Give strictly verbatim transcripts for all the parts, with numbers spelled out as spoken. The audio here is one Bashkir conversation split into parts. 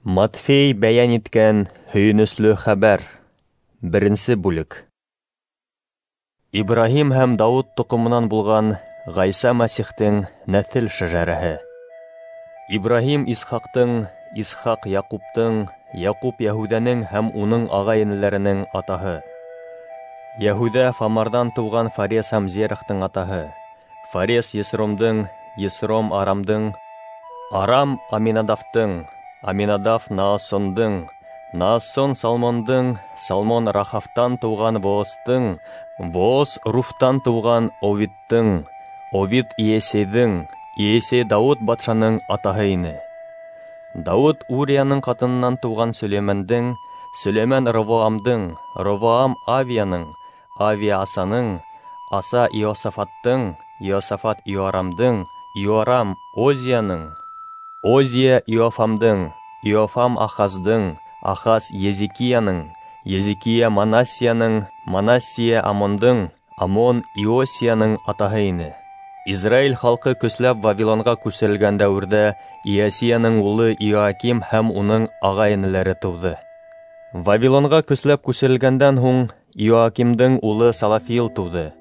Матфей бәйән иткән һөйөнөслө хәбәр. Беренсе бүлек. Ибраһим һәм Дауыт тоҡомонан булған Ғайса Мәсихтең нәҫел шәжәрәһе. Ибраһим Исхаҡтың, Исхаҡ Яҡуптың, Яҡуп Йәһүҙәнең һәм уның ағай-энеләренең атаһы. Йәһүҙә Фамарҙан тыуған Фарес һәм Зерахтың атаһы. Фарес Есромдың, Есром Арамдың, Арам Аминадавтың, Аминадав Наасондың, Наасон Салмондың, Салмон Рахавтан тыуған Воостың, Вооз Руфтан тыуған Овидтың, Овид Иесейҙең, Иесей Дауыт батшаның атаһы ине. Дауыт Урияның ҡатынынан тыуған Сөләймәндең, Сөләймән Ровоамдың, Ровоам Авияның, Авия Асаның, Аса Иосафаттың, Иосафат Иорамдың, Иорам Озияның, Озия Иофамдың, Иофам Ахаздың, Ахаз Езекияның, Езекия Манассияның, Манассия Амондың, Амон Иосияның атаһы ине. Израиль халҡы көсләп Вавилонға күсерелгән дәүерҙә Иосияның улы Иоаким һәм уның ағай-энеләре тыуҙы. Вавилонға көсләп күсерелгәндән һуң Иоакимдың улы Салафиил тыуҙы.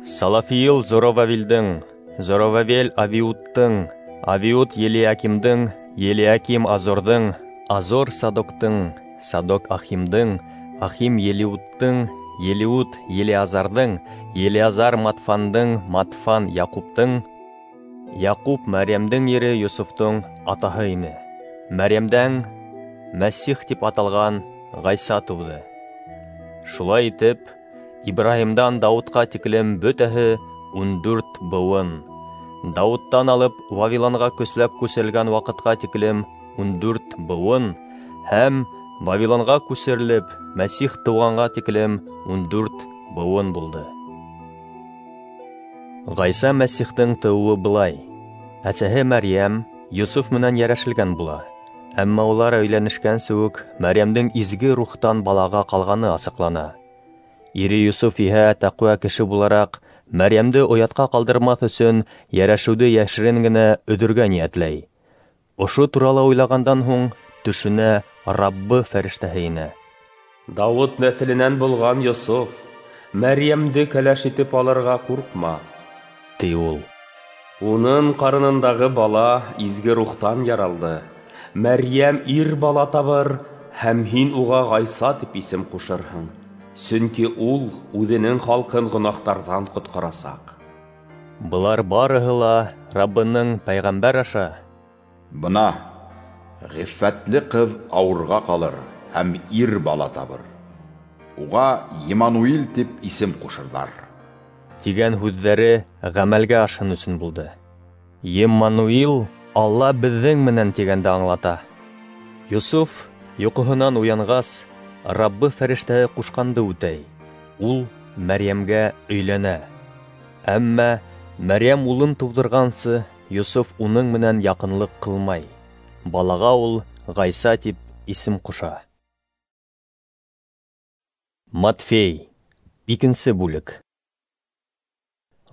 Салафиил Зоровавелдең, Зоровавел Авиудтың, Авиуд Елиакимдың, Елиаким Азорҙың, Азор Садоктың, Садок Ахимдың, Ахим Елиудтың, Елиуд Елиазарҙың, Елиазар Матфандың, Матфан Яҡуптың, Яҡуп Мәрйәмдең ире Йософтоң атаһы ине. Мәрйәмдән Мәсих тип аталған Ғайса тыуҙы. Шулай итеп, Ибраһимдан Дауытҡа тиклем бөтәһе ун дүрт быуын. Дауыттан алып Вавилонға көсләп күсерелгән ваҡытҡа тиклем ун дүрт быуын һәм Вавилонға күсерелеп Мәсих тыуғанға тиклем ун дүрт быуын булды. Ғайса Мәсихтең тыуыуы былай: әсәһе Мәрйәм Йософ менән йәрәшелгән була. Әммә улар өйләнешкәнсе үк Мәрйәмдең изге рухтан балаға ҡалғаны асыҡлана. Ире Йософ иһә тәҡүә кеше булараҡ Мәрйәмде оятҡа ҡалдырмаҫ өсөн йәрәшеүҙе йәшерен генә өҙөргә ниәтләй. Ошо турала уйлағандан һуң төшөнә Раббы фәрештәһе инә. Дауыт нәҫеленән булған Йософ, Мәрйәмде кәләш итеп алырға ҡурҡма, ти ул. Уның ҡарынындағы бала изге рухтан яралды. Мәрйәм ир бала табыр, һәм һин уға Ғайса тип исем ҡушырһың. Сөнки ул үҙенең халҡын гонаһтарҙан ҡотҡарасаҡ. Былар барыһы ла Раббының пәйғәмбәр аша: Бына ғиффәтле ҡыҙ ауырға ҡалыр һәм ир бала табыр. Уға Емануил тип исем ҡушырҙар, тигән һүҙҙәре ғәмәлгә ашһын өсөн булды. Еммануил Алла беҙҙең менән тигәнде аңлата. Йософ йоҡоһонан уянғас, Раббы фәрештәһе ҡушҡанды үтәй. Ул Мәрйәмгә өйләнә. Әммә Мәрйәм улын тыуҙырғансы Йософ уның менән яҡынлыҡ ҡылмай. Балаға ул Ғайса тип исем ҡуша. Матфей, икенсе бүлек.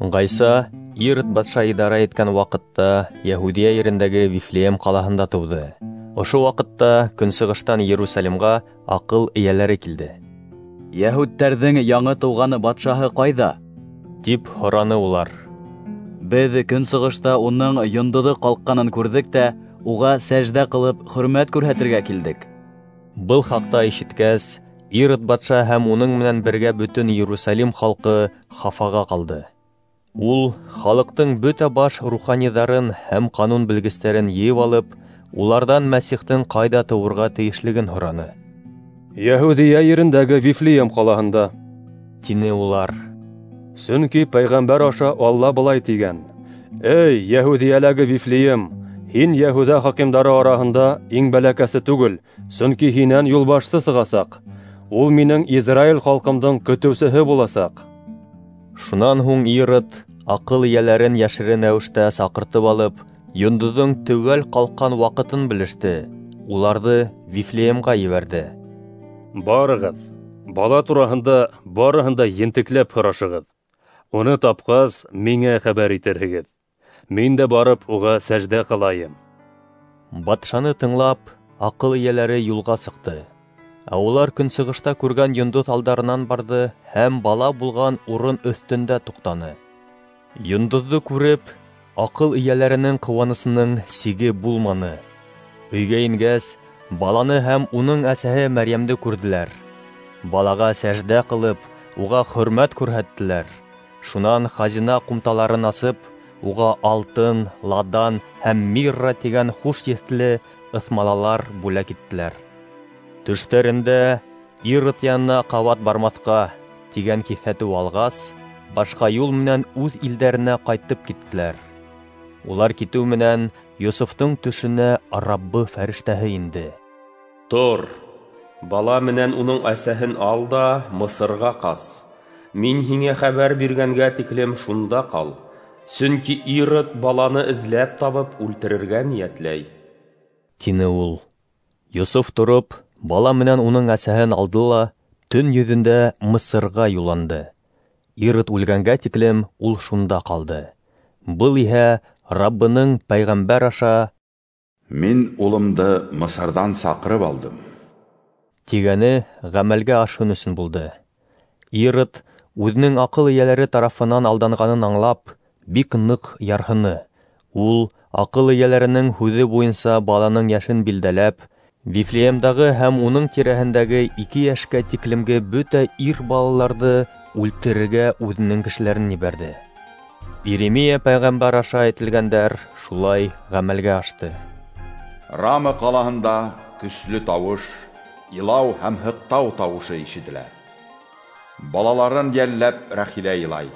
Ғайса Ирод батша идара иткән ваҡытта Йәһүдиә ерендәге Вифлеем ҡалаһында тыуҙы. Ошо ваҡытта көнсығыштан Иерусалимға аҡыл эйәләре килде. Йәһүдтәрҙең яңы тыуған батшаһы ҡайҙа? Тип һораны улар. Беҙ көнсығышта уның йондоҙо ҡалҡҡанын күрҙек тә, уға сәждә ҡылып хөрмәт күрһәтергә килдек. Был хаҡта ишеткәс, Ирод батша һәм уның менән бергә бөтөн Иерусалим халҡы хафаға ҡалды. Ул халыҡтың бөтә баш руханиҙарын һәм ҡанун белгестәрен йыйып алып, уларҙан Мәсихтең ҡайҙа тыуырға тейешлеген һораны. Йәһүҙиә ерендәге Вифлеем ҡалаһында, тине улар. Сөнки пәйғәмбәр аша Алла былай тигән: Эй, Йәһүҙиәләге Вифлеем, һин Йәһүҙә хакимдары араһында иң бәләкәсе түгел, сөнки һинән юлбашсы сығасаҡ. Ул минең Израиль халҡымдың көтөүсеһе буласаҡ. Шунан һуң Ирод аҡыл эйәләрен йәшерен рәүештә саҡыртып алып, йондоҙҙоң теүәл ҡалҡҡан ваҡытын белеште, уларҙы Вифлеемға ебәрҙе. Барығыҙ, бала тураһында барыһын да ентекләп һорашығыҙ. Уны тапҡас, миңә хәбәр итерһегеҙ. Мин дә барып уға сәждә ҡылайым. Батшаны тыңлап, аҡыл эйәләре юлға сыҡты. Ә улар көнсығышта күргән йондоҙ алдарынан барҙы һәм бала булған урын өҫтөндә туҡтаны. Йондоҙҙо күреп, аҡыл эйәләренең ҡыуанысының сиге булманы. Өйгә ингәс, баланы һәм уның әсәһе Мәрйәмде күрҙеләр. Балаға сәждә ҡылып, уға хөрмәт күрһәттеләр. Шунан хазина ҡумталарын асып, уға алтын, ладан һәм мирра тигән хуш еҫле ыҫмалалар бүләк иттеләр. Төштәрендә Ирод янына ҡабат бармаҫҡа тигән киҫәтеү алғас, башҡа юл менән үҙ илдәренә ҡайтып киттеләр. Улар китеү менән Йософтоң төшөнә Раббы фәрештәһе инде. Тор, бала менән уның әсәһен ал да Мысырға ҡас. Мин һиңә хәбәр биргәнгә тиклем шунда ҡал. Сөнки Ирод баланы эҙләп табып үлтерергә ниәтләй, тине ул. Йософ тороп, бала менән уның әсәһен алды ла төн йөҙөндә Мысырға юлланды. Ирод үлгәнгә тиклем ул шунда ҡалды. Был иһә Раббының пәйғәмбәр аша «Мин улымды Мысырҙан саҡырып алдым» тигәне ғәмәлгә ашһын өсөн булды. Ирод үҙенең аҡыл эйәләре тарафынан алданғанын аңлап, бик ныҡ ярһыны. Ул аҡыл эйәләренең һүҙе буйынса баланың йәшен билдәләп, Вифлеемдағы һәм уның тирәһендәге ике йәшкә тиклемге бөтә ир балаларҙы үлтерергә үҙенең кешеләрен ебәрҙе. Иеремия пәйғәмбәр аша әйтелгәндәр шулай ғәмәлгә ашты. Рама ҡалаһында көслө тауыш, илау һәм һыҡтау тауышы ишетелә. Балаларын йәлләп Рәхилә илай,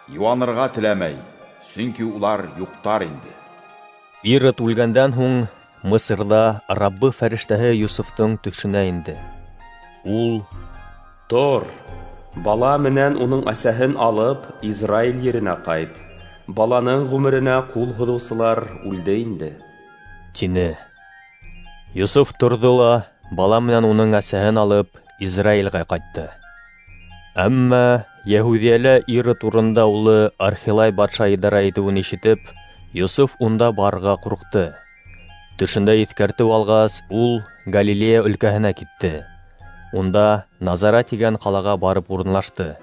йыуанырға теләмәй, сөнки улар юҡтар инде. Ирод үлгәндән һуң Мысырҙа Раббы фәрештәһе Йософтоң төшөнә инде. Ул: «Тор, бала менән уның әсәһен алып, Израиль еренә ҡайт. Баланың ғүмеренә ҡул һуҙыусылар үлде инде», тине. Йософ торҙо ла бала менән уның әсәһен алып Израилгә ҡайтты. Әммә Йәһүҙиәлә Ирод урынында улы Архилай батша идара итеүен ишетеп, Йософ унда барырға ҡурҡты. Төшөндә иҫкәртеү алғас, ул Галилея өлкәһенә китте. Унда Назара тигән ҡалаға барып урынлашты.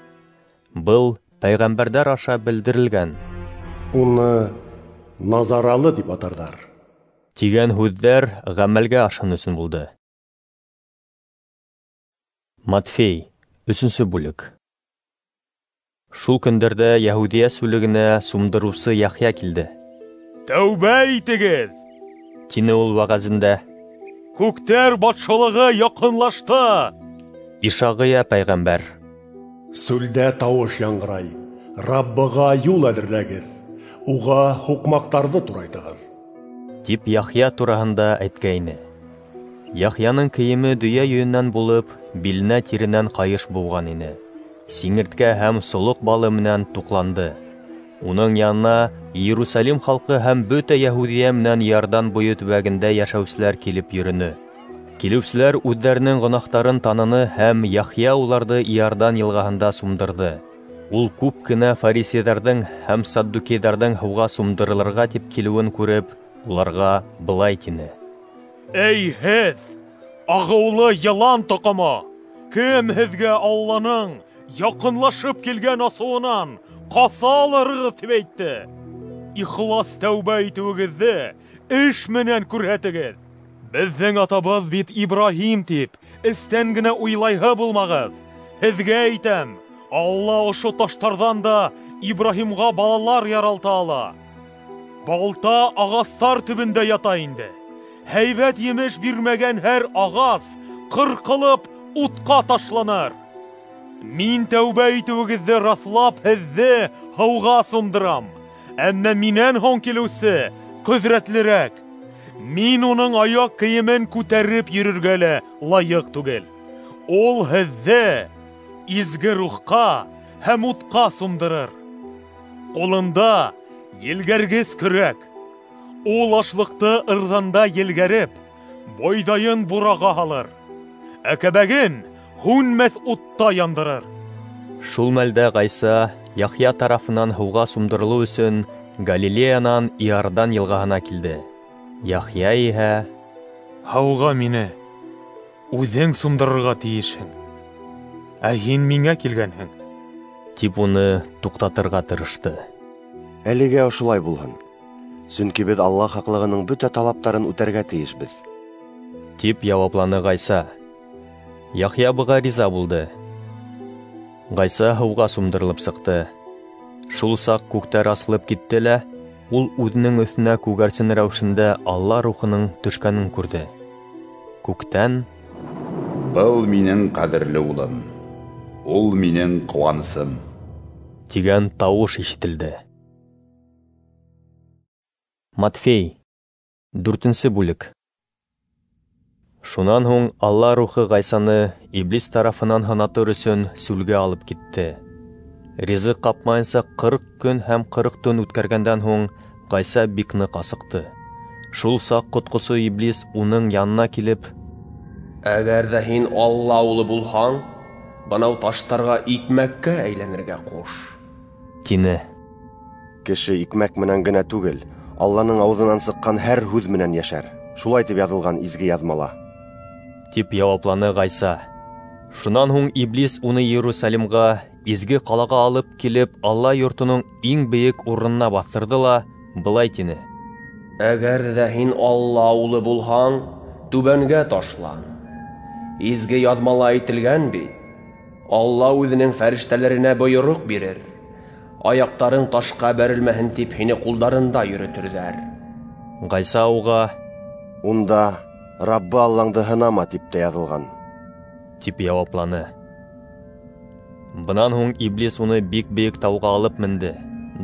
Был пәйғәмбәрҙәр аша белдерелгән «Уны Назаралы тип атарҙар» тигән һүҙҙәр ғәмәлгә ашһын өсөн булды. Матфей, өсөнсө бүлек. Шул көндәрҙә Йәһүҙиә сүлегенә сумдырыусы Яхъя килде. «Тәүбә итегеҙ!» тине ул вәғәзендә. «Күктәр батшалығы яҡынлашты!» Ишағия пәйғәмбәр: «Сүлдә тауыш яңғырай, Раббыға юл әҙерләгеҙ, уға һуҡмаҡтарҙы турайтығыҙ», тип Яхъя тураһында әйткәйне. Яхъяның кейеме дөйә йөнөнән булып, биленә тиренән ҡайыш быуған ине. Сиңерткә һәм солоҡ балы менән туҡланды. Уның янына Иерусалим халҡы һәм бөтә Йәһүҙиә менән Иордан буйы төбәгендә йәшәүселәр килеп йөрөнө. Килеүселәр үҙҙәренең гонаһтарын таныны һәм Яхъя уларҙы Иордан йылғаһында сумдырҙы. Ул күп кенә фарисейҙарҙың һәм саддукейҙарҙың һыуға сумдырылырға тип килеүен күреп, уларға былай тине: «Эй һеҙ, ағыулы йылан тоҡомо! Кем һеҙгә Алланың яҡынлашып килгән асыуынан ҡаса алырығыҙ тип әйтте? Ихлас тәүбә итеүегеҙҙе эш менән күрһәтегеҙ. Беҙҙең атабыҙ бит Ибраһим тип эстән генә уйлайһы булмағыҙ. Һеҙгә әйтәм, Алла ошо таштарҙан да Ибраһимға балалар яралта ала. Балта ағастар төбөндә ята инде. Һәйбәт емеш бирмәгән һәр ағас ҡырҡылып утҡа ташланыр. Мин тәүбә итеүегеҙҙе раҫлап һеҙҙе һыуға сумдырам. Әммә минән һуң килеүсе ҡөҙрәтлерәк. Мин уның аяҡ кейемен күтәреп йөрөргә лә лайыҡ түгел. Ул һеҙҙе изге рухҡа һәм утҡа сумдырыр. Ҡулында елгәргес көрәк. Ул ашлыҡты ырҙанда елгәреп, бойҙайын бураға һалыр, ә кәбәген һүнмәҫ утта яндырыр». Шул мәлдә Ғайса Яхъя тарафынан һыуға сумдырылыу өсөн Галилеянан Иордан йылғаһына килде. Яхъя иһә: Һыуға мине үҙең сумдырырға тейешһең, ә һин миңә килгәнһең, тип уны туҡтатырға тырышты. Әлегә ошолай булһын, сөнки беҙ Алла хаҡлығының бөтә талаптарын үтәргә тейешбеҙ, тип яуапланы Ғайса. Яхъя быға риза булды. Ғайса һыуға сумдырылып сыҡты. Шул саҡ күктәр асылып китте лә, ул үҙенең өҫтөнә күгәрсен рәүешендә Алла рухының төшкәнен күрҙе. Күктән: "Был минең ҡәҙерле улым, ул минең ҡыуанысым", тигән тауыш ишетелде. Матфей, дүртенсе бүлек. Шунан һуң Алла рухы Ғайсаны иблис тарафынан һынатыр өсөн сүлгә алып китте. Ризыҡ ҡапмайынса ҡырҡ көн һәм ҡырҡ төн үткәргәндән һуң Ғайса бик ныҡ асыҡты. Шул саҡ ҡотҡосо иблис уның янына килеп: "Әгәр ҙә һин Алла улы булһаң, бынау таштарға икмәккә әйләнергә ҡуш", тине. Кеше икмәк менән генә түгел, Алланың ауыҙынан сыҡҡан һәр һүҙ менән йәшәр. Шулай тип яҙылған изге яҙмала, тип яуапланы Ғайса. Шунан һуң иблис уны Иерусалимға, изге ҡалаға алып килеп, Алла йортоноң иң бейек урынына баҫтырҙы ла былай тине: "Әгәр ҙә һин Алла улы булһаң, түбәнгә ташлан. Изге яҙмала әйтелгән бит: Алла үҙенең фәрештәләренә бойороҡ бирер, аяҡтарың ташҡа бәрелмәһен тип һине ҡулдарында йөрөтөрҙәр." Ғайса уға: "Унда Раббы Аллаңды һынама тип тә яҙылған", тип яуапланы. Бынан һуң иблис уны бик бейек тауға алып менде.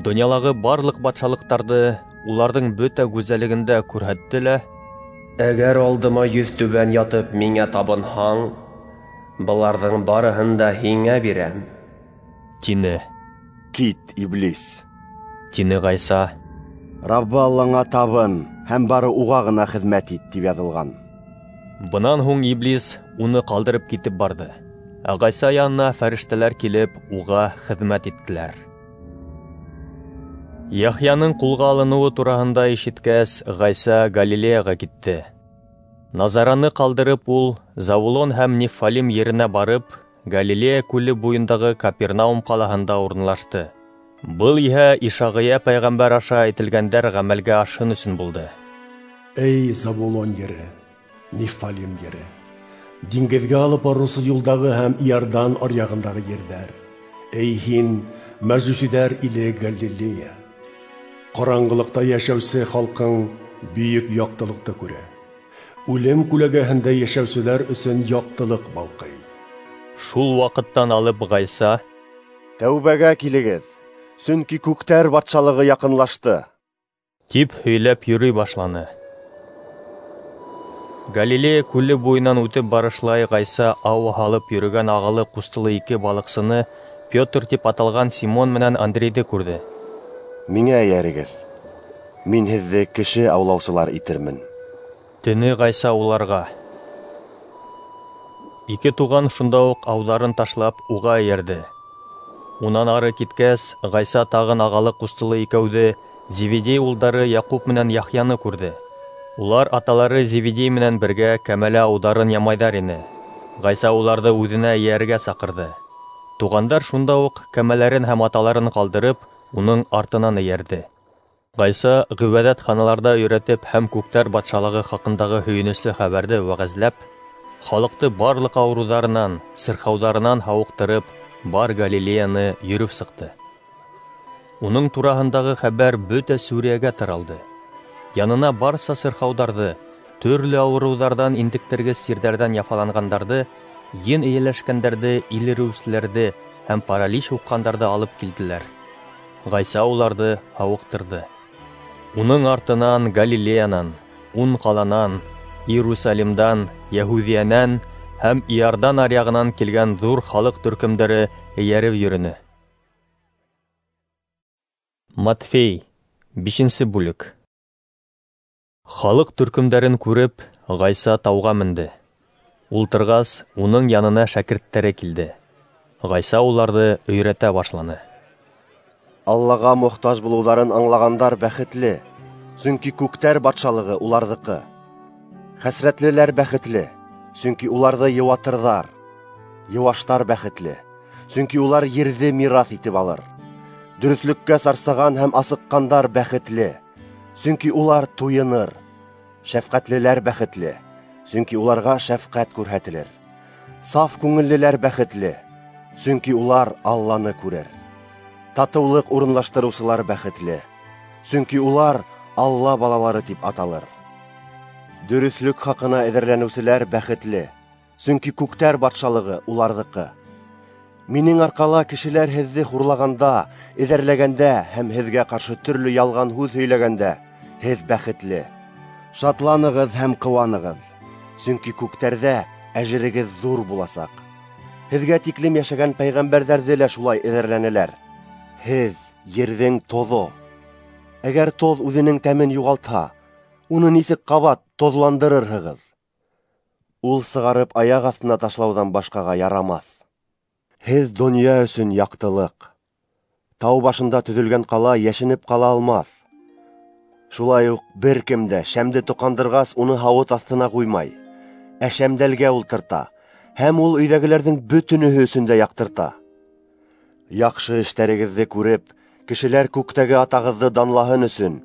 Донъялағы барлыҡ батшалыҡтарҙы, уларҙың бөтә гүзәллеген дә күрһәтте лә: "Әгәр алдыма йөҙ түбән ятып миңә табынһаң, быларҙың барыһын да һиңә бирәм", тине. "Кит, иблис", тине Ғайса. "Раббы Аллаңа табын һәм бары уға ғына хеҙмәт ит тип яҙылған." Бынан һуң иблис уны ҡалдырып китеп барҙы. Ә Ғайса янына фәрештәләр килеп уға хеҙмәт иттеләр. Яхъяның ҡулға алыныуы тураһында ишеткәс, Ғайса Галилеяға китте. Назараны ҡалдырып, ул Завулон һәм Неффалим еренә барып, Галилея күле буйындағы Капернаум ҡалаһында урынлашты. Был иһә Ишағия пәйғәмбәр аша әйтелгәндәр ғәмәлгә ашһын өсөн булды. Эй, Завулон ере, Неффалим ере, диңгеҙгә алып барыусы юлдағы һәм Иордан аръяғындағы ерҙәр, эй һин, мәжүсиҙәр иле Галилея, ҡараңғылыҡта йәшәүсе халҡың бөйөк яҡтылыҡты күрә. Үлем күләгәһендә йәшәүселәр өсөн яҡтылыҡ балҡый. Шул ваҡыттан алып Ғайса: "Тәүбәгә килегеҙ, сөнки күктәр батшалығы яҡынлашты", тип һөйләп йөрөй башланы. Галилея күле буйынан үтеп барышлай Ғайса ау һалып йөрөгән ағалы ҡустылы ике балыҡсыны, Петр тип аталған Симон менән Андрейҙы күрҙе. "Миңә эйәрегеҙ, мин һеҙҙе кеше аулаусылар итермен", тине Ғайса уларға. Ике туған шунда уҡ ауҙарын ташлап уға эйәрҙе. Унан ары киткәс, Ғайса тағын ағалы ҡустылы икәүҙе, Зеведей улдары Яҡуп менән Яхъяны күрҙе. Улар аталары Зеведей менән бергә кәмәлә ауҙарын ямайҙар ине. Ғайса уларҙы үҙенә эйәрергә саҡырҙы. Туғандар шунда уҡ кәмәләрен һәм аталарын ҡалдырып, уның артынан эйәрҙе. Ғайса ғибәҙәтханаларҙа өйрәтеп һәм күктәр батшалығы хаҡындағы һөйөнөслө хәбәрҙе вәғәзләп, халыҡты барлыҡ ауырыуҙарынан, сырхауҙарынан һауыҡтырып, бар Галилеяны йөрөп сыҡты. Уның тураһындағы хәбәр бөтә Сүриәгә таралды. Янына барса сырхауҙарҙы, төрлө ауырыуҙарҙан интектергес сирҙәрҙән яфаланғандарҙы, ен эйәләшкәндәрҙе, илереүселәрҙе һәм паралич һуҡҡандарҙы алып килделәр. Ғайса уларҙы һауыҡтырҙы. Уның артынан Галилеянан, ун ҡаланан, Иерусалимдан, Йәһүҙиәнән һәм Иордан аръяғынан килгән ҙур халыҡ төркөмдәре эйәреп йөрөнө. Матфей, бишенсе бүлек. Халыҡ төркөмдәрен күреп, Ғайса тауға менде. Ултырғас, уның янына шәкерттәре килде. Ғайса уларҙы өйрәтә башланы. Аллаға мохтаж булыуҙарын аңлағандар бәхетле, сөнки күктәр батшалығы уларҙыҡы. Хәсрәтлеләр бәхетле, сөнки уларҙы йыуатырҙар. Йыуаштар бәхетле, сөнки улар ерҙе мираҫ итеп алыр. Дөрөҫлөккә сарсаған һәм асыҡҡандар бәхетле, сөнки улар туйыныр. Шәфҡәтлеләр бәхетле, сөнки уларға шәфҡәт күрһәтелер. Саф күңеллеләр бәхетле, сөнки улар Алланы күрер. Татыулыҡ урынлаштырыусылар бәхетле, сөнки улар Алла балалары тип аталыр. Дөрөҫлөк хаҡына эҙәрләнеүселәр бәхетле, сөнки күктәр батшалығы уларҙыҡы. Минең арҡала кешеләр һеҙҙе хурлағанда, эҙәрләгәндә һәм һеҙгә ҡаршы төрлө ялған һүҙ һөйләгәндә, һеҙ бәхетле. Шатланығыҙ һәм ҡыуанығыҙ, сөнки күктәрҙә әжерегеҙ ҙур буласаҡ. Һеҙгә тиклем йәшәгән пәйғәмбәрҙәрҙе лә шулай эҙәрләнеләр. Һеҙ ерҙең тоҙо. Әгәр тоҙ үҙенең тәмен юғалтһа, уны нисек ҡабат тоҙландырырһығыҙ? Ул сығарып аяҡ аҫтына ташлауҙан башҡаға ярамаҫ. Һеҙ донъя өсөн яҡтылыҡ. Тау башында төҙөлгән ҡала йәшенеп ҡала алмаҫ. Шулай уҡ бер кем дә шәмде тоҡандырғас уны һауыт аҫтына ҡуймай, ә шәмдәлгә ултырта, һәм ул өйҙәгеләрҙең бөтөнөһө өсөн дә яҡтырта. Яҡшы эштәрегеҙҙе күреп, кешеләр күктәге атағыҙҙы данлаһын өсөн,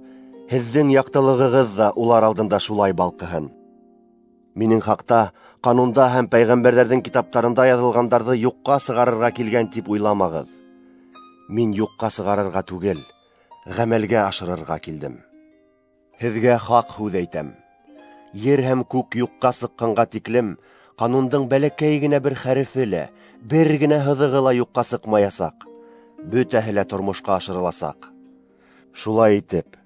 һеҙҙең яҡтылығығыҙ ҙа улар алдында шулай балҡыһын. Минең хаҡта ҡанунда һәм пәйғәмбәрҙәрҙең китаптарында яҙылғандарҙы юҡҡа сығарырға килгән тип уйламағыҙ. Мин юҡҡа сығарырға түгел, ғәмәлгә ашырырға килдем. Һеҙгә хаҡ һүҙ әйтәм. Ер һәм күк юҡҡа сыҡҡанға тиклем ҡанундың бәләкәй генә бер хәрефе лә, бер генә һыҙығы ла юҡҡа сыҡмаясаҡ. Бөтәһе лә тормошҡа ашырыласаҡ. Шулай итеп,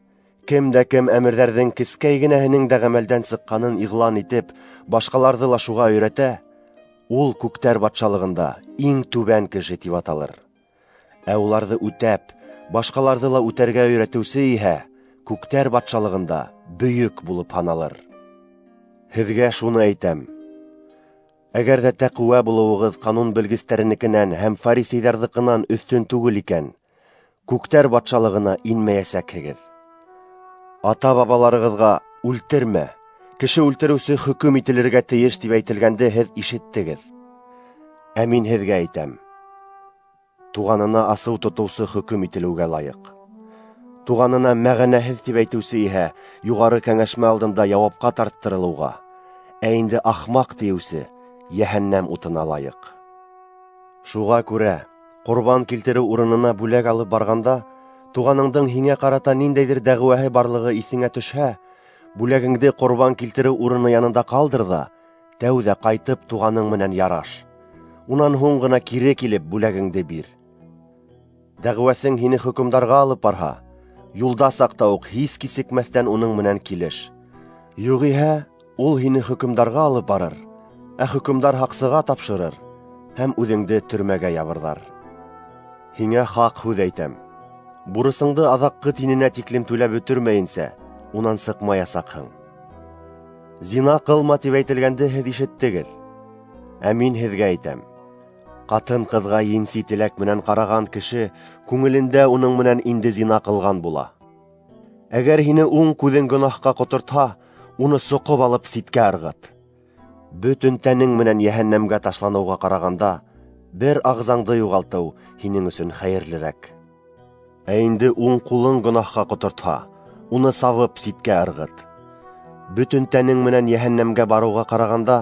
кем дә кем әмерҙәрҙең кескәй генәһенең дә ғәмәлдән сыҡҡанын иғлан итеп, башҡаларҙы ла шуға өйрәтә, ул күктәр батшалығында иң түбән кеше тип аталыр. Ә уларҙы үтәп, башҡаларҙы ла үтәргә өйрәтеүсе иһә күктәр батшалығында бөйөк булып һаналыр. Һеҙгә шуны әйтәм: әгәр ҙә тәҡүә булыуығыҙ ҡанун белгестәренекенән һәм фарисейҙарҙыҡынан өҫтөн түгел икән, күктәр батшалығына инмәйәсәкһегеҙ. Ата-бабаларығыҙға үлтермә, кеше үлтереүсе хөкөм ителергә тейеш тип әйтелгәнде һеҙ ишеттегеҙ. Ә мин һеҙгә әйтәм: туғанына асыу тотоусы хөкөм ителеүгә лайыҡ. Туғанына мәғәнәһеҙ тип әйтеүсе иһә юғары кәңәшмә алдында яуапҡа тарттырылыуға, ә инде ахмаҡ тиеүсе йәһәннәм утына лайыҡ. Шуға күрә ҡорбан килтереү урынына бүләк алып барғанда, туғаныңдың һиңә ҡарата ниндәйҙер дәғүәһе барлығы иҫеңә төшһә, бүләгеңде ҡорбан килтереү урыны янында ҡалдыр ҙа, тәүҙә ҡайтып туғаның менән яраш. Унан һуң ғына кире килеп бүләгеңде бир. Дәғүәсең һине хөкөмдарға алып барһа, юлда саҡта уҡ һис кисекмәҫтән уның менән килеш. Юғиһә, ул һине хөкөмдарға алып барыр, ә хөкөмдар һаҡсыға тапшырыр һәм үҙеңде төрмәгә ябырҙар. Һиңә хаҡ һүҙ әйтәм: бурысыңды аҙаҡҡы тиненә тиклем түләп бөтөрмәйенсә, унан сыҡмаясаҡһың. Зина ҡылма тип әйтелгәнде һеҙ ишеттегеҙ. Ә мин һеҙгә әйтәм: ҡатын-ҡыҙға енси теләк менән ҡараған кеше күңелендә уның менән инде зина ҡылған була. Әгәр һине уң күҙең гонаһҡа ҡотортһа, уны соҡоп алып ситкә ырғыт. Бөтөн тәнең менән йәһәннәмгә ташланыуға ҡарағанда, бер ағзаңды юғалтыу һинең өсөн хәйерлерәк. Ә инде уң ҡулың гонаһҡа ҡотортһа, уны сабып ситкә ырғыт. Бөтөн тәнең менән йәһәннәмгә барыуға ҡарағанда,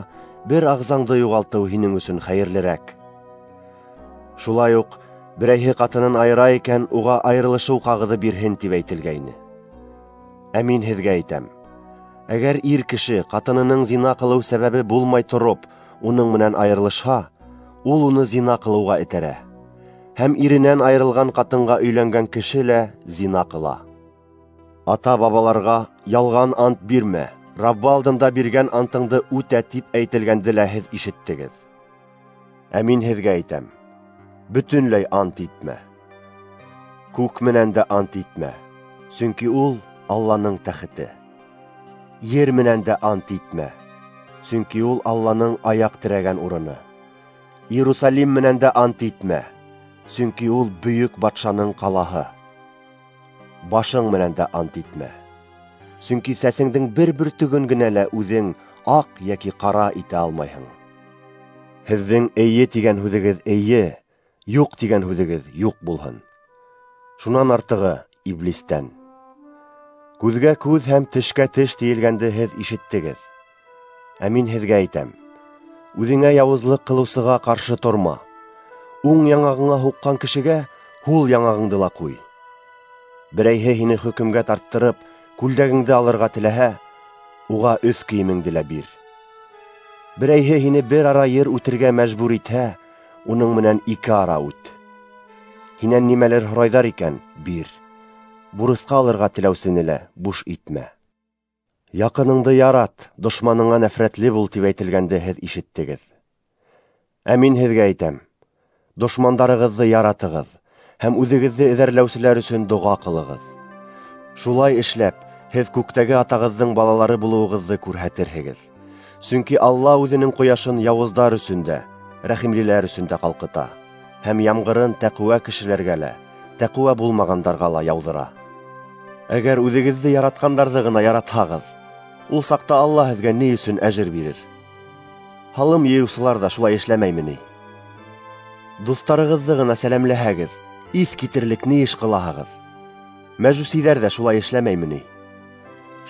бер ағзаңды юғалтыу һинең өсөн хәйерлерәк. Шулай уҡ берәйһе ҡатынын айыра икән, уға айырылышыу ҡағыҙы бирһен тип әйтелгәйне. Ә мин һеҙгә әйтәм: әгәр ир кеше ҡатынының зина ҡылыу сәбәбе булмай тороп, уның менән айырылышһа, ул уны зина ҡылыуға этәрә. Һәм иренән айырылған ҡатынға өйләнгән кеше лә зина ҡыла. Ата-бабаларға ялған ант бирмә, Раббы алдында биргән антыңды үтә тип әйтелгәнде лә һеҙ ишеттегеҙ. Ә мин һеҙгә әйтәм: бөтөнләй ант итмә. Күк менән дә ант итмә, сөнки ул Алланың тәхете. Ер менән дә ант итмә, сөнки ул Алланың аяҡ терәгән урыны. Иерусалим менән дә ант итмә, сөнки ул бөйөк батшаның ҡалаһы. Башың менән дә ант итмә, сөнки сәсеңдең бер бөртөгөн генә лә үҙең Аҡ йәки ҡара итә алмайһың. Һеҙҙең эйе тигән һүҙегеҙ эйе, юҡ тигән һүҙегеҙ юҡ булһын. Шунан артығы иблистән. Күҙгә күҙ һәм тешкә теш тейелгәнде һеҙ ишеттегеҙ. Ә мин һеҙгә әйтәм: үҙеңә яуызлыҡ ҡылыусыға ҡаршы торма. Уң яңағыңа һуҡҡан кешегә һул яңағыңды ла ҡуй. Берәйһе һине хөкөмгә тарттырып, күлдәгеңде алырға теләһә, уға өҫ кейемеңде лә бир. Берәйһе һине бер ара ер үтергә мәжбүр итһә, уның менән ике ара үт. Һинән нимәлер һорайҙар икән, бир. Бурысҡа алырға теләүсене лә буш итмә. Яҡыныңды ярат, дошманыңа нәфрәтле бул тип әйтелгәнде һеҙ ишеттегеҙ. Ә мин һеҙгә әйтәм: дошмандарығыҙҙы яратығыҙ һәм үҙегеҙҙе эҙәрләүселәр өсөн доға ҡылығыҙ. Шулай эшләп, һеҙ күктәге атағыҙҙың балалары булыуығыҙҙы күрһәтерһегеҙ. Сөнки Алла үҙенең ҡояшын яуыздар өсөн дә, рәхимлеләр өсөн дә ҡалҡыта, һәм ямғырын тәҡүә кешеләргә лә, тәҡүә булмағандарға ла яуҙыра. Әгәр үҙегеҙҙе яратҡандарҙы ғына яратһағыҙ, ул саҡта Алла һеҙгә ни өсөн әжер бирер? Һалым йыйыусылар ҙа шулай эшләмәйме ни? Дуҫтарығыҙҙы ғына сәләмләһәгеҙ, иҫ китерлек ни эш ҡылаһығыҙ? Мәжүсиҙәр дә шулай эшләмәйме ни?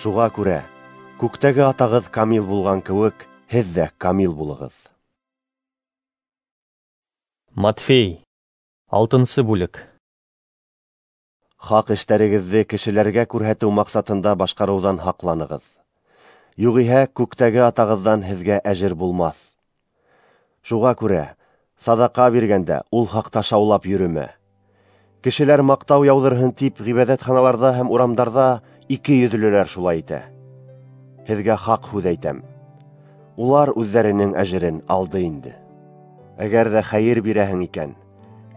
Шуға күрә, күктәге атағыҙ камил булған кеүек, һеҙ ҙә камил булығыҙ. Матфей, алтынсы бүлек. Хаҡ эштәрегеҙҙе кешеләргә күрһәтеү маҡсатында башҡарыуҙан һаҡланығыҙ. Юғиһә күктәге атағыҙҙан һеҙгә әжер булмаҫ. Шуға күрә, саҙаҡа биргәндә ул хаҡта шаулап йөрөмә. Кешеләр маҡтау яуҙырһын тип ғибәҙәтханаларҙа һәм урамдарҙа ике йөҙлөләр шулай итә. Һеҙгә хаҡ һүҙ әйтәм: улар үҙҙәренең әжерен алды инде. Әгәр ҙә хәйер бирәһең икән,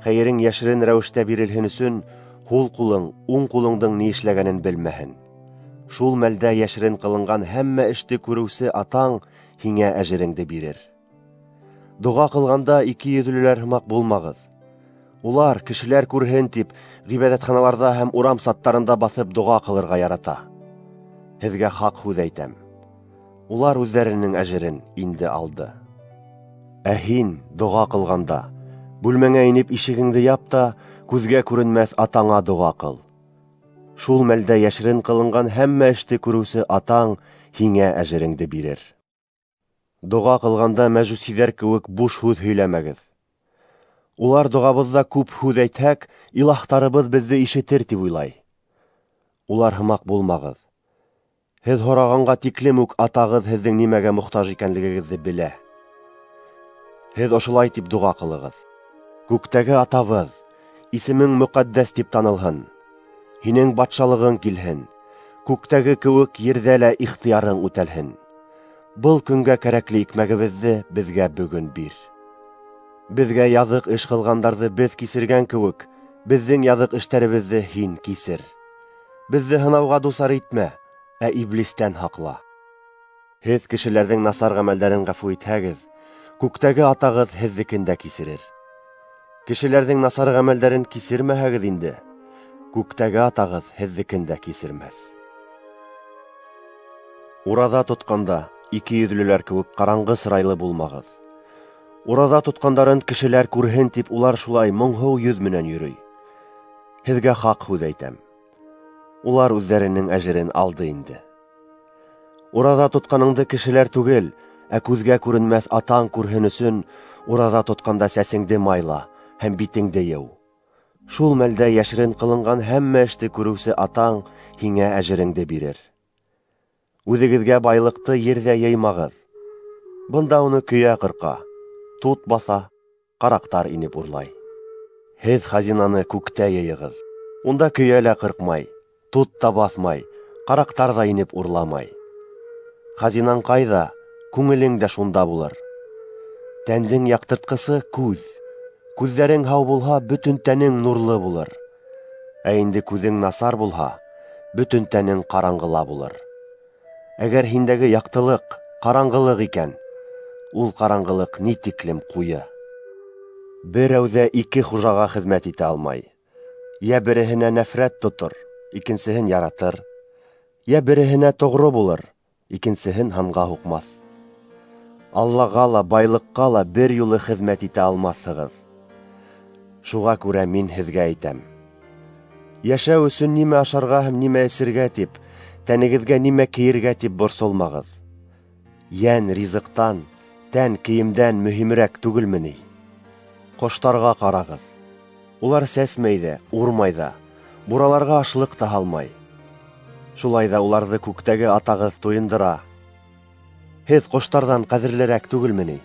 хәйерең йәшерен рәүештә бирелһен өсөн, һул ҡулың уң ҡулыңдың ни эшләгәнен белмәһен. Шул мәлдә йәшерен ҡылынған һәммә эште күреүсе атаң һиңә әжереңде бирер. Доға ҡылғанда ике йөҙлөләр һымаҡ булмағыҙ. Улар кешеләр күрһен тип ғибәҙәтханаларҙа һәм урам саттарында баҫып доға ҡылырға ярата. Һеҙгә хаҡ һүҙ әйтәм: улар үҙҙәренең әжерен инде алды. Ә һин доға ҡылғанда, бүлмәңә инеп ишегеңде яп та, күҙгә күренмәҫ атаңа доға ҡыл. Шул мәлдә йәшерен ҡылынған һәммә эште күреүсе атаң һиңә әжереңде бирер. Доға ҡылғанда мәжүсиҙәр кеүек буш һүҙ һөйләмәгеҙ. Улар доғабыҙҙа күп һүҙ әйтһәк, илаһтарыбыҙ беҙҙе ишетер тип уйлай. Улар һымаҡ булмағыҙ. Һеҙ һорағанға тиклем үк атағыҙ һеҙҙең нимәгә мохтаж икәнлегегеҙҙе белә. Һеҙ ошолай тип доға ҡылығыҙ: Күктәге атабыҙ, исемең мөҡәддәс тип танылһын. Һинең батшалығың килһен. Күктәге кеүек ерҙә лә ихтыярың үтәлһен. Был көнгә кәрәкле икмәгебеҙҙе беҙгә бөгөн бир. Беҙгә яҙыҡ эш ҡылғандарҙы беҙ кисергән кеүек, беҙҙең яҙыҡ эштәребеҙҙе һин кисер. Беҙҙе һынауға дусар итмә, ә иблистән һаҡла. Һеҙ кешеләрҙең насар ғәмәлдәрен ғәфү итһәгеҙ, күктәге атағыҙ һеҙҙекен дә кисерер. Кешеләрҙең насар ғәмәлдәрен кисермәһәгеҙ инде, күктәге атағыҙ һеҙҙекен дә кисермәҫ. Ураҙа тотҡанда ике йөҙлөләр кеүек ҡараңғы сырайлы булмағыҙ. Ураҙа тотҡандарын кешеләр күрһен тип улар шулай моңһоу йөҙ менән йөрөй. Һеҙгә хаҡ һүҙ әйтәм: улар үҙҙәренең әжерен алды инде. Ураҙа тотҡаныңды кешеләр түгел, ә күҙгә күренмәҫ атаң күрһен өсөн, ураҙа тотҡанда сәсеңде майла һәм битеңде йыу. Шул мәлдә йәшерен ҡылынған һәммә эште күреүсе атаң һиңә әжереңде бирер. Үҙегеҙгә байлыҡты ерҙә йыймағыҙ. Бында уны көйә ҡырҡа, тут баҫа, ҡараҡтар инеп урлай. Һеҙ хазинаны күктә йыйығыҙ. Унда көйә лә ҡырҡмай, тут та баҫмай, ҡараҡтар ҙа инеп урламай. Хазинаң ҡайҙа, күңелең дә шунда булыр. Тәндең яҡтыртҡысы күҙ. Күҙҙәрең һау булһа, бөтөн тәнең нурлы булыр. Ә инде күҙең насар булһа, бөтөн тәнең ҡараңғыла булыр. Әгәр һиндәге яҡтылыҡ ҡараңғылыҡ икән, ул ҡараңғылыҡ ни тиклем ҡуйы. Берәү ҙә ике хужаға хеҙмәт итә алмай. Йә береһенә нәфрәт тотор, икенсеһен яратыр. Йә береһенә тоғро булыр, икенсеһен һанға һуҡмаҫ. Аллаға ла, байлыҡҡа ла бер юлы хеҙмәт итә алмаҫһығыҙ. Шуға күрә мин һеҙгә әйтәм: йәшәү өсөн нимә ашарға һәм нимә эсергә тип, тәнегеҙгә нимә кейергә тип борсолмағыҙ. Йән ризыҡтан, тән кейемдән мөһимерәк түгелме ни? Ҡоштарға ҡарағыҙ. Улар сәсмәй ҙә, урмай ҙа, бураларға ашлыҡ та һалмай. Шулай ҙа уларҙы күктәге атағыҙ туйындыра. Һеҙ ҡоштарҙан ҡәҙерлерәк түгелме ни?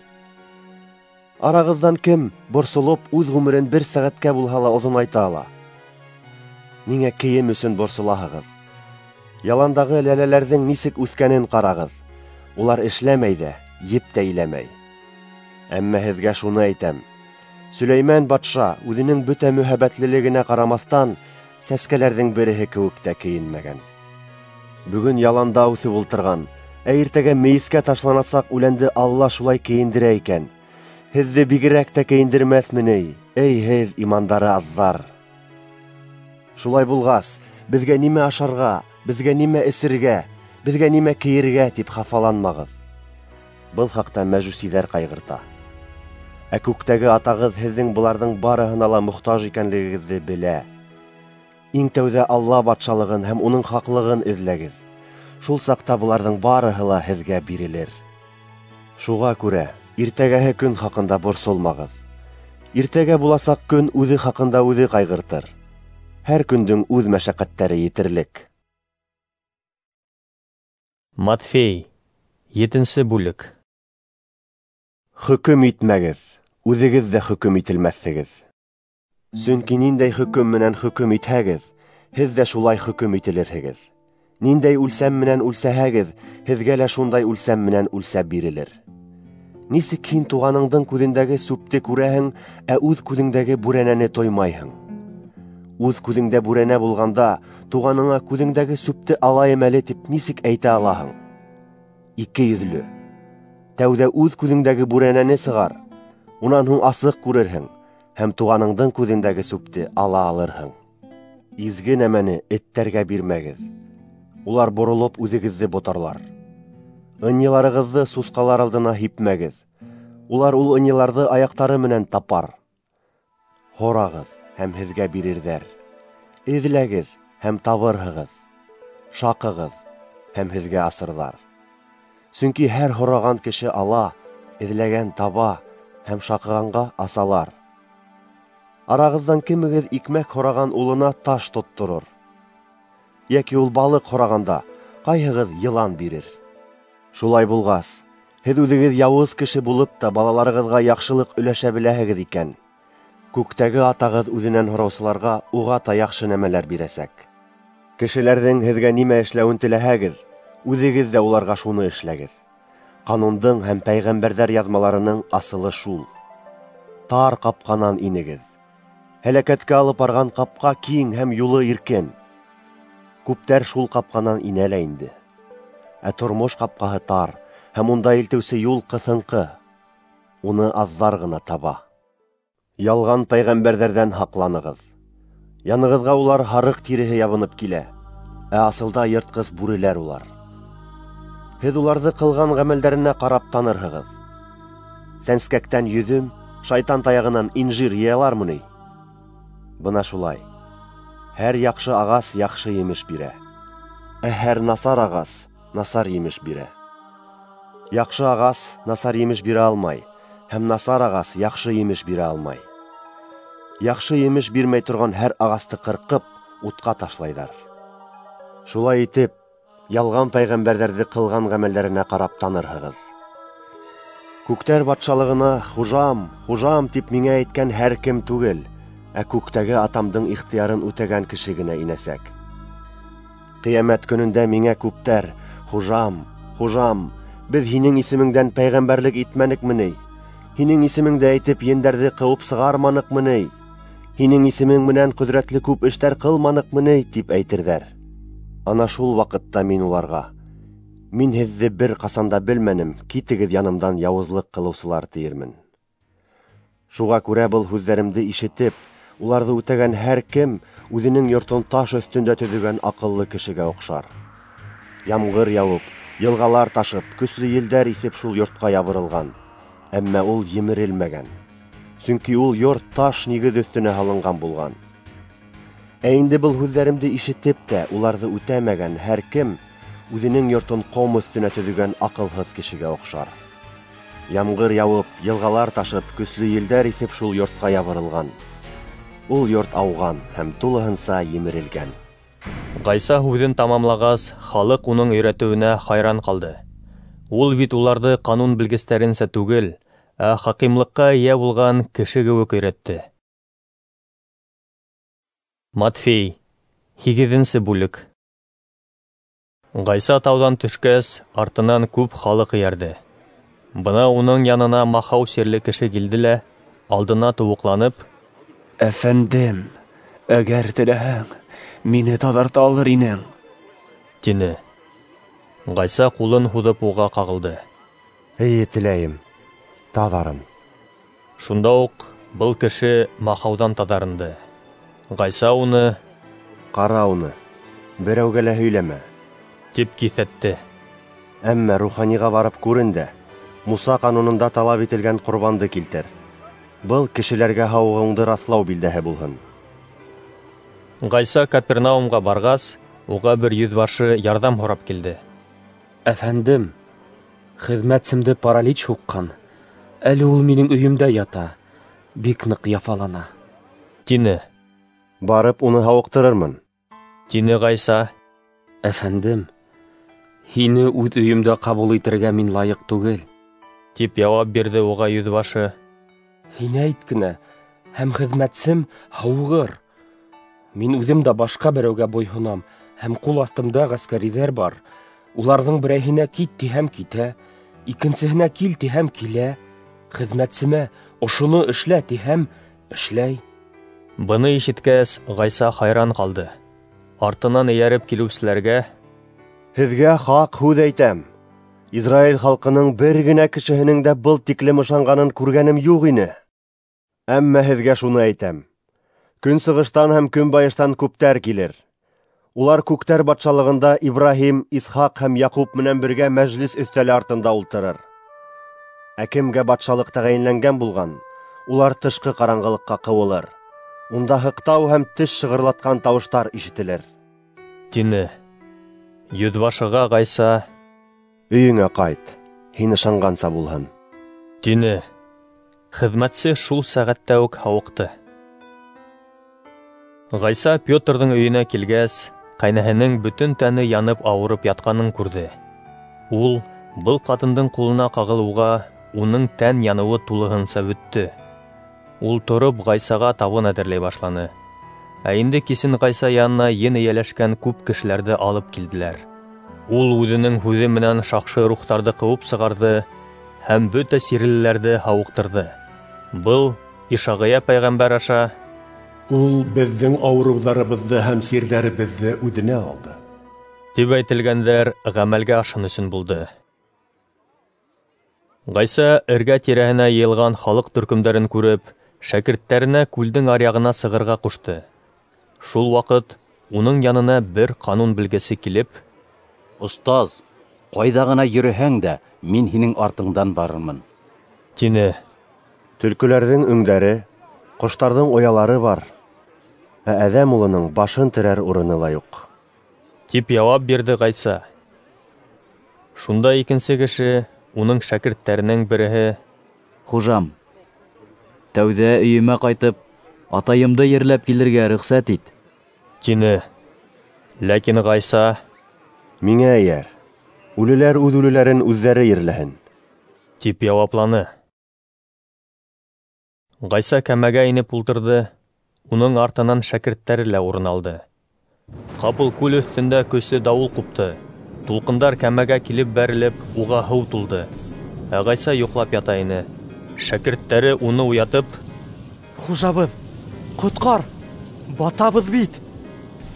Арағыҙҙан кем борсолоп үҙ ғүмерен бер сәғәткә булһа ла оҙонайта ала? Ниңә кейем өсөн борсолаһығыҙ? Яландағы ләләләрҙең нисек үҫкәнен ҡарағыҙ. Улар эшләмәй ҙә, еп тә иләмәй. Әммә һеҙгә шуны әйтәм: Сөләймән батша үҙенең бөтә мөһабәтлелегенә ҡарамаҫтан сәскәләрҙең береһе кеүек тә кейенмәгән. Бөгөн яланда үҫеп ултырған, ә иртәгә мейескә ташланасаҡ үләнде Алла шулай кейендерә икән, һеҙҙе бигерәк тә кейендермәҫме ни, эй һеҙ, имандары аҙҙар! Шулай булғас, беҙгә нимә ашарға, беҙгә нимә эсергә, беҙгә нимә кейергә тип хафаланмағыҙ. Был хаҡта мәжүсиҙәр ҡайғырта. Ә күктәге атағыҙ һеҙҙең быларҙың барыһына ла мохтаж икәнлегегеҙҙе белә. Иң тәүҙә Алла батшалығын һәм уның хаҡлығын эҙләгеҙ. Шул саҡта быларҙың барыһы ла һеҙгә бирелер. Шуға күрә иртәгәһе көн хаҡында борсолмағыҙ. Иртәгә буласаҡ көн үҙе хаҡында үҙе ҡайғыртыр. Һәр көндөң үҙ мәшәҡәттәре етерлек. Матфей, етенсе бүлек. Хөкөм итмәгеҙ, үҙегеҙ ҙә хөкөм ителмәҫһегеҙ. Сөнки ниндәй хөкөм менән хөкөм итһәгеҙ, һеҙ ҙә шулай хөкөм ителерһегеҙ. Ниндәй үлсәм менән үлсәһәгеҙ, һеҙгә лә шундай үлсәм менән үлсәп бирелер. Нисек һин туғаныңдың күҙендәге сүпте күрәһең, ә үҙ күҙеңдәге бүрәнәне тоймайһың? Үҙ күҙеңдә бүрәнә булғанда, туғаныңа күҙеңдәге сүпте алайым әле тип нисек әйтә алаһың? Ике йөҙлө! Тәүҙә үҙ күҙеңдәге бүрәнәне сығар, унан һуң асыҡ күрерһең һәм туғаныңдың күҙендәге сүпте ала алырһың. Изге нәмәне эттәргә бирмәгеҙ. Улар боролоп үҙегеҙҙе ботарлар. Ынйыларығыҙҙы сусҡалар алдына һипмәгеҙ. Улар ул ынйыларҙы аяҡтары менән тапар. Һорағыҙ һәм һеҙгә бирерҙәр. Эҙләгеҙ һәм табырһығыҙ. Шаҡығыҙ һәм һеҙгә асырҙар. Сөнки һәр һораған кеше ала, эҙләгән таба һәм шаҡығанға асалар. Арағыҙҙан кемегеҙ икмәк һораған улына таш тотторор? Йәки ул балыҡ һорағанда ҡайһығыҙ йылан бирер? Шулай булғас, һеҙ үҙегеҙ яуыз кеше булып та балаларығыҙға яҡшылыҡ өләшә беләһегеҙ икән, күктәге атағыҙ үҙенән һораусыларға уға та яҡшы нәмәләр бирәсәк. Кешеләрҙең һеҙгә нимә эшләүен теләһәгеҙ, үҙегеҙ ҙә уларға шуны эшләгеҙ. Ҡанундың һәм пәйғәмбәрҙәр яҙмаларының асылы шул. Тар ҡапҡанан инегеҙ. Һәләкәткә алып барған ҡапҡа киң һәм юлы иркен. Күптәр шул ҡапҡанан инә лә инде. Ә тормош ҡапҡаһы тар һәм унда илтеүсе юл ҡыҫынҡы. Уны аҙҙар ғына таба. Ялған пәйғәмбәрҙәрҙән һаҡланығыҙ. Янығыҙға улар һарыҡ тиреһе ябынып килә, ә асылда йыртҡыс бүреләр улар. Һеҙ уларҙы ҡылған ғәмәлдәренә ҡарап танырһығыҙ. Сәнскәктән йөҙөм, шайтан таяғынан инжир йыялармы ни? Бына шулай. Һәр яҡшы ағас яҡшы емеш бирә, ә һәр насар ағас насар емеш бирә. Яҡшы ағас насар емеш бирә алмай, һәм насар ағас яҡшы емеш бирә алмай. Яҡшы емеш бирмәй торған һәр ағасты ҡырҡып, утҡа ташлайҙар. Шулай итеп, ялған пәйғәмбәрҙәрҙе ҡылған ғәмәлдәренә ҡарап танырһығыҙ. Күктәр батшалығына хужам, хужам тип миңә әйткән һәр кем түгел, ә күктәге атамдың ихтыярын үтәгән кеше генә инәсәк. Ҡиәмәт көнөндә миңә күптәр: хужам, хужам, беҙ һинең исемеңдән пәйғәмбәрлек итмәнекме ни? Һинең исемеңде әйтеп ендәрҙе ҡыуып сығарманыҡмы ни? Һинең исемең менән ҡөҙрәтле күп эштәр ҡылманыҡмы ни? Тип әйтерҙәр. Ана шул ваҡытта мин уларға: мин һеҙҙе бер ҡасан да белмәнем, китегеҙ янымдан, яуызлыҡ ҡылыусылар, тиермен. Шуға күрә был һүҙҙәремде ишетеп, уларҙы үтәгән һәр кем үҙенең йортон таш өҫтөндә төҙөгән аҡыллы кешегә оҡшар. Ямғыр яуып, Йылғалар ташып, көслө елдәр исеп шул йортҡа ябырылған, әммә ул емерелмәгән, сөнки ул йорт таш нигеҙ өҫтөнә һалынған булған. Ә инде был һүҙҙәремде ишетеп тә уларҙы үтәмәгән һәр кем үҙенең йортон ҡом өҫтөнә төҙөгән аҡылһыҙ кешегә оҡшар. Ямғыр яуып, йылғалар ташып, көслө елдәр исеп шул йортҡа ябырылған. Ул йорт ауған һәм тулыһынса емерелгән. Ғайса һүҙен тамамлағас, халыҡ уның өйрәтеүенә хайран ҡалды. Ул бит уларҙы ҡанун белгестәренсә түгел, ә хакимлыҡҡа эйә булған кеше кеүек өйрәтте. Матфей, һигеҙенсе бүлек. Ғайса тауҙан төшкәс, артынан күп халыҡ эйәрҙе. Бына уның янына махау сирле кеше килде лә, алдына тыуыҡланып: «Әфәндем, әгәр теләһәң, мине таҙарта алыр инең», тине. Ғайса ҡулын һуҙып уға ҡағылды. «Эйе, теләйем, таҙарын». Шунда уҡ был кеше махауҙан таҙарынды. Ғайса уны: «Ҡара уны, берәүгә лә һөйләмә», тип киҫәтте. «Әммә руханиға барып күрен дә, Муса ҡанунында талап ителгән ҡорбанды килтер. Был кешеләргә һауығыуыңды раҫлау билдәһе булһын». Ғайса Капернаумға барғас, уға бер йөҙбашы ярҙам һорап килде. Әфәндем, хеҙмәтсемде паралич һуҡҡан. Әле ул минең өйөмдә ята, бик ныҡ яфалана, тине. «Барып уны һауыҡтырырмын», тине Ғайса. Әфәндем, һине үҙ өйөмдә ҡабул итергә мин лайыҡ түгел, тип яуап бирҙе уға йөҙбашы. Һин әйт кенә, һәм хеҙмәтсем һауығыр. Мин үҙем дә башҡа берәүгә буйһонам, һәм ҡул аҫтымда ғәскәриҙәр бар. Уларҙың берәйһенә кит тиһәм китә, икенсеһенә кил тиһәм килә. Хеҙмәтсемә ошоно эшлә тиһәм эшләй. Быны ишеткәс, Ғайса хайран ҡалды. Артынан эйәреп килеүселәргә: «Һеҙгә хаҡ һүҙ әйтәм, Израиль халҡының бер генә кешеһенең дә был тиклем ышанғанын күргәнем юҡ ине. Әммә һеҙгә шуны әйтәм: көнсығыштан һәм көнбайыштан күптәр килер. Улар күктәр батшалығында Ибраһим, Исхаҡ һәм Яҡуп менән бергә мәжлес өҫтәле артында ултырыр. Ә кемгә батшалыҡ тәғәйенләнгән булған, улар тышҡы ҡараңғылыҡҡа ҡыуылыр. Унда һыҡтау һәм теш шығырлатҡан тауыштар ишетелер», тине. Йөҙбашыға Ғайса: «Өйөңә ҡайт, һин ышанғанса булһын», тине. Хеҙмәтсе шул сәғәттә үк һауыҡты. Ғайса Петрҙың өйөнә килгәс, ҡәйнәһенең бөтөн тәне янып ауырып ятҡанын күрҙе. Ул был ҡатындың ҡулына ҡағылыуға уның тән яныуы тулыһынса бөттө. Ул тороп Ғайсаға табын әҙерләй башланы. Ә инде кисен Ғайса янына ен эйәләшкән күп кешеләрҙе алып килделәр. Ул үҙенең һүҙе менән шаҡшы рухтарҙы ҡыуып сығарҙы һәм бөтә сирлеләрҙе һауыҡтырҙы. Был Ишағия пәйғәмбәр аша: «Ул беҙҙең ауырыуҙарыбыҙҙы һәм сирҙәребеҙҙе үҙенә алды», тип әйтелгәндәр ғәмәлгә ашһын өсөн булды. Ғайса эргә тирәһенә йыйылған халыҡ төркөмдәрен күреп, шәкерттәренә күлдең аръяғына сығырға ҡушты. Шул ваҡыт уның янына бер ҡанун белгесе килеп: «Остаз, ҡайҙа ғына йөрөһәң дә, мин һинең артыңдан барырмын», тине. «Төлкөләрҙең өңдәре, ҡоштарҙың оялары бар, ә Әҙәм улының башын терәр урыны ла юҡ», тип яуап бирҙе Ғайса. Шунда икенсе кеше, уның шәкерттәренең береһе: «Хужам, тәүҙә өйөмә ҡайтып, атайымды ерләп килергә рөхсәт ит», тине. Ләкин Ғайса: «Миңә эйәр, үлеләр үҙ үлеләрен үҙҙәре ерләһен», тип яуапланы. Ғайса кәмәгә инеп ултырҙы, уның артынан шәкерттәре лә урын алды. Ҡапыл күл өҫтөндә көслө дауыл ҡупты. Тулҡындар кәмәгә килеп бәрелеп, уға һыу тулды. Ә Ғайса йоҡлап ята ине. Шәкерттәре уны уятып: «Хужабыҙ, ҡотҡар, батабыҙ бит!»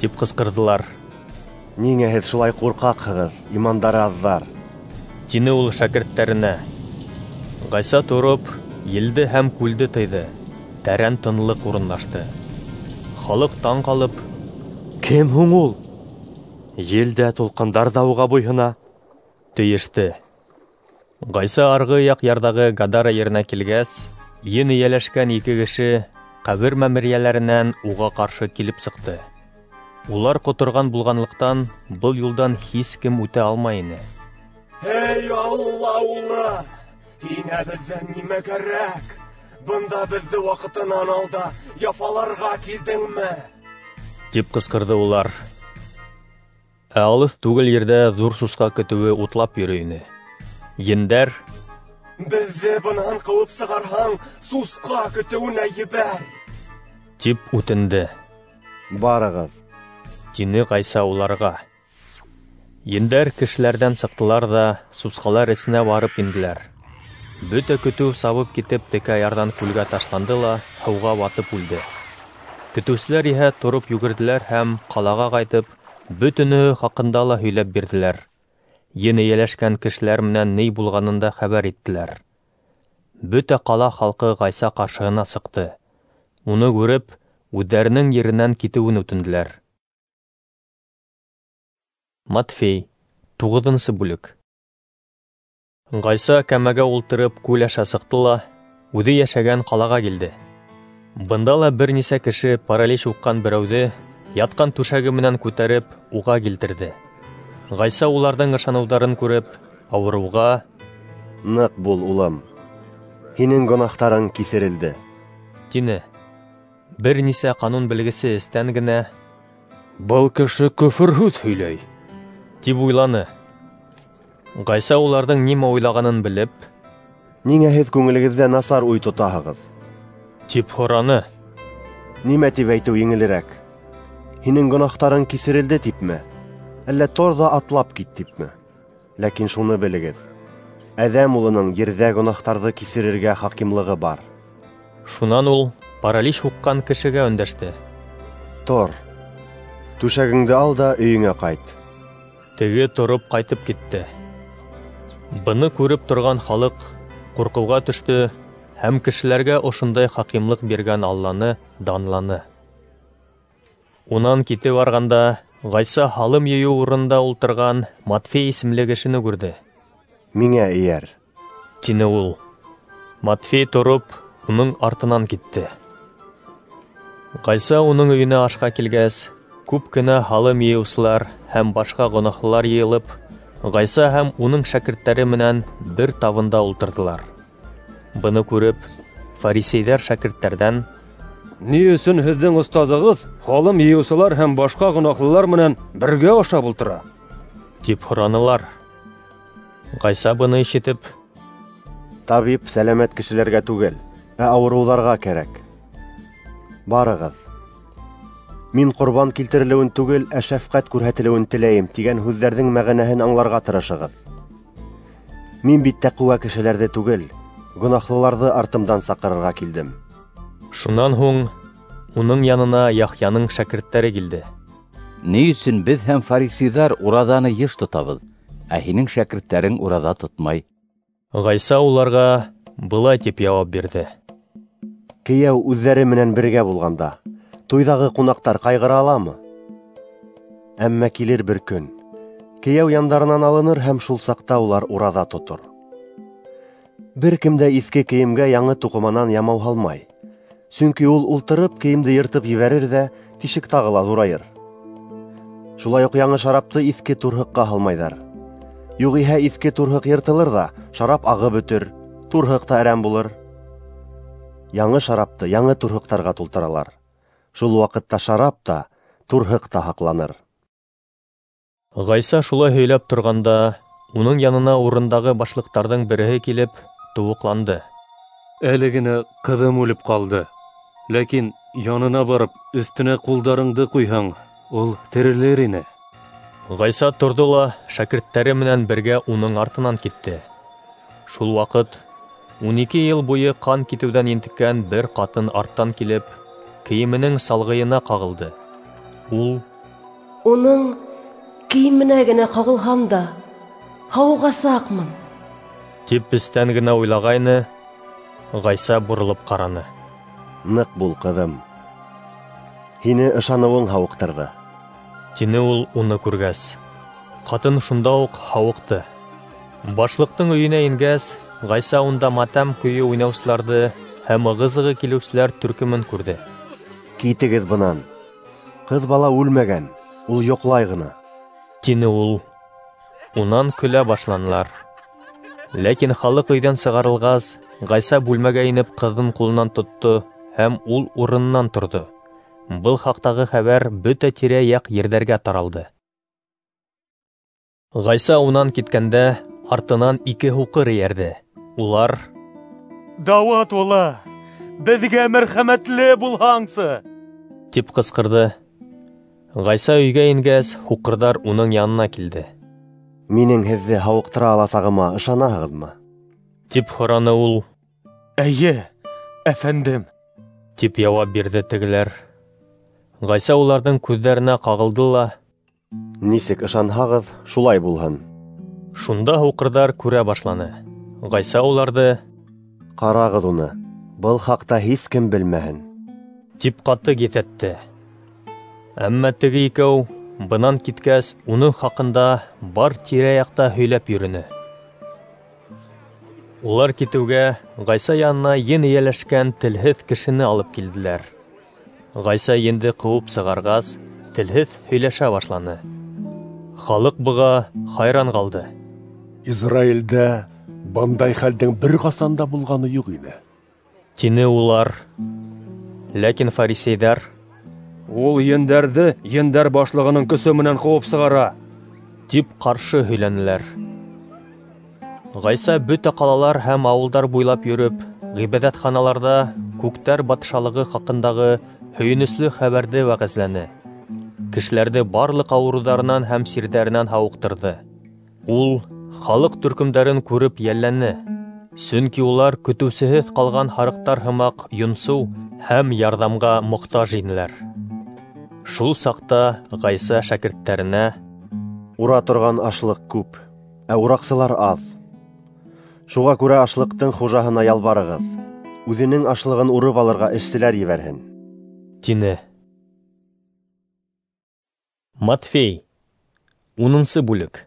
тип ҡысҡырҙылар. «Ниңә һеҙ шулай ҡурҡаҡһығыҙ, имандары аҙҙар?» тине ул шәкерттәренә. Ғайса тороп, елде һәм күлде тыйҙы. Тәрән тынлыҡ урынлашты. Халыҡ таң ҡалып: «Кем һуң ул? Ел дә, тулҡындар ҙа уға буйһона», Тейеште. Ғайса арғы яҡ ярҙағы Гадара еренә килгәс, ен эйәләшкән ике кеше ҡәбер мәмерйәләренән уға ҡаршы килеп сыҡты. Улар ҡоторған булғанлыҡтан был юлдан һис кем үтә алмай ине. Эй, Алла улы, һиңә беҙҙән нимә кәрәк? Бында беҙҙе ваҡытынан алда яфаларға килдеңме? Тип ҡысҡырҙы улар. Ә алыҫ түгел ерҙә ҙур сусҡа көтөүе утлап йөрөй ине. Ендәр: Беҙҙе бынан ҡыуып сығарһаң, сусҡа көтөүенә ебәр, тип үтенде. Барығыҙ, тине Ғайса уларға. Ендәр кешеләрҙән сыҡтылар ҙа сусҡалар эсенә барып инделәр. Бөтә көтөү сабып китеп текә ярҙан күлгә ташланды ла һыуға батып үлде. Көтөүселәр иһә тороп йүгерҙеләр һәм ҡалаға ҡайтып, бөтөнөһө хаҡында ла һөйләп бирҙеләр. Ен эйәләшкән кешеләр менән ни булғанын да хәбәр иттеләр. Бөтә ҡала халҡы Ғайса ҡаршыһына сыҡты. Уны күреп, үҙҙәренең еренән китеүен үтенделәр. Матфей, туғыҙынсы бүлек. Ғайса кәмәгә ултырып күл аша сыҡты ла үҙе йәшәгән ҡалаға килде. Бында ла бер нисә кеше паралич уҡҡан берәүҙе ятҡан түшәге менән күтәреп уға килтерҙе. Ғайса уларҙың ышаныуҙарын күреп, ауырыуға: Ныҡ бул, улым, һинең гонаһтарың кисерелде, тине. Бер нисә ҡанун белгесе эстән генә: Был кеше көфөр һүҙ һөйләй, тип уйланы. Ғайса уларҙың нимә уйлағанын белеп: Ниңә һеҙ күңелегеҙҙә насар уй тотаһығыҙ? Тип һораны. Нимә тип әйтеү еңелерәк? Һинең гонаһтарың кисерелде типме? Әллә тор ҙа атлап кит типме? Ләкин шуны белегеҙ: Әҙәм улының ерҙә гонаһтарҙы кисерергә хакимлығы бар. Шунан ул паралич һуҡҡан кешегә өндәште: Тор, түшәгеңде ал да өйөңә ҡайт. Теге тороп ҡайтып китте. Быны күреп торған халыҡ ҡурҡыуға төштө һәм кешеләргә ошондай хакимлыҡ биргән Алланы данланы. Унан китеп барғанда, Ғайса һалым йыйыу урынында ултырған Матфей исемле кешене күрҙе. Миңә эйәр, тине ул. Матфей тороп, уның артынан китте. Ғайса уның өйөнә ашҡа килгәс, күп кенә һалым йыйыусылар һәм башҡа гонаһлылар йыйылып, Ғайса һәм уның шәкерттәре менән бер табында ултырҙылар. Быны күреп, фарисейҙәр шәкерттәрҙән: Ни өсөн һеҙҙең остазығыҙ һалым йыйыусылар һәм башҡа гонаһлылар менән бергә ашап ултыра? Тип һоранылар. Ғайса быны ишетеп: Табип сәләмәт кешеләргә түгел, ә ауырыуҙарға кәрәк. Барығыҙ, мин ҡорбан килтерелеүен түгел, ә шәфҡәт күрһәтелеүен теләйем тигән һүҙҙәрҙең мәғәнәһен аңларға тырышығыҙ. Мин бит тәҡүә кешеләрҙе түгел, гонаһлыларҙы артымдан саҡырырға килдем. Шунан һуң уның янына Яхъяның шәкерттәре килде. Ни өсөн беҙ һәм фарисейҙар ураҙаны йыш тотабыҙ, ә һинең шәкерттәрең ураҙа тотмай? Ғайса уларға былай тип яуап бирҙе: Кейәү үҙҙәре менән бергә булғанда, туйҙағы ҡунаҡтар ҡайғыра аламы? Әммә килер бер көн, кейәү яндарынан алыныр һәм шул саҡта улар ураҙа тотор. Бер кем дә иҫке кейемгә яңы туҡыманан ямау һалмай, сөнки ул ултырып кейемде йыртып ебәрер ҙә тишек тағы ла ҙурайыр. Шулай уҡ яңы шарапты иҫке турһыҡҡа һалмайҙар. Юғиһә иҫке турһыҡ йыртылыр ҙа шарап ағып бөтөр, турһыҡ та әрәм булыр. Яңы шарапты яңы турһыҡтарға тултыралар. Шул ваҡытта шарап та, турһыҡ та һаҡланыр. Ғайса шулай һөйләп торғанда, уның янына урындағы башлыҡтарҙың береһе килеп тыуыҡланды. Әле генә ҡыҙым үлеп ҡалды. Ләкин янына барып, өҫтөнә ҡулдарыңды ҡуйһаң, ул терелер ине. Ғайса торҙо ла шәкерттәре менән бергә уның артынан китте. Шул ваҡыт ун ике йыл буйы ҡан китеүҙән ентеккән бер ҡатын арттан килеп, кейеменең салғыйына ҡағылды. Ул: Уның кейеменә генә ҡағылһам да, һауығасаҡмын, тип эстән генә уйлағайны. Ғайса боролоп ҡараны. Ныҡ бул, ҡыҙым, һине ышаныуың һауыҡтырҙы, тине ул уны күргәс. Ҡатын шунда уҡ һауыҡты. Башлыҡтың өйөнә ингәс, Ғайса унда матәм көйө уйнаусыларҙы һәм ығы-зығы килеүселәр төркөмөн күрҙе. Китегеҙ бынан. Ҡыҙ бала үлмәгән, ул йоҡлай ғына, тине ул. Унан көлә башланылар. Ләкин халыҡ өйҙән сығарылғас, Ғайса бүлмәгә инеп ҡыҙын ҡулынан тотто һәм ул урынынан торҙо. Был хаҡтағы хәбәр бөтә тирә-яҡ ерҙәргә таралды. Ғайса унан киткәндә, артынан ике һуҡыр эйәрҙе. Улар: "Дауыт улы, беҙгә мәрхәмәтле булһаңсы!" тип ҡысҡырҙы. Ғайса өйгә ингәс, һуҡырҙар уның янына килде. Минең һеҙҙе һауыҡтыра аласағыма ышанаһығыҙмы? Тип һораны ул. Эйе, әфәндем, тип яуап бирҙе тегеләр. Ғайса уларҙың күҙҙәренә ҡағылды ла: Нисек ышанһағыҙ, шулай булһын. Шунда һуҡырҙар күрә башланы. Ғайса уларҙы: Ҡарағыҙ уны, был хаҡта һис кем белмәһен, тип ҡаты киҫәтте. Әммә теге икәү бынан киткәс, уның хаҡында бар тирә-яҡта һөйләп йөрөнө. Улар китеүгә Ғайса янына ен эйәләшкән телһеҙ кешене алып килделәр. Ғайса енде ҡыуып сығарғас, телһеҙ һөйләшә башланы. Халыҡ быға хайран ҡалды. Израилдә бындай хәлдең бер ҡасан да булғаны юҡ ине, тине улар. Ләкин фарисейҙәр: Ул ендәрҙе ендәр башлығының көсө менән ҡыуып сығара, тип ҡаршы һөйләнеләр. Ғайса бөтә ҡалалар һәм ауылдар буйлап йөрөп, ғибәҙәтханаларҙа күктәр батшалығы хаҡындағы һөйөнөслө хәбәрҙе вәғәзләне. Кешеләрҙе барлыҡ ауырыуҙарынан һәм сирҙәренән һауыҡтырҙы. Ул халыҡ төркөмдәрен күреп йәлләне, сөнки улар көтөүсеһеҙ ҡалған һарыҡтар һымаҡ йонсоу һәм ярҙамға мохтаж инеләр. Шул саҡта Ғайса шәкерттәренә: Ура торған ашлыҡ күп, ә ураҡсылар аҙ. Шуға күрә ашлыҡтың хужаһына ялбарығыҙ, үҙенең ашлығын урып алырға эшселәр ебәрһен, тине. Матфей, унынсы бүлек.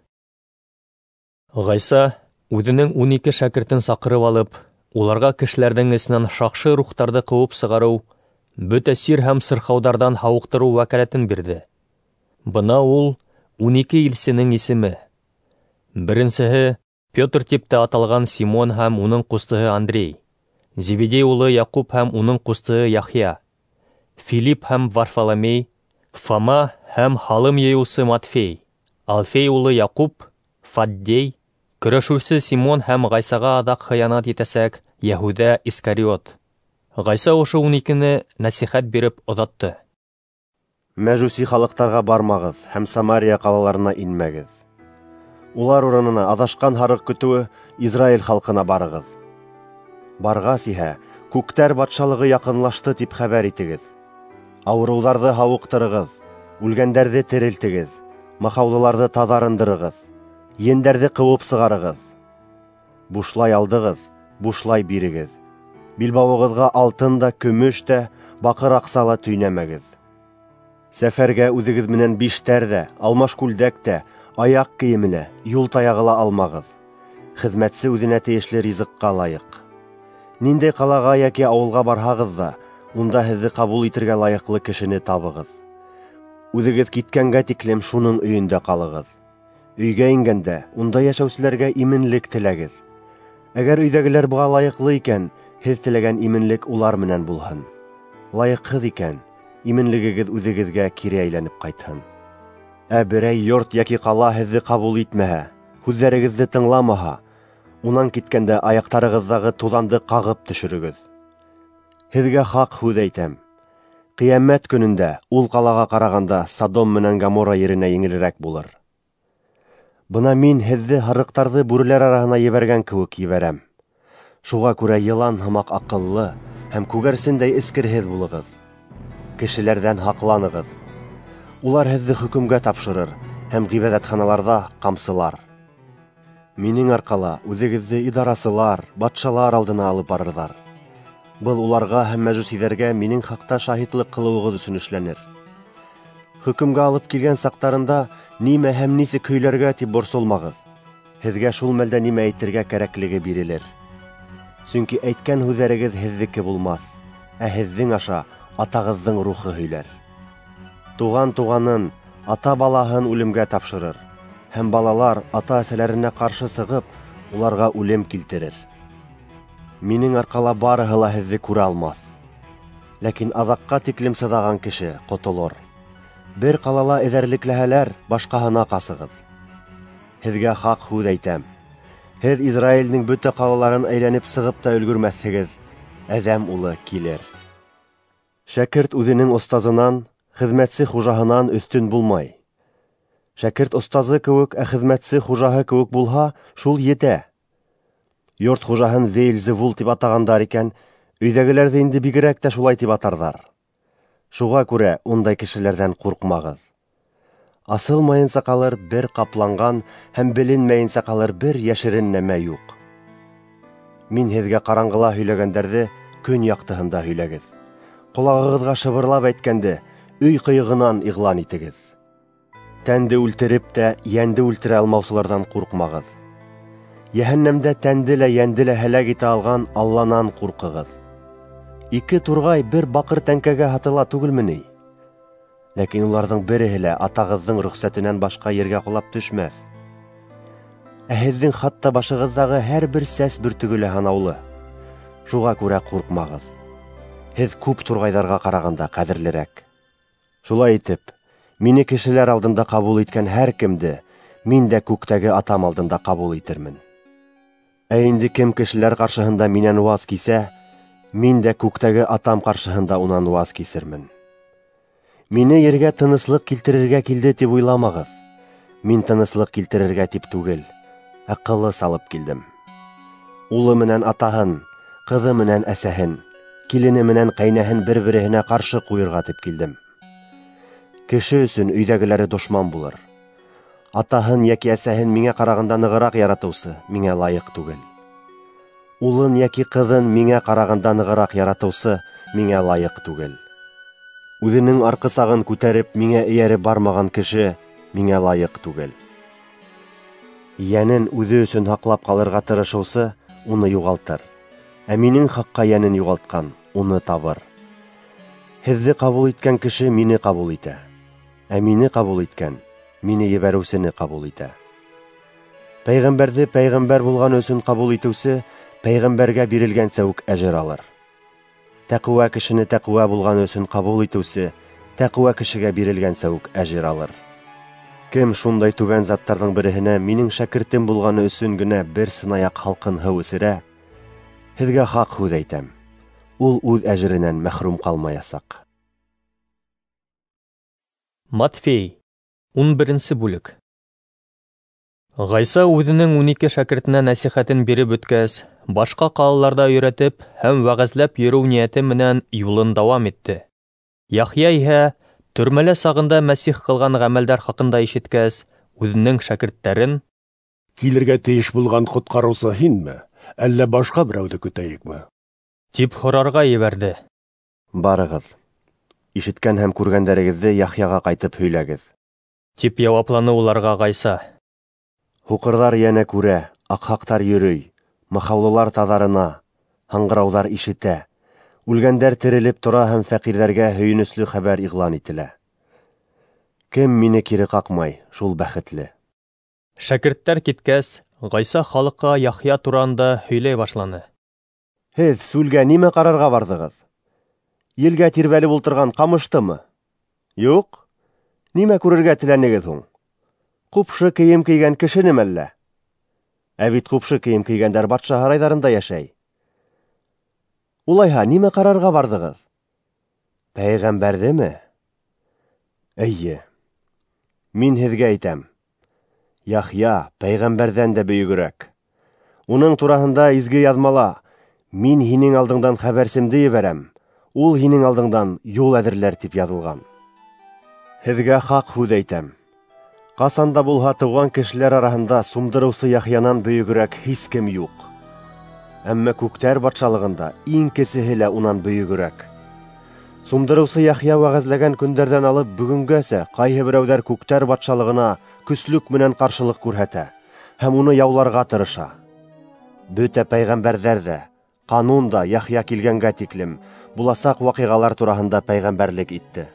Ғайса үҙенең ун ике шәкертен саҡырып алып, уларға кешеләрҙең эсенән шаҡшы рухтарҙы ҡыуып сығарыу, бөтә сир һәм сырхауҙарҙан һауыҡтырыу вәкәләтен бирҙе. Бына ул ун ике илсенең исеме. Беренсеһе Петр тип тә аталған Симон һәм уның ҡустыһы Андрей, Зеведей улы Яҡуп һәм уның ҡустыһы Яхъя, Филипп һәм Варфоломей, Фома һәм һалым йыйыусы Матфей, Алфей улы Яҡуп, Фаддей, көрәшеүсе Симон һәм Ғайсаға аҙаҡ хыянат итәсәк Йәһүҙә Искариот. Ғайса ошо ун икене нәсихәт биреп оҙатты. Мәжүси халыҡтарға бармағыҙ һәм Самария ҡалаларына инмәгеҙ. Улар урынына аҙашҡан һарыҡ көтөүе Израиль халҡына барығыҙ. Барғас иһә, күктәр батшалығы яҡынлашты тип хәбәр итегеҙ. Ауырыуҙарҙы һауыҡтырығыҙ, үлгәндәрҙе терелтегеҙ, махаулыларҙы таҙарындырығыҙ, ендәрҙе ҡыуып сығарығыҙ. Бушлай алдығыҙ, бушлай бирегеҙ. Билбауығыҙға алтын да, көмөш тә, баҡыр аҡса ла төйнәмәгеҙ. Сәфәргә үҙегеҙ менән биштәр ҙә, алмаш күлдәк тә, аяҡ кейеме лә, юл таяғы ла алмағыҙ. Хеҙмәтсе үҙенә тейешле ризыҡҡа лайыҡ. Ниндәй ҡалаға йәки ауылға барһағыҙ ҙа, унда һеҙҙе ҡабул итергә лайыҡлы кешене табығыҙ. Үҙегеҙ киткәнгә тиклем шуның өйөндә ҡалығыҙ. Өйгә ингәндә, унда йәшәүселәргә именлек теләгеҙ. Әгәр өйҙәгеләр быға лайыҡлы икән, һеҙ теләгән именлек улар менән булһын. Лайыҡһыҙ икән, именлегегеҙ үҙегеҙгә кире әйләнеп ҡайтһын. Ә берәй йорт йәки ҡала һеҙҙе ҡабул итмәһә, һүҙҙәрегеҙҙе тыңламаһа, унан киткәндә аяҡтарығыҙҙағы туҙанды ҡағып төшөрөгөҙ. Һеҙгә хаҡ һүҙ әйтәм: ҡиәмәт көнөндә ул ҡалаға ҡарағанда Содом менән Гоморра еренә еңелерәк булыр. Бына мин һеҙҙе һарыҡтарҙы бүреләр араһына ебәргән кеүек ебәрәм. Шуға күрә йылан һымаҡ аҡыллы һәм күгәрсендәй эскерһеҙ булығыҙ. Кешеләрҙән һаҡланығыҙ. Улар һеҙҙе хөкөмгә тапшырыр һәм ғибәҙәтханаларҙа ҡамсылар. Минең арҡала үҙегеҙҙе идарасылар, батшалар алдына алып барырҙар. Был уларға һәм мәжүсиҙәргә минең хаҡта шаһитлыҡ ҡылыуығыҙ өсөн эшләнер. Хөкөмгә алып килгән саҡтарында нимә һәм нисек һөйләргә тип борсолмағыҙ. һеҙгә шул мәлдә нимә әйтергә кәрәклеге бирелер. Сөнки әйткән һүҙҙәрегеҙ һеҙҙеке булмаҫ, ә һеҙҙең аша Атағыҙҙың рухы һөйләр. Туған туғанын, ата балаһын үлемгә тапшырыр, һәм балалар ата-әсәләренә ҡаршы сығып, уларға үлем килтерер. Минең арҡала барыһы ла һеҙҙе күрә алмаҫ. Ләкин аҙаҡҡа тиклем сыҙаған кеше ҡотолор. Бер ҡалала эҙәрлекләһәләр, башҡаһына ҡасығыҙ. Һеҙгә хаҡ һүҙ әйтәм: һеҙ Израилдең бөтә ҡалаларын әйләнеп сығып та өлгөрмәҫһегеҙ, Әҙәм улы килер. Шәкерт үҙенең остазынан, хеҙмәтсе хужаһынан өҫтөн булмай. Шәкерт остазы кеүек, ә хеҙмәтсе хужаһы кеүек булһа, шул етә. Йорт хужаһын Вейлзевул тип атағандар икән, өйҙәгеләрҙе инде бигерәк тә шулай тип атарҙар. Шуға күрә ундай кешеләрҙән ҡурҡмағыҙ. Асылмайынса ҡалыр бер ҡапланған һәм беленмәйенсә ҡалыр бер йәшерен нәмә юҡ. Мин һеҙгә ҡараңғыла һөйләгәндәрҙе көн яҡтыһында һөйләгеҙ. Ҡолағығыҙға шыбырлап әйткәнде өй ҡыйығынан иғлан итегеҙ. Тәнде үлтереп тә йәнде үлтерә алмаусыларҙан ҡурҡмағыҙ. Йәһәннәмдә тәнде лә йәнде лә һәләк итә алған Алланан ҡурҡығыҙ. Ике турғай бер баҡыр тәңкәгә һатыла түгелме ни? Ләкин уларҙың береһе лә атағыҙҙың рөхсәтенән башҡа ергә ҡолап төшмәҫ. Ә һеҙҙең хатта башығыҙҙағы һәр бер сәс бөртөгө лә һанаулы. Шуға күрә ҡурҡмағыҙ. Һеҙ күп турғайҙарға ҡарағанда ҡәҙерлерәк. Шулай итеп, мине кешеләр алдында ҡабул иткән һәр кемде мин дә күктәге Атам алдында ҡабул итермен. Ә инде кем кешеләр ҡаршыһында минән ваз кисә, мин дә күктәге Атам ҡаршыһында унан ваз кисермен. Мине ергә тыныслыҡ килтерергә килде тип уйламағыҙ. Мин тыныслыҡ килтерергә тип түгел, ә ҡылыс алып килдем. Улы менән атаһын, ҡыҙы менән әсәһен, килене менән ҡәйнәһен бер-береһенә ҡаршы ҡуйырға тип килдем. Кеше өсөн өйҙәгеләре дошман булыр. Атаһын йәки әсәһен миңә ҡарағанда нығыраҡ яратыусы миңә лайыҡ түгел. Улын йәки ҡыҙын миңә ҡарағанда нығыраҡ яратыусы миңә лайыҡ түгел. Үҙенең арҡысағын күтәреп миңә эйәреп бармаған кеше миңә лайыҡ түгел. Йәнен үҙе өсөн һаҡлап ҡалырға тырышыусы уны юғалтыр, ә минең хаҡҡа йәнен юғалтҡан уны табыр. Һеҙҙе ҡабул иткән кеше мине ҡабул итә, ә мине ҡабул иткән мине ебәреүсене ҡабул итә. Пәйғәмбәрҙе пәйғәмбәр булған өсөн ҡабул итеүсе пәйғәмбәргә бирелгәнсә үк әжер алыр. Тәҡүә кешене тәҡүә булған өсөн ҡабул итеүсе тәҡүә кешегә бирелгәнсә үк әжер алыр. Кем шундай түбән заттарҙың береһенә минең шәкертем булғаны өсөн генә бер сынаяҡ һалҡын һыу эсерә, һеҙгә хаҡ һүҙ әйтәм, ул үҙ әжеренән мәхрүм ҡалмаясаҡ. Матфей, ун беренсе бүлек. Ғайса үҙенең ун ике шәкертенә нәсихәтен биреп бөткәс, башҡа ҡалаларҙа өйрәтеп һәм вәғәзләп йөрөү ниәте менән юлын дауам итте. Яхъя иһә төрмәлә сағында Мәсих ҡылған ғәмәлдәр хаҡында ишеткәс, үҙенең шәкерттәрен: "Килергә тейеш булған ҡотҡарыусы һинме, әллә башҡа берәүҙе көтәйекме?" тип һорарға ебәрҙе. "Барығыҙ, ишеткән һәм күргәндәрегеҙҙе Яхъяға ҡайтып һөйләгеҙ", тип яуапланы уларға Ғайса. Һуҡырҙар йәнә күрә, аҡһаҡтар йөрөй, махаулылар таҙарына, һаңғырауҙар ишетә, үлгәндәр терелеп тора һәм фәҡирҙәргә һөйөнөслө хәбәр иғлан ителә. Кем мине кире ҡаҡмай, шул бәхетле. Шәкерттәр киткәс, Ғайса халыҡҡа Яхъя тураһында һөйләй башланы. Һеҙ сүлгә нимә ҡарарға барҙығыҙ? Елгә тирбәлеп ултырған ҡамыштымы? Юҡ. Нимә күрергә теләнегеҙ һуң? Ҡупшы кейем кейгән кешенеме әллә? Ә бит ҡупшы кейем кейгәндәр батша һарайҙарында йәшәй. Улайһа, нимә ҡарарға барҙығыҙ? Пәйғәмбәрҙеме? Эйе. Мин һеҙгә әйтәм: Яхъя пәйғәмбәрҙән дә бөйөгөрәк. Уның тураһында изге яҙмала: "Мин һинең алдыңдан хәбәрсемде ебәрәм, ул һинең алдыңдан юл әҙерләр" тип яҙылған. Һеҙгә хаҡ һүҙ әйтәм: ҡасан да булһа тыуған кешеләр араһында сумдырыусы Яхъянан бөйөгөрәк һис кем юҡ. Әммә күктәр батшалығында иң кесеһе лә унан бөйөгөрәк. Сумдырыусы Яхъя вәғәзләгән көндәрҙән алып бөгөнгәсә ҡайһы берәүҙәр күктәр батшалығына көслөк менән ҡаршылыҡ күрһәтә, һәм уны яуларға тырыша. Бөтә пәйғәмбәрҙәр ҙә, ҡанун да Яхъя килгәнгә тиклем буласаҡ ваҡиғалар тураһында пәйғәмбәрлек итте.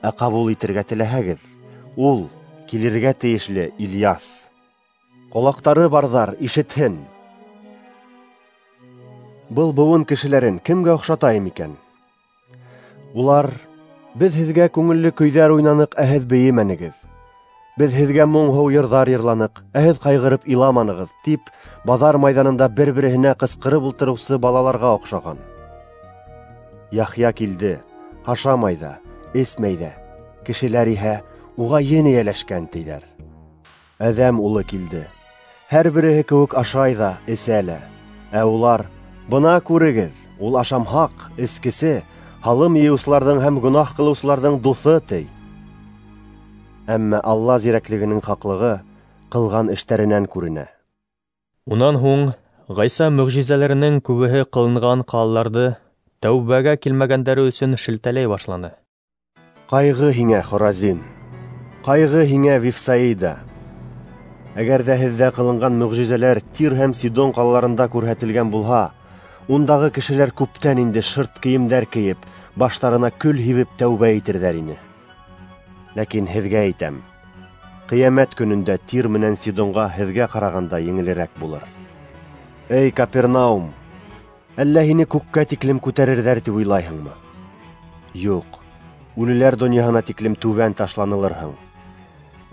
Ә ҡабул итергә теләһәгеҙ, ул килергә тейешле Ильяс. Ҡолаҡтары барҙар ишетһен. Был быуын кешеләрен кемгә оҡшатайым икән? Улар: беҙ һеҙгә күңелле көйҙәр уйнаныҡ, ә һеҙ бейемәнегеҙ. Беҙ һеҙгә моңһоу йырҙар йырланыҡ, ә һеҙ ҡайғырып иламанығыҙ, тип баҙар майҙанында бер-береһенә ҡысҡырып ултырыусы балаларға оҡшаған. Яхъя килде, ашамай ҙа, эсмәй ҙә, кешеләр иһә уға ен эйәләшкән, тиҙәр. Әҙәм улы килде, һәр береһе кеүек ашай ҙа, эсә лә. Ә улар: бына күрегеҙ, ул ашамһаҡ, эскесе, һалым йыйыусыларҙың һәм гонаһ ҡылыусыларҙың дуҫы, ти. Әммә Алла зирәклегенең хаҡлығы ҡылған эштәренән күренә. Унан һуң Ғайса мөғжизәләренең күбеһе ҡылынған ҡалаларҙы тәүбәгә килмәгәндәре өсөн шелтәләй башланы. Ҡайғы һиңә, Хоразин! Ҡайғы һиңә, Вифсаида! Әгәр ҙә һеҙҙә ҡылынған мөғжизәләр Тир һәм Сидон ҡалаларында күрһәтелгән булһа, ундағы кешеләр күптән инде шырт кейемдәр кейеп, баштарына көл һибеп тәүбә итерҙәр ине. Ләкин һеҙгә әйтәм, ҡиәмәт көнөндә Тир менән Сидонға һеҙгә ҡарағанда еңелерәк булыр. Эй, Капернаум, әллә һине күккә тиклем күтәрерҙәр тип уйлайһыңмы? Юҡ, үлеләр донъяһына тиклем түбән ташланылырһың.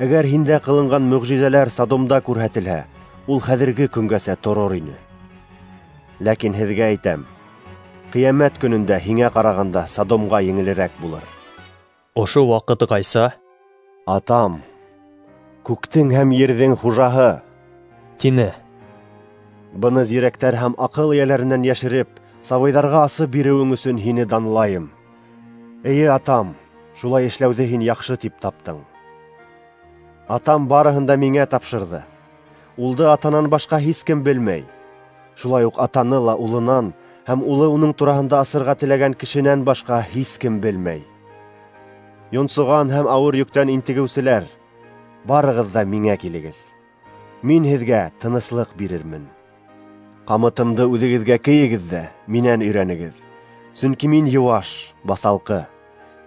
Әгәр һиндә ҡылынған мөғжизәләр Содомда күрһәтелһә, ул хәҙерге көнгәсә торор ине. Ләкин һеҙгә әйтәм, ҡиәмәт көнөндә һиңә ҡарағанда Содомға еңелерәк булыр. Ошо ваҡыт Ғайса: Атам, күктең һәм ерҙең хужаһы, тине. Быны зирәктәр һәм аҡыл эйәләренән йәшереп, сабыйҙарға асып биреүең өсөн һине данлайым. Эйе, атам, шулай эшләүҙе һин яҡшы тип таптың. Атам барыһын да миңә тапшырҙы. Улды атанан башҡа һис кем белмәй. Шулай уҡ атаны ла улынан һәм улы уның тураһында асырға теләгән кешенән башҡа һис кем белмәй. Йонсоған һәм ауыр йөктән интегеүселәр, барығыҙ ҙа миңә килегеҙ. Мин һеҙгә тыныслыҡ бирермен. Ҡамытымды үҙегеҙгә кейегеҙ ҙә минән өйрәнегеҙ. Сөнки мин йыуаш, баҫалҡы.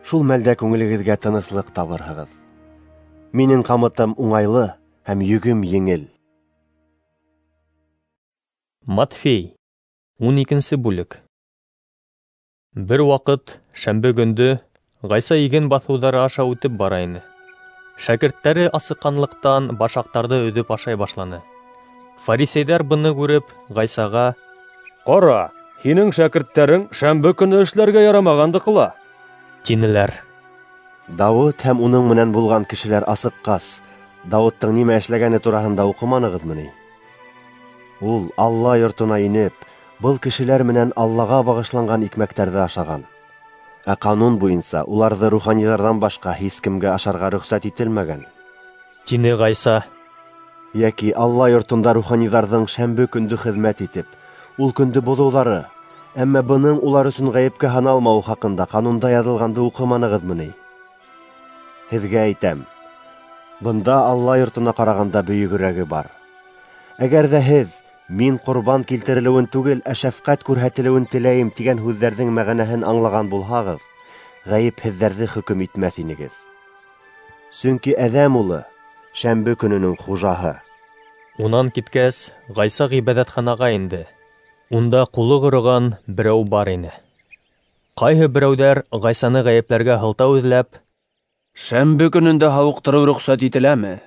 Шул мәлдә күңелегеҙгә тыныслыҡ табырһығыҙ. Минең ҡамытым уңайлы һәм йөгөм еңел. Матфей, ун икенсе бүлек. Бер ваҡыт, шәмбе көндө, Ғайса иген баҫыуҙары аша үтеп бара ине. Шәкерттәре асыҡҡанлыҡтан башаҡтарҙы өҙөп ашай башланы. Фарисейҙәр быны күреп, Ғайсаға: Ҡара, һинең шәкерттәрең шәмбе көнө эшләргә ярамағанды ҡыла, тинеләр. Дауыт һәм уның менән булған кешеләр асыҡҡас, Дауыттың нимә эшләгәне тураһында уҡыманығыҙмы ни? Ул Алла йортона инеп, был кешеләр менән Аллаға бағышланған икмәктәрҙе ашаған. Ә ҡанун буйынса уларҙы руханиҙарҙан башҡа һис кемгә ашарға рөхсәт ителмәгән, тине Ғайса. Йәки Алла йортонда руханиҙарҙың шәмбе көндө хеҙмәт итеп, ул көндө боҙоуҙары, әммә бының улар өсөн ғәйепкә һаналмауы хаҡында ҡанунда яҙылғанды уҡыманығыҙмы ни? Һеҙгә әйтәм, бында Алла йортона ҡарағанда бөйөгөрәге бар. Әгәр ҙә һеҙ мин ҡорбан килтерелеүен түгел, ә шәфҡәт күрһәтелеүен теләйем тигән һүҙҙәрҙең мәғәнәһен аңлаған булһағыҙ, ғәйепһеҙҙәрҙе хөкөм итмәҫ инегеҙ. Сөнки Әҙәм улы шәмбе көнөнөң хужаһы. Унан киткәс, Ғайса ғибәҙәтханаға инде. Унда ҡулы ҡороған берәү бар ине. Ҡайһы берәүҙәр Ғайсаны ғәйепләргә һылтау эҙләп: Шәмбе көнөндә һауыҡтырыу рөхсәт ителәме?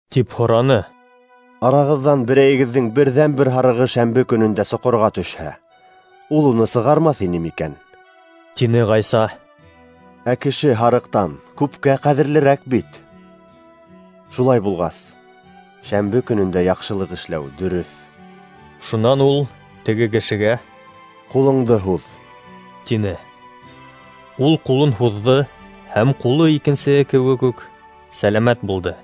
тип һораны. Арағыҙҙан берәйегеҙҙең берҙән-бер һарығы шәмбе көнөндә соҡорға төшһә, ул уны сығармаҫ ине микән? Тине Ғайса. Ә кеше һарыҡтан күпкә ҡәҙерлерәк бит. Шулай булғас, шәмбе көнөндә яҡшылыҡ эшләү дөрөҫ. Шунан ул теге кешегә: Ҡулыңды һуҙ, тине. Ул ҡулын һуҙҙы, һәм ҡулы икенсеһе кеүек үк сәләмәт булды.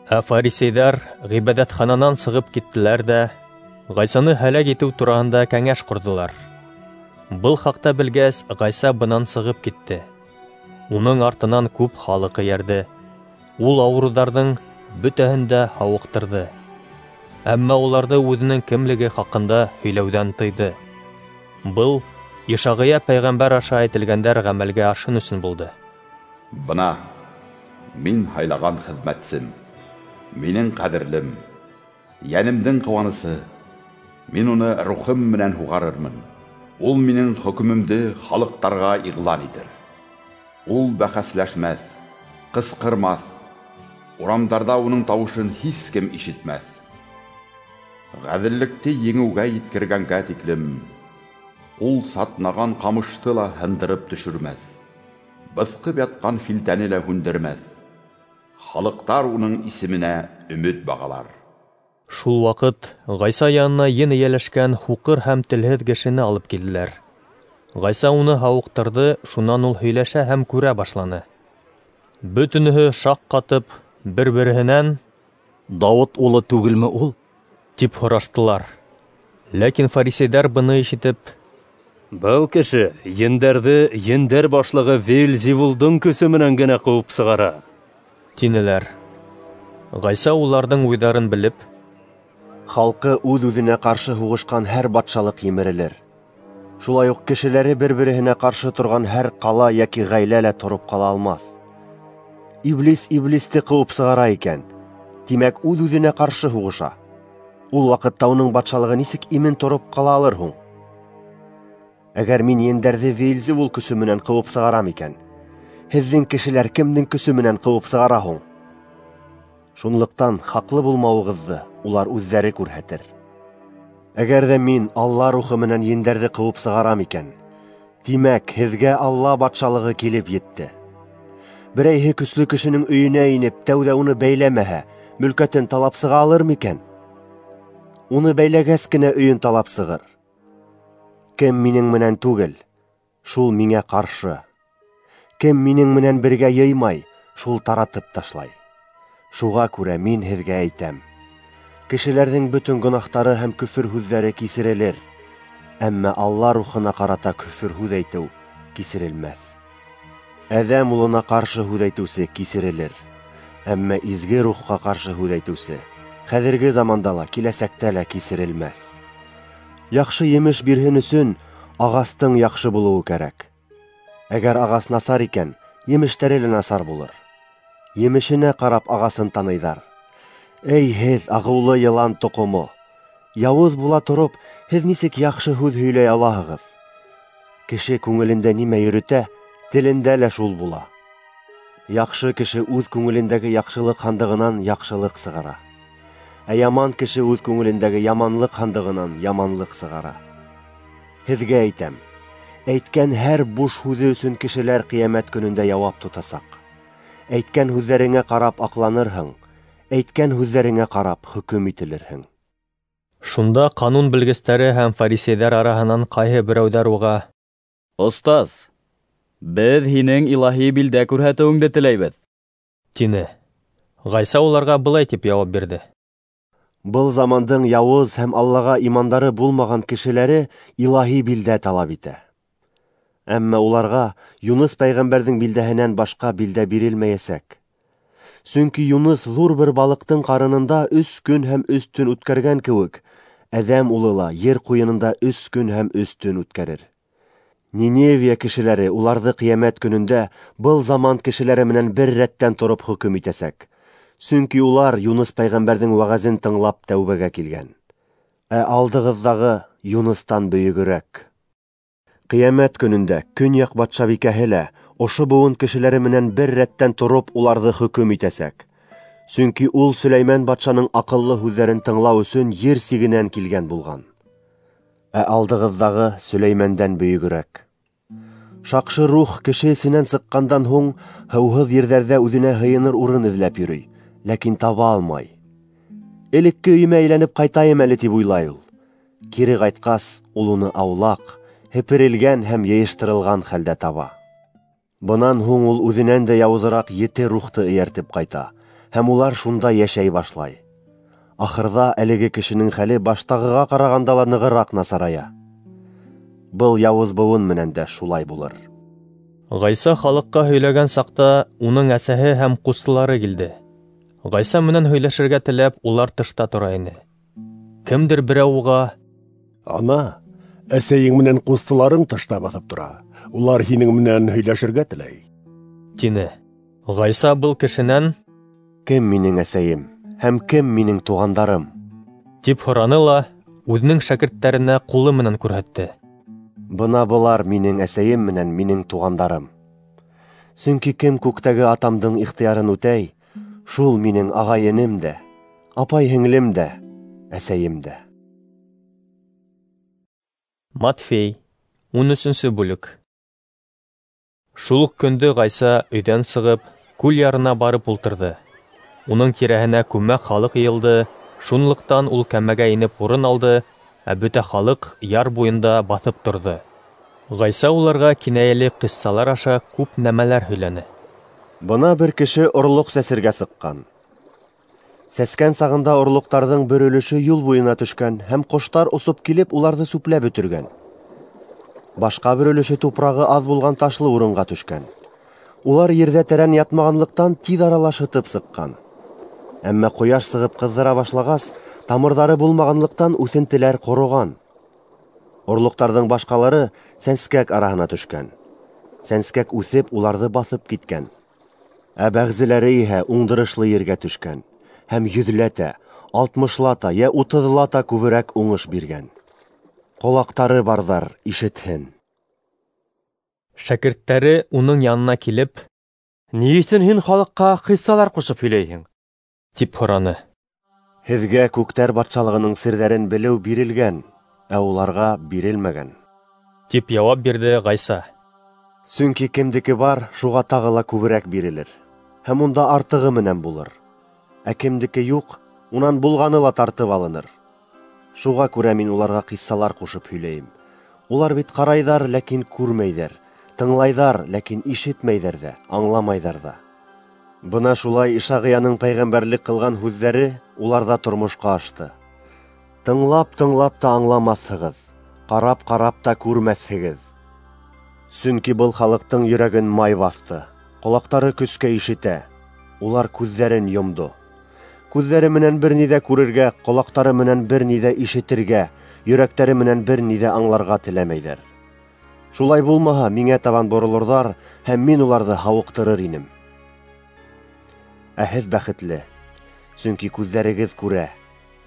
Ә фарисейҙәр ғибәҙәтхананан сығып киттеләр ҙә Ғайсаны һәләк итеү тураһында кәңәш ҡорҙолар. Был хаҡта белгәс, Ғайса бынан сығып китте. Уның артынан күп халыҡ эйәрҙе. Ул ауырыуҙарҙың бөтәһен дә һауыҡтырҙы. Әммә уларҙы үҙенең кемлеге хаҡында һөйләүҙән тыйҙы. Был Ишағия пәйғәмбәр аша әйтелгәндәр ғәмәлгә ашһын өсөн булды. Бына мин һайлаған хеҙмәтсем, минең ҡәҙерлем, йәнемдең ҡыуанысы. Мин уны рухым менән һуғарырмын. Ул минең хөкөмөмдө халыҡтарға иғлан итер. Ул бәхәсләшмәҫ, ҡысҡырмаҫ, урамдарҙа уның тауышын һис кем ишетмәҫ. Ғәҙеллекте еңеүгә еткергәнгә тиклем, ул сатнаған ҡамышты ла һындырып төшөрмәҫ, быҫҡып ятҡан филтәне лә һүндермәҫ. Халыҡтар уның исеменә өмөт бағалар. Шул ваҡыт Ғайса янына ен эйәләшкән һуҡыр һәм телһеҙ кешене алып килделәр. Ғайса уны һауыҡтырҙы, шунан ул һөйләшә һәм күрә башланы. Бөтөнөһө шаҡ ҡатып, бер-береһенән: «Дауыт улы түгелме ул?» — тип һораштылар. Ләкин фарисейҙәр быны ишетеп: «Был кеше ендәрҙе ендәр башлығы Веельзевулдың көсө менән генә ҡыуып сығара», — тинеләр. Ғайса уларҙың уйҙарын белеп: «Халҡы үҙ-үҙенә ҡаршы һуғышҡан һәр батшалыҡ емерелер. Шулай уҡ кешеләре бер-береһенә ҡаршы торған һәр ҡала йәки ғаилә лә тороп ҡала алмаҫ. Иблис иблисте ҡыуып сығара икән, тимәк, үҙ-үҙенә ҡаршы һуғыша. Ул ваҡытта уның батшалығы нисек имен тороп ҡала алыр һуң? Әгәр мин ендәрҙе Веельзевул көсө менән ҡыуып сығарам икән, һеҙҙең кешеләр кемдең көсө менән ҡыуып сығара һуң? Шунлыҡтан хаҡлы булмауығыҙҙы улар үҙҙәре күрһәтер. Әгәр ҙә мин Алла рухы менән ендәрҙе ҡыуып сығарам икән, тимәк, һеҙгә Алла батшалығы килеп етте. Берәйһе көслө кешенең өйөнә инеп, тәүҙә уны бәйләмәһә, мөлкәтен талап сыға алыр микән? Уны бәйләгәс кенә өйөн талап сығыр. Кем минең менән түгел, шул миңә ҡаршы. Кем минең менән бергә йыймай, шул таратып ташлай. Шуға күрә мин һеҙгә әйтәм: кешеләрҙең бөтөн гонаһтары һәм көфөр һүҙҙәре кисерелер, әммә Алла рухына ҡарата көфөр һүҙ әйтеү кисерелмәҫ. Әҙәм улына ҡаршы һүҙ әйтеүсе кисерелер, әммә изге рухҡа ҡаршы һүҙ әйтеүсе хәҙерге заманда ла, киләсәктә лә кисерелмәҫ. Яҡшы емеш бирһен өсөн ағастың яҡшы булыуы кәрәк. Әгәр ағас насар икән, емештәре лә насар булыр. Емешенә ҡарап ағасын таныйҙар. Эй, һеҙ, ағыулы йылан тоҡомо! Яуыз була тороп, һеҙ нисек яҡшы һүҙ һөйләй алаһығыҙ? Кеше күңелендә нимә йөрөтә, телендә лә шул була. Яҡшы кеше үҙ күңелендәге яҡшылыҡ һандығынан яҡшылыҡ сығара, ә яман кеше үҙ күңелендәге яманлыҡ һандығынан яманлыҡ сығара. Һеҙгә әйтәм, әйткән һәр буш һүҙе өсөн кешеләр ҡиәмәт көнөндә яуап тотасаҡ. Әйткән һүҙҙәреңә ҡарап аҡланырһың, әйткән һүҙҙәреңә ҡарап хөкөм ителерһең. Шунда ҡанун белгестәре һәм фарисейҙәр араһынан ҡайһы берәүҙәр уға: «Остаз, беҙ һинең илаһи билдә күрһәтеүеңде теләйбеҙ», — тине. Ғайса уларға былай тип яуап бирҙе: «Был замандың яуыз һәм Аллаға имандары булмаған кешеләре илаһи билдә талап итә. Әммә уларға Юныс пәйғәмбәрҙең билдәһенән башҡа билдә бирелмәйәсәк. Сөнки Юныс ҙур бер балыҡтың ҡарынында өс көн һәм өс төн үткәргән кеүек, Әҙәм улы ла ер ҡуйынында өс көн һәм өс төн үткәрер. Ниневия кешеләре уларҙы ҡиәмәт көнөндә был заман кешеләре менән бер рәттән тороп хөкөм итәсәк. Сөнки улар Юныс пәйғәмбәрҙең вәғәзен тыңлап тәүбәгә килгән. Ә алдығыҙҙағы Юныстан бөйөгөрәк. Ҡиәмәт көнөндә көньяҡ батшабикәһе лә ошо быуын кешеләре менән бер рәттән тороп уларҙы хөкөм итәсәк. Сөнки ул Сөләймән батшаның аҡыллы һүҙҙәрен тыңлау өсөн ер сигенән килгән булған. Ә алдығыҙҙағы Сөләймәндән бөйөгөрәк. Шаҡшы рух кеше эсенән сыҡҡандан һуң һыуһыҙ ерҙәрҙә үҙенә һыйыныр урын эҙләп йөрөй, ләкин таба алмай. Элекке өйөмә әйләнеп ҡайтайым әле тип уйлай ул. Кире ҡайтҡас, ул уны аулаҡ, һеперелгән һәм йыйыштырылған хәлдә таба. Бынан һуң ул үҙенән дә яуызыраҡ ете рухты эйәртеп ҡайта, һәм улар шунда йәшәй башлай. Ахырҙа әлеге кешенең хәле баштағыға ҡарағанда ла нығыраҡ насарая. Был яуыз быуын менән дә шулай булыр. Ғайса халыҡҡа һөйләгән саҡта уның әсәһе һәм ҡустылары килде. Ғайса менән һөйләшергә теләп, улар тышта тора ине. Кемдер берәү уға: "Ана, әсәйең менән ҡустыларың тышта баҫып тора. Улар һинең менән һөйләшергә теләй", тине. Ғайса был кешенән: "Кем минең әсәйем һәм кем минең туғандарым?" тип һораны ла үҙенең шәкерттәренә ҡулы менән күрһәтте. Бына былар минең әсәйем менән минең туғандарым. Сөнки кем күктәге атамдың ихтыярын үтәй, шул минең ағай-энем дә, апай-һеңлем дә, әсәйем дә. Матфей, ун өсөнсө бүлек. Шул уҡ көндө Ғайса өйҙән сығып, күл ярына барып ултырҙы. Уның тирәһенә күмәк халыҡ йыйылды, шунлыҡтан ул кәмәгә инеп урын алды, ә бөтә халыҡ яр буйында баҫып торҙо. Ғайса уларға кинәйәле ҡиссалар аша күп нәмәләр һөйләне. Бына бер кеше орлоҡ сәсергә сыҡҡан. Сәскән сағында орлоҡтарҙың бер өлөшө юл буйына төшкән һәм ҡоштар осоп килеп уларҙы сүпләп бөтөргән. Башҡа бер өлөшө тупрағы аҙ булған ташлы урынға төшкән. Улар ерҙә тәрән ятмағанлыҡтан тиҙ арала шытып сыҡҡан. Әммә ҡояш сығып ҡыҙҙыра башлағас, тамырҙары булмағанлыҡтан үҫентеләр ҡороған. Орлоҡтарҙың башҡалары сәнскәк араһына төшкән. Сәнскәк үҫеп уларҙы баҫып киткән. Ә бәғзеләре иһә уңдырышлы ергә төшкән һәм йөҙләтә, алтмышлата йә утыҙлата күберәк уңыш биргән. Ҡолаҡтары барҙар ишетһен. Шәкерттәре уның янына килеп: "Ни өсөн һин халыҡҡа ҡиссалар ҡушып һөйләйһең?" тип һораны. Һеҙгә күктәр батшалығының серҙәрен белеү бирелгән, ә уларға бирелмәгән, тип яуап бирҙе Ғайса. Сөнки кемдеке бар, шуға тағы ла күберәк бирелер, һәм унда артығы менән булыр. Ә кемдеке юҡ, унан булғаны ла тартып алыныр. Шуға күрә мин уларға ҡиссалар ҡушып һөйләйем. Улар бит ҡарайҙар, ләкин күрмәйҙәр, тыңлайҙар, ләкин ишетмәйҙәр ҙә, аңламайҙар ҙа. Бына шулай Ишағияның пәйғәмбәрлек ҡылған һүҙҙәре уларҙа тормошҡа ашты. Тыңлап-тыңлап та аңламаҫһығыҙ, ҡарап-ҡарап та күрмәҫһегеҙ. Сөнки был халыҡтың йөрәген май баҫты, ҡолаҡтары көскә ишетә, улар күҙҙәрен йомдо. Күҙҙәре менән бер ни ҙә күрергә, ҡолаҡтары менән бер ни ҙә ишетергә, йөрәктәре менән бер ни ҙә аңларға теләмәйҙәр. Шулай булмаһа, миңә табан боролорҙар, һәм мин уларҙы һауыҡтырыр инем. Ә һеҙ бәхетле, сөнки күҙҙәрегеҙ күрә,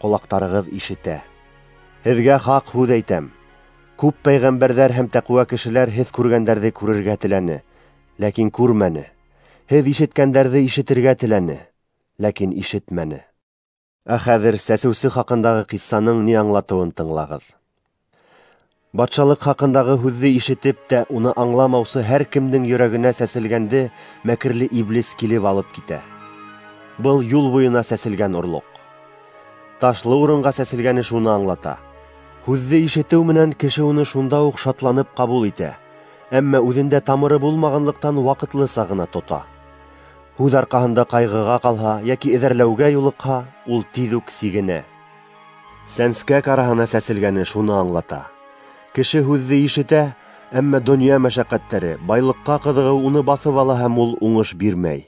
ҡолаҡтарығыҙ ишетә. Һеҙгә хаҡ һүҙ әйтәм: күп пәйғәмбәрҙәр һәм тәҡүә кешеләр һеҙ күргәндәрҙе күрергә теләне, ләкин күрмәне. Һеҙ ишеткәндәрҙе ишетергә теләне, ләкин ишетмәне. Ә хәҙер сәсеүсе хаҡындағы ҡиссаның ни аңлатыуын тыңлағыҙ. Батшалыҡ хаҡындағы һүҙҙе ишетеп тә уны аңламаусы һәр кемдең йөрәгенә сәселгәнде мәкерле иблис килеп алып китә. Был юл буйына сәселгән орлоҡ. Ташлы урынға сәселгәне шуны аңлата. Һүҙҙе ишетеү менән кеше уны шунда уҡ шатланып ҡабул итә, әммә үҙендә тамыры булмағанлыҡтан ваҡытлыса ғына тота. Һүҙ арҡаһында ҡайғыға ҡалһа йәки эҙәрләүгә юлыҡһа, ул тиҙ үк сигенә. Сәнскәк араһына сәселгәне шуны аңлата. Кеше һүҙҙе ишетә, әммә донъя мәшәҡәттәре, байлыҡҡа ҡыҙығыу уны баҫып ала һәм ул уңыш бирмәй.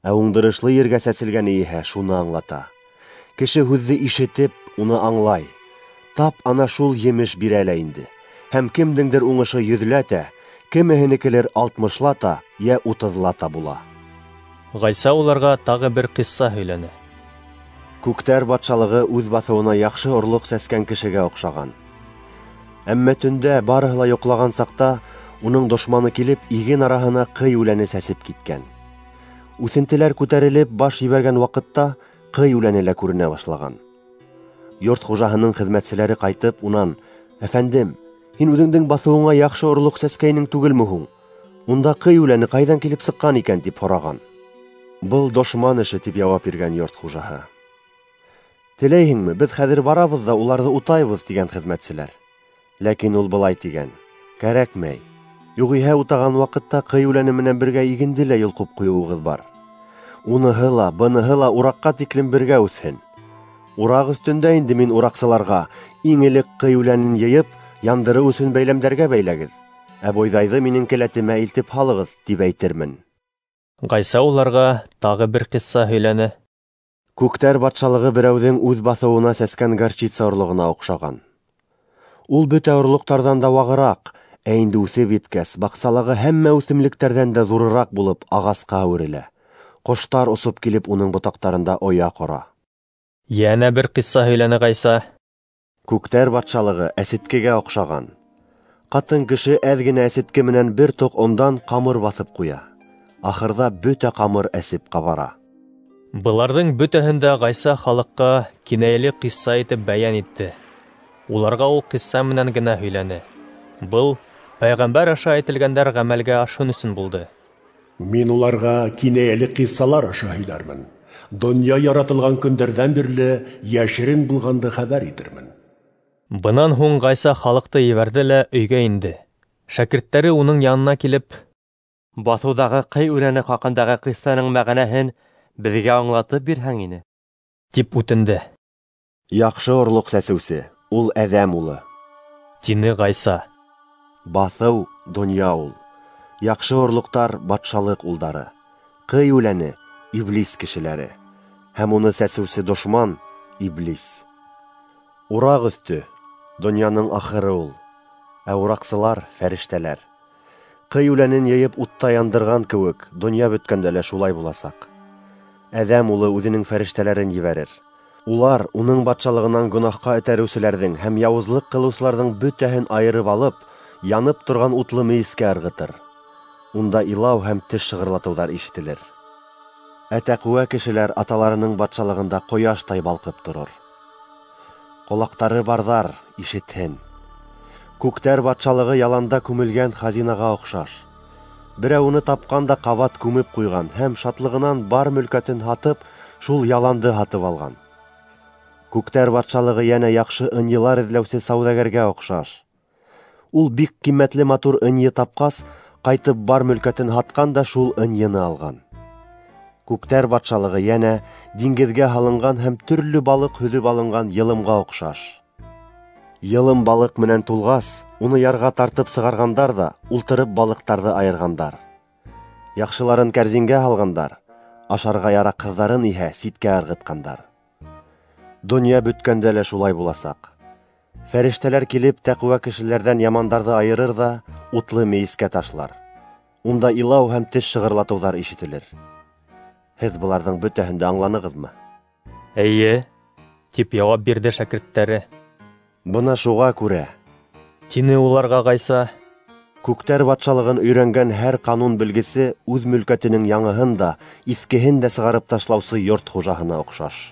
Ә уңдырышлы ергә сәселгәне иһә шуны аңлата. Кеше һүҙҙе ишетеп, уны аңлай. Тап ана шул емеш бирә лә инде. Һәм кемдеңдер уңышы йөҙләтә, кемеһенекелер алтмышлата йә утыҙлата була. Ғайса уларға тағы бер ҡисса һөйләне. Күктәр батшалығы үҙ баҫыуына яҡшы орлоҡ сәскән кешегә оҡшаған. Әммә төндә барыһы ла йоҡлаған саҡта уның дошманы килеп иген араһына ҡый үләне сәсеп киткән. Үҫентеләр күтәрелеп баш ебәргән ваҡытта ҡый үләне лә күренә башлаған. Йорт хужаһының хеҙмәтселәре ҡайтып унан: "Әфәндем, һин үҙеңдең баҫыуыңа яҡшы орлоҡ сәскәйнең түгелме һуң? Унда ҡый үләне ҡайҙан килеп сыҡҡан икән?" тип һораған. "Был дошман эше", тип яуап биргән йорт хужаһы. "Теләйһеңме, беҙ хәҙер барабыҙ ҙа уларҙы утайбыҙ", тигән хеҙмәтселәр. Ләкин ул былай тигән: "Кәрәкмәй. Юғиһә утаған ваҡытта ҡый үләне менән бергә игенде лә йолҡоп ҡуйыуығыҙ бар. Уныһы ла, быныһы ла ураҡҡа тиклем бергә үҫһен. Ураҡ өҫтөндә инде мин ураҡсыларға иң элек ҡый үләнен йыйып, яндырыу өсөн бәйләмдәргә бәйләгеҙ, ә бойҙайҙы минең келәтемә илтеп һалығыҙ, тип әйтермен." Ғайса уларға тағы бер ҡисса һөйләне. Күктәр батшалығы берәүҙең үҙ баҫыуына сәскән горчица орлоғона оҡшаған. Ул бөтә орлоҡтарҙан да вағыраҡ, ә инде үҫеп еткәс, баҡсалағы һәммә үҫемлектәрҙән дә ҙурыраҡ булып ағасҡа әүерелә. Ҡоштар осоп килеп уның ботаҡтарында оя ҡора. Йәнә бер ҡисса һөйләне Ғайса. Күктәр батшалығы әсеткегә оҡшаған. Ҡатын кеше әҙ генә әсетке менән бер тоҡ ондан ҡамыр баҫып ҡуя. Ахырҙа бөтә ҡамыр әсеп ҡабара. Быларҙың бөтәһен дә Ғайса халыҡҡа кинәйәле ҡисса итеп бәйән итте. Уларға ул ҡисса менән генә һөйләне. Был пәйғәмбәр аша әйтелгәндәр ғәмәлгә ашһын өсөн булды. Мин уларға кинәйәле ҡиссалар аша һөйләрмен. Донъя яратылған көндәрҙән бирле йәшерен булғанды хәбәр итермен. Бынан һуң Ғайса халыҡты ебәрҙе лә өйгә инде. Шәкерттәре уның янына килеп, баҫыуҙағы ҡый үләне хаҡындағы ҡиссаның мәғәнәһен беҙгә аңлатып бирһәң ине, тип үтенде. Яҡшы орлоҡ сәсеүсе ул Әҙәм улы, тине Ғайса. Баҫыу донъя ул. Яҡшы орлоҡтар батшалыҡ улдары. Ҡый үләне иблис кешеләре. Һәм уны сәсеүсе дошман иблис. Ураҡ өҫтө донъяның ахыры ул, ә ураҡсылар фәрештәләр. Ҡый үләнен йыйып утта яндырған кеүек, донъя бөткәндә лә шулай буласаҡ. Әҙәм улы үҙенең фәрештәләрен ебәрер. Улар уның батшалығынан гонаһҡа этәреүселәрҙең һәм яуызлыҡ ҡылыусыларҙың бөтәһен айырып алып, янып торған утлы мейескә ырғытыр. Унда илау һәм теш шығырлатыуҙар ишетелер. Ә тәҡүә кешеләр аталарының батшалығында ҡояштай балҡып торор. Ҡолаҡтары барҙар ишетһен. Күктәр батшалығы яланда күмелгән хазинаға оҡшаш. Берәү уны тапҡан да ҡабат күмеп ҡуйған һәм шатлығынан бар мөлкәтен һатып, шул яланды һатып алған. Күктәр батшалығы йәнә яҡшы ынйылар эҙләүсе сауҙагәргә оҡшаш. Ул бик ҡиммәтле матур ынйы тапҡас, ҡайтып бар мөлкәтен һатҡан да шул ынйыны алған. Күктәр батшалығы йәнә диңгеҙгә һалынған һәм төрлө балыҡ һөҙөп алынған йылымға оҡшаш. Йылым балыҡ менән тулғас, уны ярға тартып сығарғандар ҙа, ултырып балыҡтарҙы айырғандар. Яҡшыларын кәрзингә һалғандар, ашарға яраҡһыҙҙарын иһә ситкә ырғытҡандар. Донъя бөткәндә лә шулай буласаҡ. Фәрештәләр килеп тәҡүә кешеләрҙән ямандарҙы айырыр ҙа, утлы мейескә ташлар. Унда илау һәм теш шығырлатыуҙар ишетелер. Һеҙ быларҙың бөтәһен дә аңланығыҙмы? Эйе, тип яуап бирҙе шәкерттәре. Бына шуға күрә, тине уларға Ғайса, күктәр батшалығын өйрәнгән һәр ҡанун белгесе үҙ мөлкәтенең яңыһын да, иҫкеһен дә сығарып ташлаусы йорт хужаһына оҡшаш.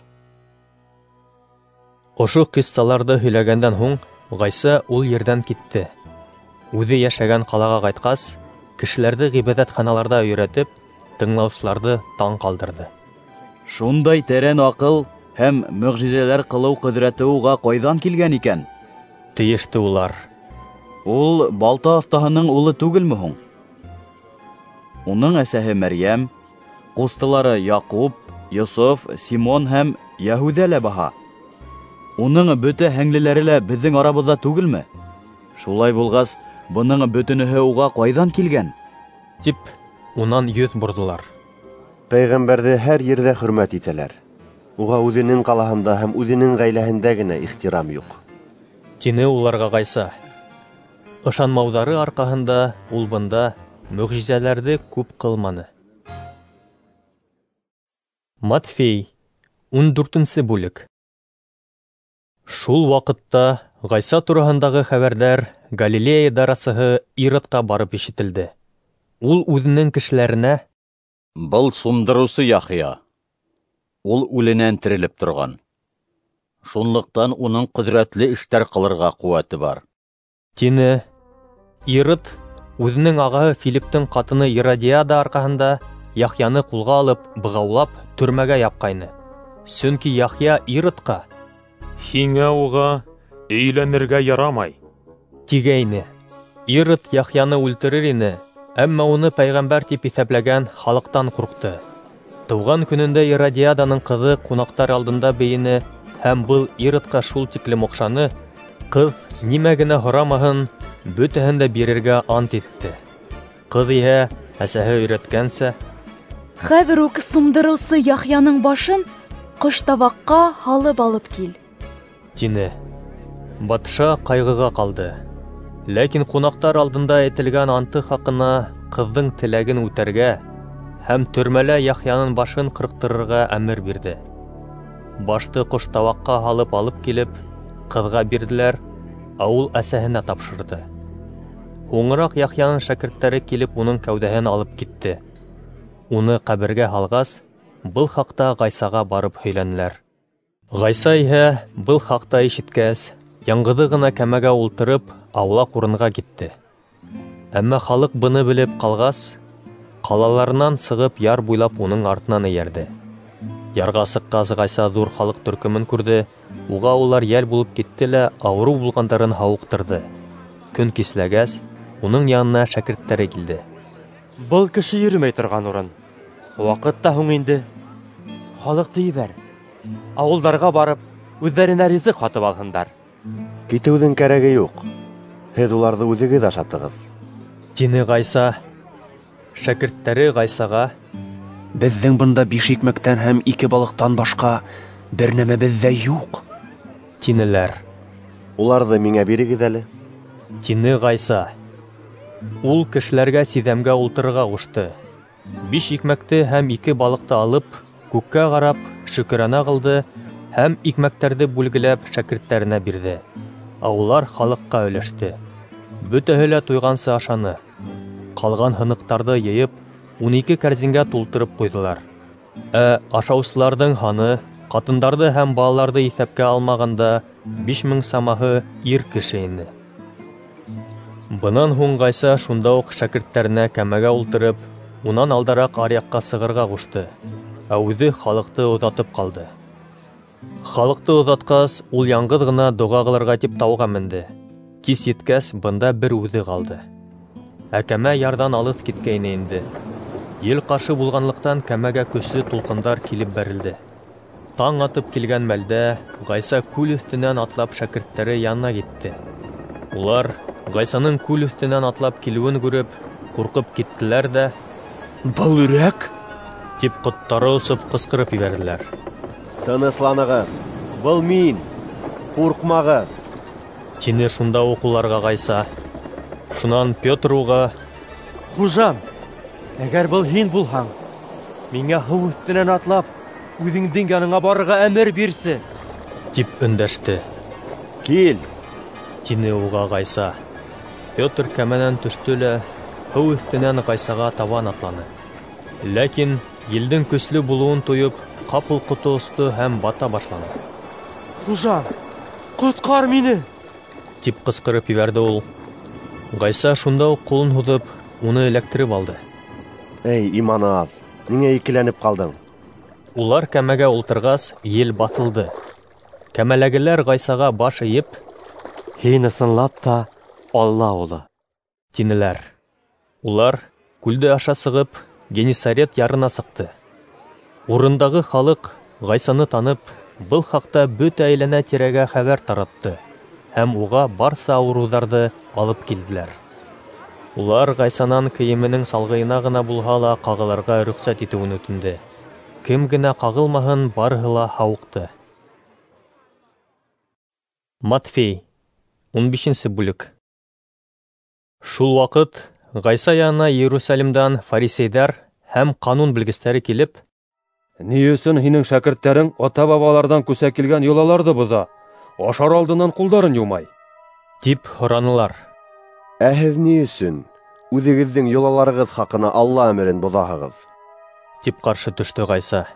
Ошо ҡиссаларҙы һөйләгәндән һуң Ғайса ул ерҙән китте. Үҙе йәшәгән ҡалаға ҡайтҡас, кешеләрҙе ғибәҙәтханаларҙа өйрәтеп, тыңлаусыларҙы таң ҡалдырҙы. Шундай тәрән аҡыл һәм мөғжизәләр ҡылыу ҡөҙрәте уға ҡайҙан килгән икән? Тейеште улар. Ул балта оҫтаһының улы түгелме һуң? Уның әсәһе Мәрйәм, ҡустылары Яҡуп, Йософ, Симон һәм Йәһүҙә лә баһа. Уның бөтә һеңлеләре лә беҙҙең арабыҙҙа түгелме? Шулай булғас, бының бөтөнөһө уға ҡайҙан килгән? Тип унан йөҙ борҙолар. Пәйғәмбәрҙе һәр ерҙә хөрмәт итәләр. Уға үҙенең ҡалаһында һәм үҙенең ғаиләһендә генә ихтирам юҡ, тине уларға Ғайса. Ышанмауҙары арҡаһында ул бында мөғжизәләрҙе күп ҡылманы. Матфей, ун дүртенсе бүлек. Шул ваҡытта Ғайса тураһындағы хәбәрҙәр Галилея дарасыһы Иродҡа барып ишетелде. Ул үҙенең кешеләренә: "Был сумдырыусы Яхъя, ул үленән терелеп торған. Шунлыҡтан уның ҡөҙрәтле эштәр ҡылырға ҡеүәте бар", тине. Ирод үҙенең ағаһы Филиптың ҡатыны Иродиада арҡаһында Яхъяны ҡулға алып, бығаулап төрмәгә япҡайны. Сөнки Яхъя Иродҡа: "Һиңә уға өйләнергә ярамай", тигәйне. Ирод Яхъяны үлтерер ине, әммә уны пәйғәмбәр тип иҫәпләгән халыҡтан ҡурҡты. Тыуған көнөндә Иродиаданың ҡыҙы ҡунаҡтар алдында бейене, һәм был Иродҡа шул тиклем оҡшаны, ҡыҙ нимә генә һорамаһын, бөтәһен дә бирергә ант итте. Ҡыҙ иһә, әсәһе өйрәткәнсә: "Хәҙер үк сумдырыусы Яхъяның башын ҡоштабаҡҡа һалып алып кил, тине. Батша ҡайғыға ҡалды. Ләкин ҡунаҡтар алдында әйтелгән анты хаҡына ҡыҙҙың теләген үтәргә һәм төрмәлә Яхъяның башын ҡырҡтырырға әмер бирҙе. Башты ҡоштабаҡҡа һалып алып килеп, ҡыҙға бирҙеләр, ә ул әсәһенә тапшырҙы. Һуңыраҡ Яхъяның шәкерттәре килеп уның кәүҙәһен алып китте. Уны ҡәбергә һалғас, был хаҡта Ғайсаға барып һөйләнеләр. Ғайса иһә был хаҡта ишеткәс, яңғыҙы ғына кәмәгә ултырып, аулаҡ урынға китте. Әммә халыҡ быны белеп ҡалғас, ҡалаларынан сығып яр буйлап уның артынан эйәрҙе. Ярға сыҡҡас, Ғайса ҙур халыҡ төркөмөн күрҙе, уға улар йәл булып китте лә ауырыу булғандарын һауыҡтырҙы. Көн кисләгәс, уның янына шәкерттәре килде. Был кеше йөрөмәй торған урын. Ваҡыт та һуң инде. Халыҡты ебәр. Ауылдарға барып, үҙҙәренә ризыҡ һатып алһындар. Китеүҙең кәрәге юҡ. Һеҙ уларҙы үҙегеҙ ашатығыҙ, тине Ғайса. Шәкерттәре Ғайсаға: Беҙҙең бында биш икмәктән һәм ике балыҡтан башҡа бер нәмәбеҙ ҙә юҡ, тинеләр. Уларҙы миңә бирегеҙ әле, тине Ғайса. Ул кешеләргә сиҙәмгә ултырырға ҡушты. Биш икмәкте һәм ике балыҡты алып, күккә ҡарап, шөкөрәнә ҡылды һәм икмәктәрҙе бүлгеләп шәкерттәренә бирҙе. Ә улар халыҡҡа өләште. Бөтәһе лә туйғансы ашаны. Ҡалған һыныҡтарҙы йыйып, ун ике кәрзингә тултырып ҡуйҙылар. Ә ашаусыларҙың һаны, ҡатындарҙы һәм балаларҙы иҫәпкә алмағанда, биш мең самаһы ир кеше ине. Бынан һуң Ғайса шунда уҡ шәкерттәренә кәмәгә ултырып, унан алдараҡ аръяҡҡа сығырға ҡушты, ә үҙе халыҡты оҙатып ҡалды. Халыҡты оҙатҡас, ул яңғыҙ ғына доға ҡылырға тип тауға менде. Кис еткәс, бында бер үҙе ҡалды. Ә кәмә ярҙан алыҫ киткәйне инде. Ел ҡаршы булғанлыҡтан кәмәгә көслө тулҡындар килеп бәрелде. Таң атып килгән мәлдә Ғайса күл өҫтөнән атлап шәкерттәре янына китте. Улар Ғайсаның күл өҫтөнән атлап килеүен күреп, ҡурҡып киттеләр ҙә, «Был өрәк!» тип ҡоттары осоп ҡысҡырып ебәрҙеләр. Тынысланығыҙ, был мин, ҡурҡмағыҙ, тине шунда уҡ уларға Ғайса. Шунан Петр уға: Хужам, әгәр был һин булһаң, миңә һыу өҫтөнән атлап, үҙеңдең яныңа барырға әмер бирсе, тип өндәште. Кил, тине уға Ғайса. Петр кәмәнән төштө лә һыу өҫтөнән Ғайсаға табан атланы. Ләкин елдең көслө булыуын тойоп, ҡапыл ҡото осто һәм бата башланы. Хужам, ҡотҡар мине, тип ҡысҡырып ебәрҙе ул. Ғайса шунда уҡ ҡулын һуҙып, уны эләктереп алды. Эй, иманы аҙ, ниңә икеләнеп ҡалдың? Улар кәмәгә ултырғас, ел баҫылды. Кәмәләгеләр Ғайсаға баш эйеп, «Һин ысынлап та Алла улы», тинеләр. Улар күлде аша сығып, Генисарет ярына сыҡты. Урындағы халыҡ Ғайсаны танып, был хаҡта бөтә әйләнә-тирәгә хәбәр таратты һәм уға барса ауырыуҙарҙы алып килделәр. Улар Ғайсанан кейеменең салғыйына ғына булһа ла ҡағылырға рөхсәт итеүен үтенде. Кем генә ҡағылмаһын, барыһы ла һауыҡты. Матфей, ун бишенсе бүлек. Шул ваҡыт Ғайса янына Иерусалимдан фарисейҙәр һәм ҡанун белгестәре килеп, «Ни өсөн һинең шәкерттәрең ата-бабаларҙан күсә килгән йолаларҙы боҙа, ашар алдынан ҡулдарын йыумай?» тип һоранылар. Ә һеҙ ни өсөн үҙегеҙҙең йолаларығыҙ хаҡына Алла әмерен боҙаһығыҙ? Тип ҡаршы төштө Ғайса.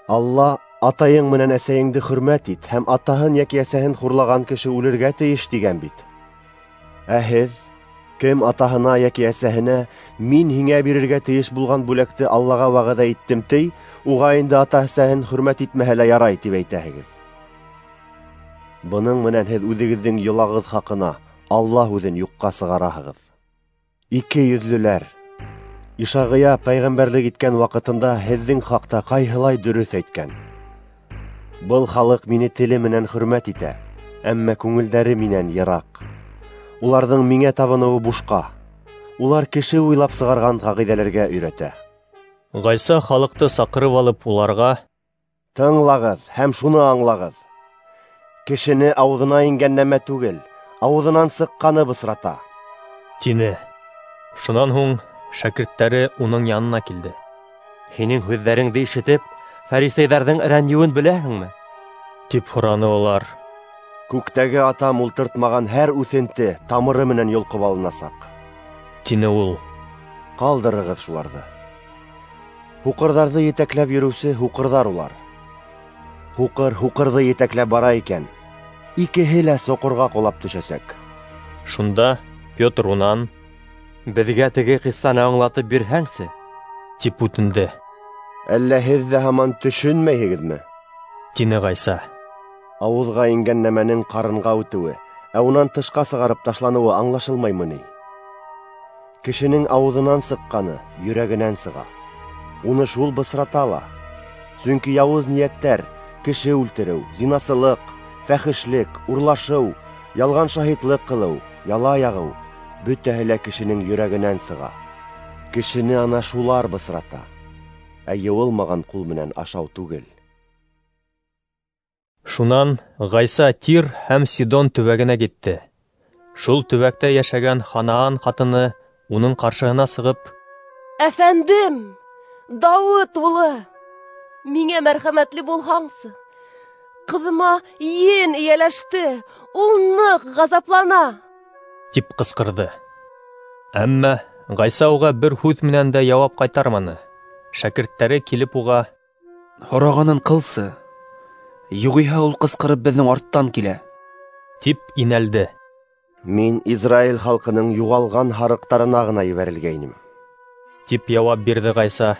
Алла атайың менән әсәйеңде хөрмәт ит һәм атаһын йәки әсәһен хурлаған кеше үлергә тейеш тигән бит. Ә һеҙ, кем атаһына йәки әсәһенә мин һиңә бирергә тейеш булған бүләкте Аллаға вәғәҙә иттем ти, уға инде ата-әсәһен хөрмәт итмәһә лә ярай тип әйтәһегеҙ. Бының менән һеҙ үҙегеҙҙең йолағыҙ хаҡына Алла һүҙен юҡҡа сығараһығыҙ. Ике йөҙлөләр! Ишағия пәйғәмбәрлек иткән ваҡытында һеҙҙең хаҡта ҡайһылай дөрөҫ әйткән. Был халыҡ мине теле менән хөрмәт итә, әммә күңелдәре минән йыраҡ. Уларҙың миңә табыныуы бушҡа. Улар кеше уйлап сығарған ҡағиҙәләргә өйрәтә. Ғайса халыҡты саҡырып алып уларға: Тыңлағыҙ һәм шуны аңлағыҙ: кешене ауыҙына ингән нәмә түгел, ауыҙынан сыҡҡаны бысрата, тине. Шунан һуң шәкерттәре уның янына килде. Һинең һүҙҙәреңде ишетеп, фарисейҙарҙың рәнйеүен беләһеңме? Тип һораны улар. Күктәге Атам ултыртмаған һәр үҫенте тамыры менән йолҡоп алынасаҡ, тине ул. Ҡалдырығыҙ шуларҙы. Һуҡырҙарҙы етәкләп йөрөүсе һуҡырҙар улар. Һуҡыр һуҡырҙы етәкләп бара икән, икеһе лә соҡорға ҡолап төшәсәк. Шунда Петр унан: Беҙгә теге ҡиссаны аңлатып бирһәңсе, тип үтенде. Әллә һеҙ ҙә һаман төшөнмәйһегеҙме? Тине Ғайса. Ауыҙға ингән нәмәнең ҡарынға үтеүе, ә унан тышҡа сығарып ташланыуы аңлашылмаймы ни? Кешенең ауыҙынан сыҡҡаны йөрәгенән сыға. Уны шул бысрата ла. Сөнки яуыз ниәттәр, кеше үлтереү, зинасылыҡ, фәхешлек, урлашыу, ялған шаһитлыҡ ҡылыу, яла яғыу, бөтәһе лә кешенең йөрәгенән сыға. Кешене ана шулар бысрата, ә йыуылмаған ҡул менән ашау түгел. Шунан Ғайса Тир һәм Сидон төбәгенә китте. Шул төбәктә йәшәгән Ханаан ҡатыны уның ҡаршыһына сығып: Әфәндем, Дауыт улы, миңә мәрхәмәтле булһаңсы, ҡыҙыма ен эйәләште, ул ныҡ ғазаплана, тип ҡысҡырҙы. Әммә Ғайса уға бер һүҙ менән дә яуап ҡайтарманы. Шәкерттәре килеп уға: Һорағанын ҡылсы, юғиһә ул ҡысҡырып беҙҙең арттан килә, тип инәлде. Мин Израиль халҡының юғалған һарыҡтарына ғына ебәрелгәйнем, тип яуап бирҙе Ғайса.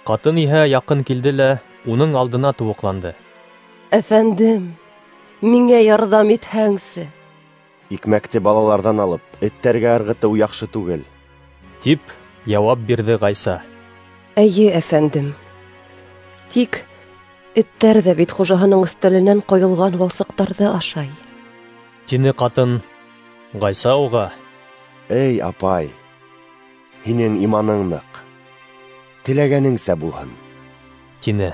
Ҡатын иһә яҡын килде лә уның алдына тубыҡланды. Әфәндем, миңә ярҙам итһәңсе. Икмәкте балаларҙан алып, эттәргә ырғытыу яҡшы түгел, тип яуап бирҙе Ғайса. Эйе, әфәндем. Тик эттәр ҙә бит хужаһының өҫтәленән ҡойолған валсыҡтарҙы ашай, тине ҡатын. Ғайса уға: Эй, апай, һинең иманың ныҡ, теләгәнеңсә булһын, тине.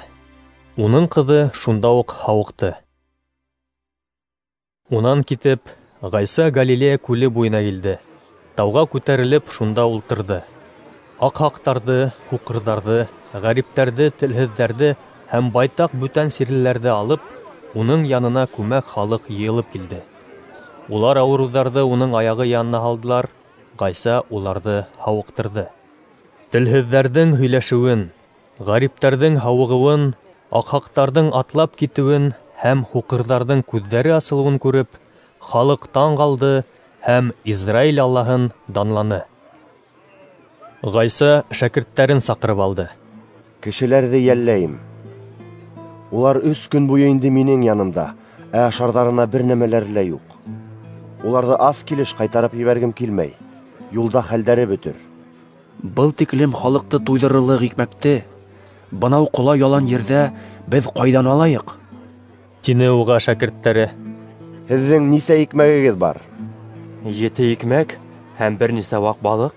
Уның ҡыҙы шунда уҡ һауыҡты. Унан китеп, Ғайса Галилея күле буйына килде. Тауға күтәрелеп, шунда ултырҙы. Аҡһаҡтарҙы, һуҡырҙарҙы, ғәриптәрҙе, телһеҙҙәрҙе һәм байтаҡ бүтән сирлеләрҙе алып, уның янына күмәк халыҡ йыйылып килде. Улар ауырыуҙарҙы уның аяғы янына һалдылар, Ғайса уларҙы һауыҡтырҙы. Телһеҙҙәрҙең һөйләшеүен, ғәриптәрҙең һауығыуын, аҡһаҡтарҙың атлап китеүен һәм һуҡырҙарҙың күҙҙәре асылыуын күреп, халыҡ таң ҡалды һәм Израиль Аллаһын данланы. Ғайса шәкерттәрен саҡырып алды. Кешеләрҙе йәлләйем. Улар өс көн буйы инде минең янымда, ә ашарҙарына бер нәмәләре лә юҡ. Уларҙы ас килеш ҡайтарып ебәргем килмәй, юлда хәлдәре бөтөр. Был тиклем халыҡты туйҙырырлыҡ икмәкте бынау ҡола ялан ерҙә беҙ ҡайҙан алайыҡ? Тине уға шәкерттәре. Һеҙҙең нисә икмәгегеҙ бар? Ете икмәк һәм бер нисә ваҡ балыҡ.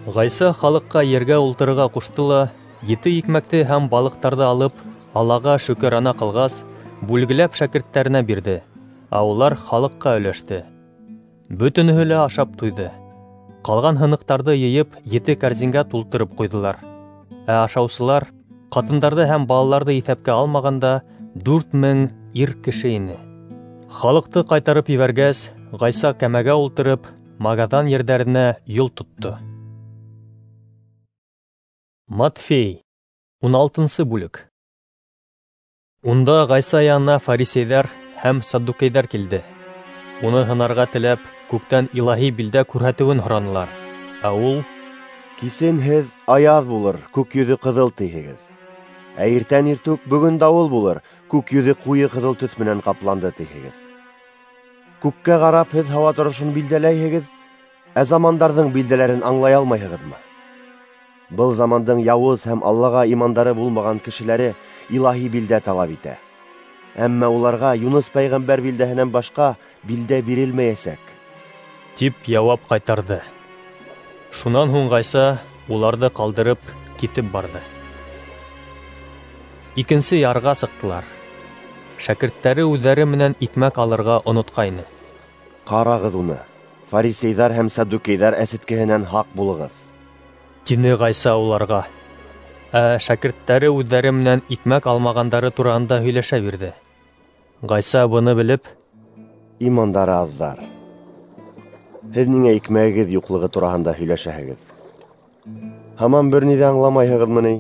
Ғайса халыҡҡа ергә ултырырға ҡушты ла, ете икмәкте һәм балыҡтарҙы алып, Аллаға шөкөрана ҡылғас, бүлгеләп шәкерттәренә бирҙе, ә улар халыҡҡа өләште. Бөтөнөһө лә ашап туйҙы. Ҡалған һыныҡтарҙы йыйып, ете кәрзингә тултырып ҡуйҙылар. Ә ашаусылар, ҡатындарҙы һәм балаларҙы иҫәпкә алмағанда, дүрт мең ир кеше ине. Халыҡты ҡайтарып ебәргәс, Ғайса кәмәгә ултырып, Магадан ерҙәренә юл тотто. Матфей, ун алтынсы бүлек. Унда Ғайса янына фарисейҙәр һәм саддукейҙәр килде. Уны һынарға теләп, күктән илаһи билдә күрһәтеүен һоранылар. Ә ул: Кисен һеҙ аяҙ булыр, күк йөҙө ҡыҙыл тиһегеҙ. Ә иртән иртүк бөгөн дауыл булыр, күк йөҙө ҡуйы ҡыҙыл төҫ менән ҡапланды тиһегеҙ. Күккә ҡарап һеҙ һауа торошон билдәләйһегеҙ, ә замандарҙың билдәләрен аңлай алмайһығыҙмы? Был замандың яуыз һәм Аллаға имандары булмаған кешеләре илаһи билдә талап итә. Әммә уларға Юныс пәйғәмбәр билдәһенән башҡа билдә бирелмәйәсәк, тип яуап ҡайтарҙы. Шунан һуң Ғайса уларҙы ҡалдырып китеп барҙы. икенсе ярға сыҡтылар. Шәкерттәре үҙҙәре менән икмәк алырға онотҡайны. Ҡарағыҙ уны, фарисейҙар һәм саддукейҙар әсеткеһенән һаҡ булығыҙ, тине Ғайса уларға. Ә шәкерттәре үҙҙәре менән икмәк алмағандары тураһында һөйләшә бирҙе. Ғайса быны белеп: Имандары аҙҙар, һеҙ ниңә икмәгегеҙ юҡлығы тураһында һөйләшәһегеҙ? Һаман бер ни ҙә аңламайһығыҙмы ни?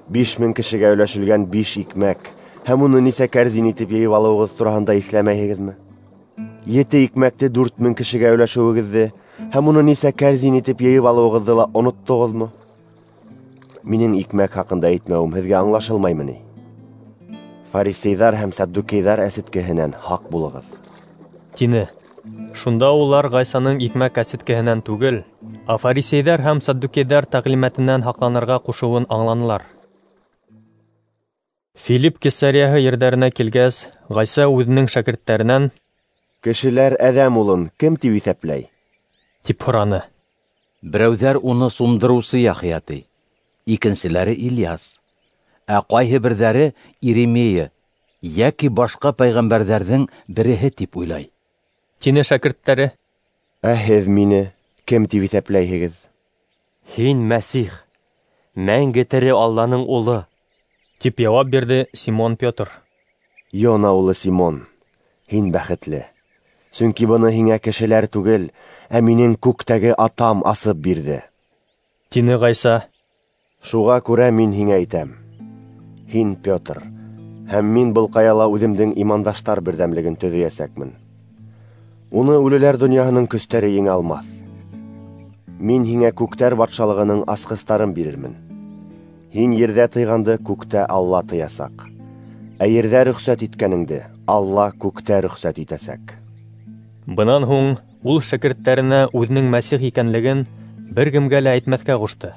Биш мең кешегә өләшелгән биш икмәк һәм уны нисә кәрзин итеп йыйып алыуығыҙ тураһында иҫләмәйһегеҙме? Ете икмәкте дүрт мең кешегә өләшеүегеҙҙе һәм уны нисә кәрзин итеп йыйып алыуығыҙҙы ла оноттоғоҙмо? Минең икмәк хаҡында әйтмәүем һеҙгә аңлашылмаймы ни? Фарисейҙар һәм саддукейҙар әсеткеһенән һаҡ булығыҙ, тине. Шунда улар Ғайсаның икмәк әсеткеһенән түгел, ә фарисейҙәр һәм саддукейҙәр тәғлимәтенән һаҡланырға ҡушыуын аңланылар. Филипп Кесарияһы ерҙәренә килгәс, Ғайса үҙенең шәкерттәренән: Кешеләр Әҙәм улын кем тип иҫәпләй? тип һораны. Берәүҙәр уны сумдырыусы Яхъя ти, икенселәре Ильяс, ә ҡайһы берҙәре Иеремия йәки башҡа пәйғәмбәрҙәрҙең береһе тип уйлай, тине шәкерттәре. Ә һеҙ мине кем тип иҫәпләйһегеҙ? Һин Мәсих, мәңге тере Алланың улы, тип яуап бирҙе Симон Петр. Йона улы Симон, һин бәхетле, сөнки быны һиңә кешеләр түгел, ә минең күктәге Атам асып бирҙе, тине Ғайса. Шуға күрә мин һиңә әйтәм: һин Петр, һәм мин был ҡаяла үҙемдең имандаштар берҙәмлеген төҙөйәсәкмен. Уны үлеләр донъяһының көстәре еңә алмаҫ. Мин һиңә күктәр батшалығының асҡыстарын бирермен. Һин ерҙә тыйғанды күктә Алла тыясаҡ, ә ерҙә рөхсәт иткәнеңде Алла күктә рөхсәт итәсәк. Бынан һуң ул шәкерттәренә үҙенең Мәсих икәнлеген бер кемгә лә әйтмәҫкә ҡушты.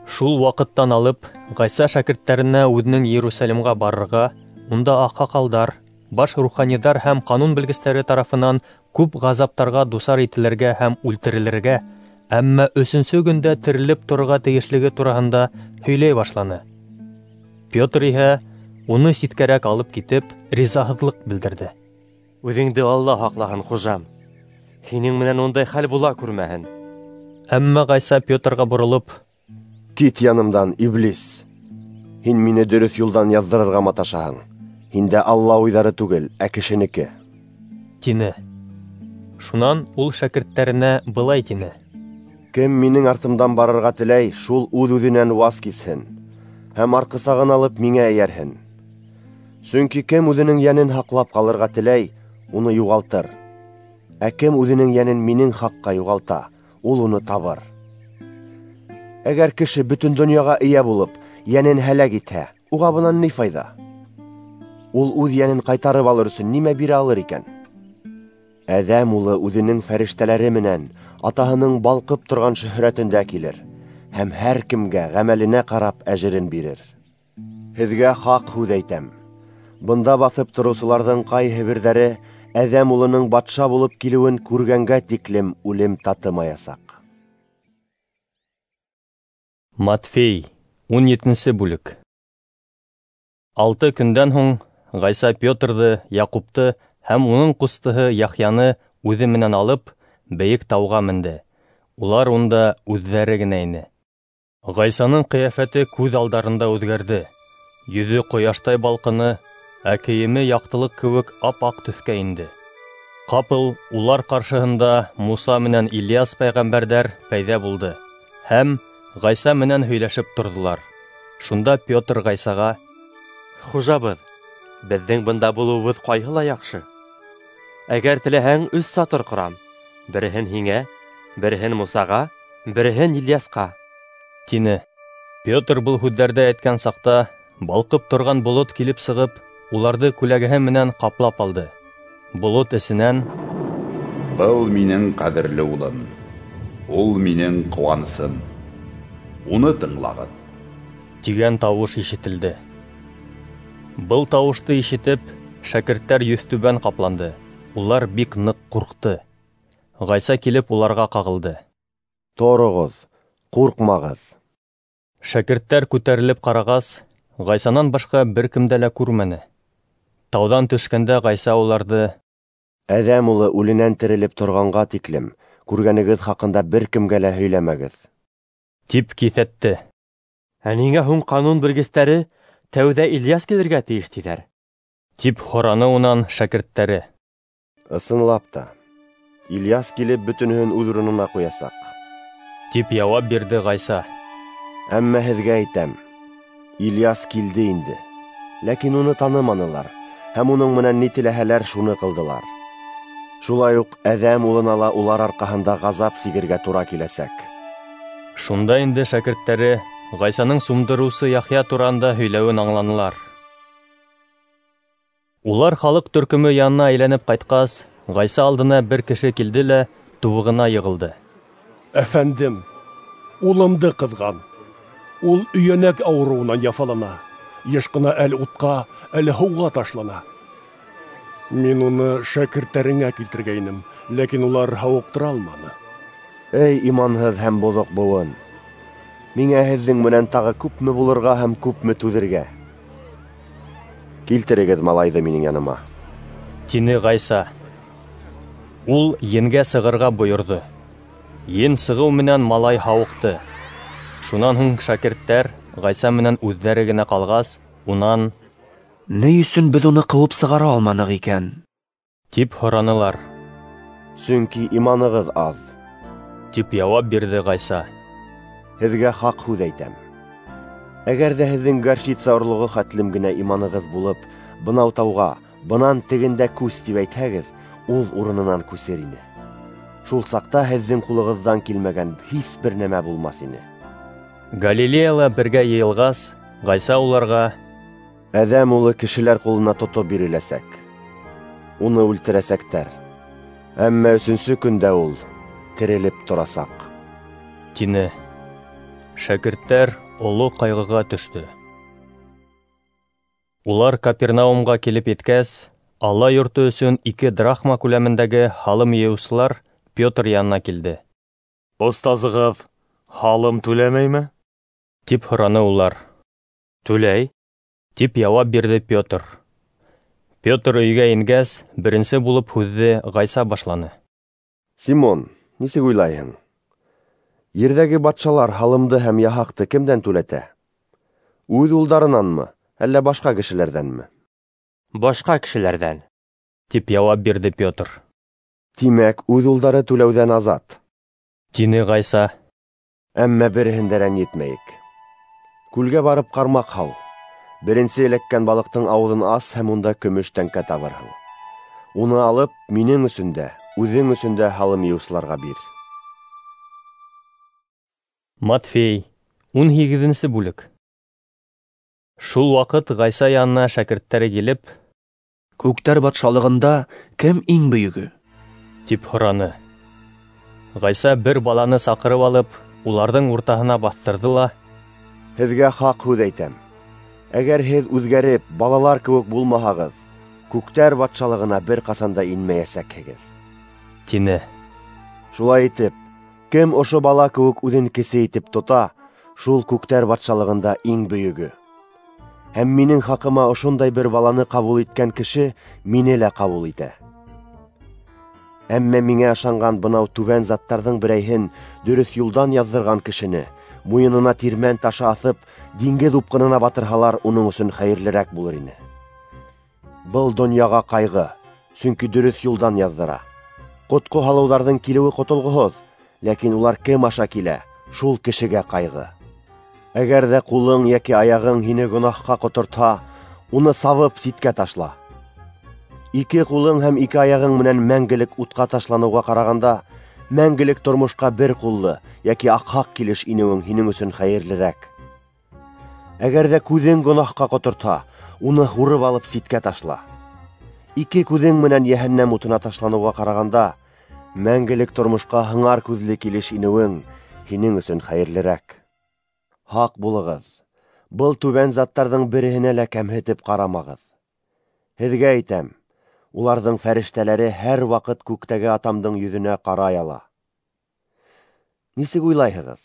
Шул ваҡыттан алып Ғайса шәкерттәренә үҙенең Иерусалимға барырға, унда аҡһаҡалдар, баш руханиҙар һәм ҡанун белгестәре тарафынан күп ғазаптарға дусар ителергә һәм үлтерелергә, әммә өсөнсө көндә терелеп торорға тейешлеге тураһында һөйләй башланы. Петр иһә уны ситкәрәк алып китеп, ризаһыҙлыҡ белдерҙе. Үҙеңде Алла һаҡлаһын, хужам, һинең менән ундай хәл була күрмәһен. Әммә Ғайса Петрға боролоп: Кит янымдан, иблис! Һин мине дөрөҫ юлдан яҙҙырырға маташаһың. Һиндә Алла уйҙары түгел, ә кешенеке, тине. Шунан ул шәкерттәренә былай тине: Кем минең артымдан барырға теләй, шул үҙ-үҙенән ваз кисһен һәм арҡысағын алып миңә эйәрһен. Сөнки кем үҙенең йәнен һаҡлап ҡалырға теләй, уны юғалтыр. Ә кем үҙенең йәнен минең хаҡҡа юғалта, ул уны табыр. Әгәр кеше бөтөн донъяға эйә булып, йәнен һәләк итһә, уға бынан ни файҙа? Ул үҙ йәнен ҡайтарып алыр өсөн нимә бирә алыр икән? Әҙәм улы үҙенең фәрештәләре менән атаһының балҡып торған шөһрәтендә килер һәм һәр кемгә ғәмәленә ҡарап әжерен бирер. Һеҙгә хаҡ һүҙ әйтәм: бында баҫып тороусыларҙың ҡайһы берҙәре Әҙәм улының батша булып килеүен күргәнгә тиклем үлем татымаясаҡ. Матфей, ун етенсе бүлек. Алты көндән һуң Ғайса Петрҙы, Яҡупты һәм уның ҡустыһы Яхъяны үҙе менән алып, бейек тауға менде. Улар унда үҙҙәре генә ине. Ғайсаның ҡиәфәте күҙ алдарында үҙгәрҙе. Йөҙө ҡояштай балҡыны, ә кейеме яҡтылыҡ кеүек ап-аҡ төҫкә инде. Ҡапыл улар ҡаршыһында Муса менән Ильяс пәйғәмбәрҙәр пәйҙә булды һәм Ғайса менән һөйләшеп торҙолар. Шунда Петр Ғайсаға: Хужабыҙ, беҙҙең бында булыуыбыҙ ҡайһы ла яҡшы. Әгәр теләһәң, өс сатыр ҡорам: береһен һиңә, береһен Мусаға, береһен Ильясҡа, тине. Петр был һүҙҙәрҙе әйткән саҡта балҡып торған болот килеп сығып, уларҙы күләгәһе менән ҡаплап алды. Болот эсенән: Был минең ҡәҙерле улым, ул минең ҡыуанысым, уны тыңлағыҙ, тигән тауыш ишетелде. Был тауышты ишетеп, шәкерттәр йөҙтүбән ҡапланды. Улар бик ныҡ ҡурҡты. Ғайса килеп уларға ҡағылды. Тороғоҙ, ҡурҡмағыҙ. Шәкерттәр күтәрелеп ҡарағас, Ғайсанан башҡа бер кемде лә күрмәне. Тауҙан төшкәндә Ғайса уларҙы: Әҙәм улы үленән терелеп торғанға тиклем күргәнегеҙ хаҡында бер кемгә лә һөйләмәгеҙ, тип киҫәтте. Ә ниңә һуң ҡанун белгестәре тәүҙә Ильяс килергә тейеш тиҙәр? Тип һораны унан шәкерттәре. Ысынлап та, Ильяс килеп бөтөнөһөн үҙ урынына ҡуясаҡ, тип яуап бирҙе Ғайса. Әммә һеҙгә әйтәм, Ильяс килде инде, ләкин уны таныманылар һәм уның менән ни теләһәләр шуны ҡылдылар. Шулай уҡ Әҙәм улына ла улар арҡаһында ғазап сигергә тура киләсәк. Шунда инде шәкерттәре Ғайсаның сумдырыусы Яхъя тураһында һөйләүен аңланылар. Улар халыҡ төркөмө янына әйләнеп ҡайтҡас, Ғайса алдына бер кеше килде лә тубығына йығылды. Әфәндем, улымды ҡыҙған. Ул өйәнәк ауырыуынан яфалана, йыш ҡына әле утҡа, әле һыуға ташлана. Мин уны шәкерттәреңә килтергәйнем, ләкин улар һауыҡтыра алманы. Эй, иманһыҙ һәм боҙоҡ быуын! Миңә һеҙҙең менән тағы күпме булырға һәм күпме түҙергә? Килтерегеҙ малайҙы минең яныма, тине Ғайса. Ул енгә сығырға бойорҙо. Ен сығыу менән малай һауыҡты. Шунан һуң шәкерттәр Ғайса менән үҙҙәре генә ҡалғас, унан: Ни өсөн беҙ уны ҡыуып сығара алманыҡ икән? Тип һоранылар. Сөнки иманығыҙ аҙ, тип яуап бирҙе Ғайса. Һеҙгә хаҡ һүҙ әйтәм. Әгәр ҙә һеҙҙең горчица орлоғо хәтлем генә иманығыҙ булып, бынау тауға, бынан тегендә күс тип әйтһәгеҙ, ул урынынан күсер ине. Шул саҡта һеҙҙең ҡулығыҙҙан килмәгән һис бер нәмә булмаҫ ине. Галилеяла бергә йыйылғас, Ғайса уларға: Әҙәм улы кешеләр ҡулына тотоп биреләсәк, уны үлтерәсәктәр, әммә өсөнсө көндә ул терелеп торасаҡ, тине. Шәкерттәр оло ҡайғыға төштө. Улар Капернаумға килеп еткәс, Алла йорто өсөн ике драхма күләмендәге һалым йыйыусылар Петр янына килде. Остазығыҙ һалым түләмәйме? Тип һораны улар. Түләй, тип яуап бирҙе Петр. Петр өйгә ингәс, беренсе булып һүҙҙе Ғайса башланы. Симон, нисек уйлайһың? Ерҙәге батшалар һалымды һәм яһаҡты кемдән түләтә? Үҙ улдарынанмы, әллә башҡа кешеләрҙәнме? Башҡа кешеләрҙән, тип яуап бирҙе Петр. Тимәк, үҙ улдары түләүҙән азат, тине Ғайса. Әммә береһен дә рәнйетмәйек. Күлгә барып ҡармаҡ һал. Беренсе эләккән балыҡтың ауыҙын ас һәм унда көмөш тәңкә табырһың. Уны алып, минең өсөн дә, үҙең өсөн дә һалым йыйыусыларға бир. Матфей, ун һигеҙенсе бүлек. Шул ваҡыт Ғайса янына шәкерттәре килеп: Күктәр батшалығында кем иң бөйөгө? Тип һораны. Ғайса бер баланы саҡырып алып, уларҙың уртаһына баҫтырҙы ла: Һеҙгә хаҡ һүҙ әйтәм. Әгәр һеҙ үҙгәреп, балалар кеүек булмаһағыҙ, күктәр батшалығына бер ҡасан да инмәйәсәкһегеҙ, тине. Шулай итеп, кем ошо бала кеүек үҙен кесе итеп тота, шул күктәр батшалығында иң бөйөгө. Һәм минең хаҡыма ошондай бер баланы ҡабул иткән кеше мине лә ҡабул итә. Әммә миңә ышанған бынау түбән заттарҙың берәйһен дөрөҫ юлдан яҙҙырған кешене муйынына тирмән ташы аҫып, диңгеҙ упҡынына батырһалар, уның өсөн хәйерлерәк булыр ине. Был донъяға ҡайғы, сөнки дөрөҫ юлдан яҙҙыра. Ҡотҡо һалыуҙарҙың килеүе ҡотолғоһоҙ, ләкин улар кем аша килә, шул кешегә ҡайғы. Әгәр ҙә ҡулың йәки аяғың һине гонаһҡа ҡотортһа, уны сабып ситкә ташла. Ике ҡулың һәм ике аяғың менән мәңгелек утҡа ташланыуға ҡарағанда, мәңгелек тормошҡа бер ҡуллы йәки аҡһаҡ килеш инеүең һинең өсөн хәйерлерәк. Әгәр ҙә күҙең гонаһҡа ҡотортһа, уны һурып алып ситкә ташла. Ике күҙең менән йәһәннәм утына ташланыуға ҡарағанда, мәңгелек тормошҡа һыңар күҙле килеш инеүең һинең өсөн хәйерлерәк. Һаҡ булығыҙ, был түбән заттарҙың береһенә лә кәмһетеп ҡарамағыҙ. Һеҙгә әйтәм, уларҙың фәрештәләре һәр ваҡыт күктәге атамдың йөҙөнә ҡарай ала. Нисек уйлайһығыҙ?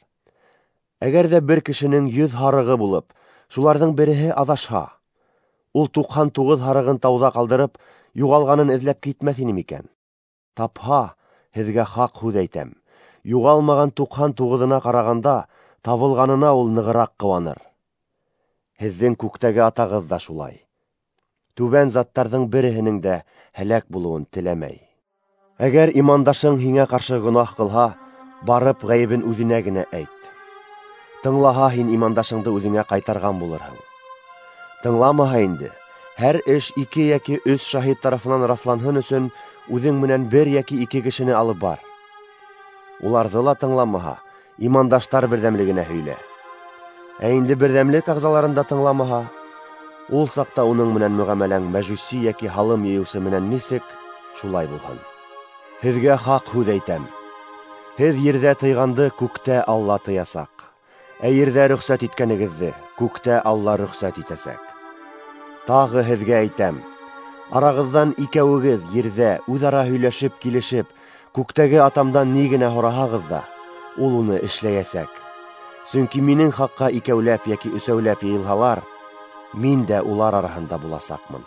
Әгәр ҙә бер кешенең йөҙ һарығы булып, шуларҙың береһе аҙашһа, ул туҡһан туғыҙ һарығын тауҙа ҡалдырып, юғалғанын эҙләп китмәҫ ине микән? Тапһа, һеҙгә хаҡ һүҙ әйтәм, юғалмаған туҡһан туғыҙына ҡарағанда, табылғанына ул нығыраҡ ҡыуаныр. Һеҙҙең күктәге атағыҙ ҙа шулай. Түбән заттарҙың береһенең дә һәләк булыуын теләмәй. Әгәр имандашың һиңә ҡаршы гонаһ ҡылһа, барып ғәйебен үҙенә генә әйт. Тыңлаһа, һин имандашыңды үҙеңә ҡайтарған булырһың. Тыңламаһа инде, һәр эш ике йәки өс шаһит тарафынан раҫланһын өсөн үҙең менән бер йәки ике кешене алып бар. Уларҙы ла тыңламаһа, имандаштар берҙәмлегенә һөйлә. Ә инде берҙәмлек ағзаларын да тыңламаһа, ул саҡта уның менән мөғәмәләң мәжүси йәки һалым йыйыусы менән нисек, шулай булһын. Һеҙгә хаҡ һүҙ әйтәм: һеҙ ерҙә тыйғанды күктә Алла тыясаҡ, ә ерҙә рөхсәт иткәнегеҙҙе күктә Алла рөхсәт итәсәк. Тағы һеҙгә әйтәм: арағыҙҙан икәүегеҙ ерҙә үҙ-ара һөйләшеп килешеп, күктәге атамдан ни генә һораһағыҙ ҙа, ул уны эшләйәсәк. Сөнки минең хаҡҡа икәүләп йәки өсәүләп йыйылһалар, мин дә улар араһында буласаҡмын.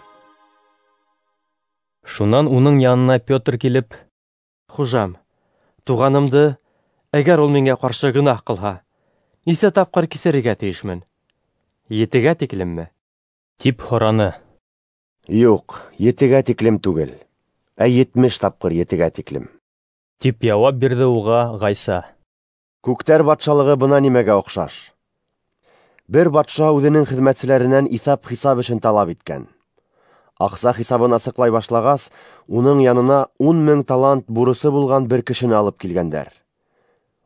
Шунан уның янына Петр килеп: Хужам, туғанымды, әгәр ул миңә ҡаршы гонаһ ҡылһа, нисә тапҡыр кисерергә тейешмен? Етегә тиклемме? Тип һораны. Юҡ, етегә тиклем түгел, ә етмеш тапҡыр етегә тиклем, тип яуап бирҙе уға Ғайса. Күктәр батшалығы бына нимәгә оҡшаш. Бер батша үҙенең хеҙмәтселәренән иҫап-хисап эшен талап иткән. Аҡса хисабын асыҡлай башлағас, уның янына ун мең талант бурысы булған бер кешене алып килгәндәр.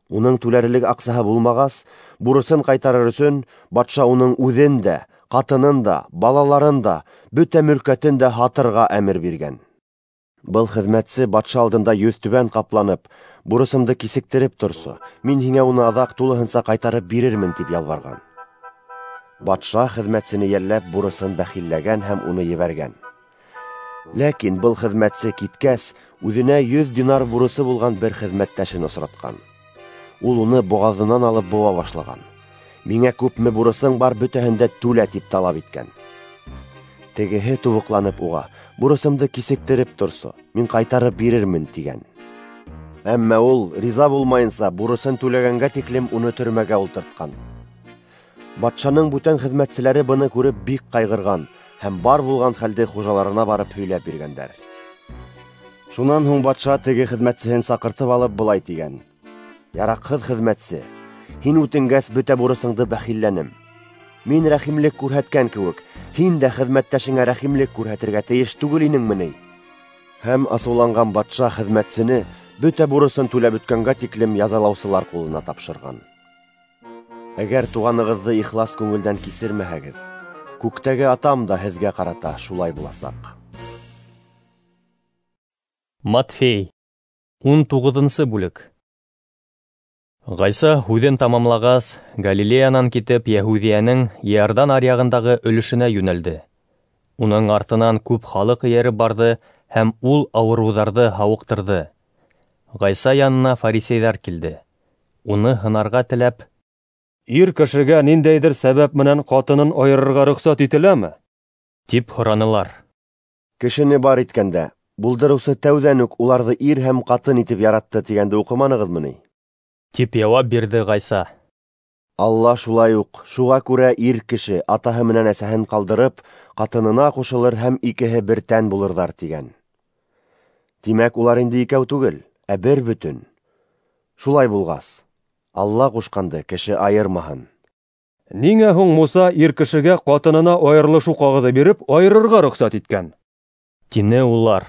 Уның түләрлек аҡсаһы булмағас, бурысын ҡайтарыр өсөн батша уның үҙен дә, ҡатынын да, балаларын да, бөтә мөлкәтен дә һатырға әмер биргән. Был хеҙмәтсе батша алдында йөҙтүбән ҡапланып, бурысымды кисектереп торсо, мин һиңә уны аҙаҡ тулыһынса ҡайтарып бирермен, тип ялбарған. Батша хеҙмәтсене йәлләп бурысын бәхилләгән һәм уны ебәргән. Ләкин был хеҙмәтсе киткәс, үҙенә йөҙ динар бурысы булған бер хеҙмәттәшен осратҡан. Ул уны боғаҙынан алып быуа башлаған. Миңә күпме бурысың бар, бөтәһен дә түлә, тип талап иткән. Тегеһе тубыҡланып уға: бурысымды кисектереп торсо, мин ҡайтарып бирермен, тигән. Әммә ул риза булмайынса, бурысын түләгәнгә тиклем уны төрмәгә ултыртҡан. Батшаның бүтән хеҙмәтселәре быны күреп бик ҡайғырған һәм бар булған хәлде хужаларына барып һөйләп биргәндәр. Шунан һуң батша теге хеҙмәтсеһен саҡыртып алып былай тигән: Яраҡһыҙ хеҙмәтсе, һин үтенгәс бөтә бурысыңды бәхилләнем. Мин рәхимлек күрһәткән кеүек, һин дә хеҙмәттәшеңә рәхимлек күрһәтергә тейеш түгел инеңме ни? Һәм асыуланған батша хеҙмәтсене бөтә бурысын түләп бөткәнгә тиклем язалаусылар ҡулына тапшырған. Әгәр туғанығыҙҙы ихлас күңелдән кисермәһәгеҙ, күктәге атам да һеҙгә ҡарата шулай буласаҡ. Матфей, ун туғыҙынсы бүлек. Ғайса һүҙен тамамлағас, Галилеянан китеп Йәһүҙиәнең Иордан аръяғындағы өлөшөнә йүнәлде. Уның артынан күп халыҡ эйәреп барҙы һәм ул ауырыуҙарҙы һауыҡтырҙы. Ғайса янына фарисейҙар килде. Уны һынарға теләп: Ир кешегә ниндәйҙер сәбәп менән ҡатынын айырырға рөхсәт ителәме? Тип һоранылар. Кешене бар иткәндә, булдырыусы тәүҙән үк уларҙы ир һәм ҡатын итеп яратты тигәнде уҡыманығыҙмы ни? Тип яуап бирҙе Ғайса. Алла шулай уҡ, шуға күрә ир кеше атаһы менән әсәһен ҡалдырып, ҡатынына ҡушылыр һәм икеһе бер тән булырҙар тигән. Тимәк, улар инде икәү түгел, ә бер бөтөн. Шулай булғас, Алла ҡушҡанды кеше айырмаһын. Ниңә һуң Муса ир кешегә ҡатынына айырылышыу ҡағыҙы биреп айырырға рөхсәт иткән? Тине улар.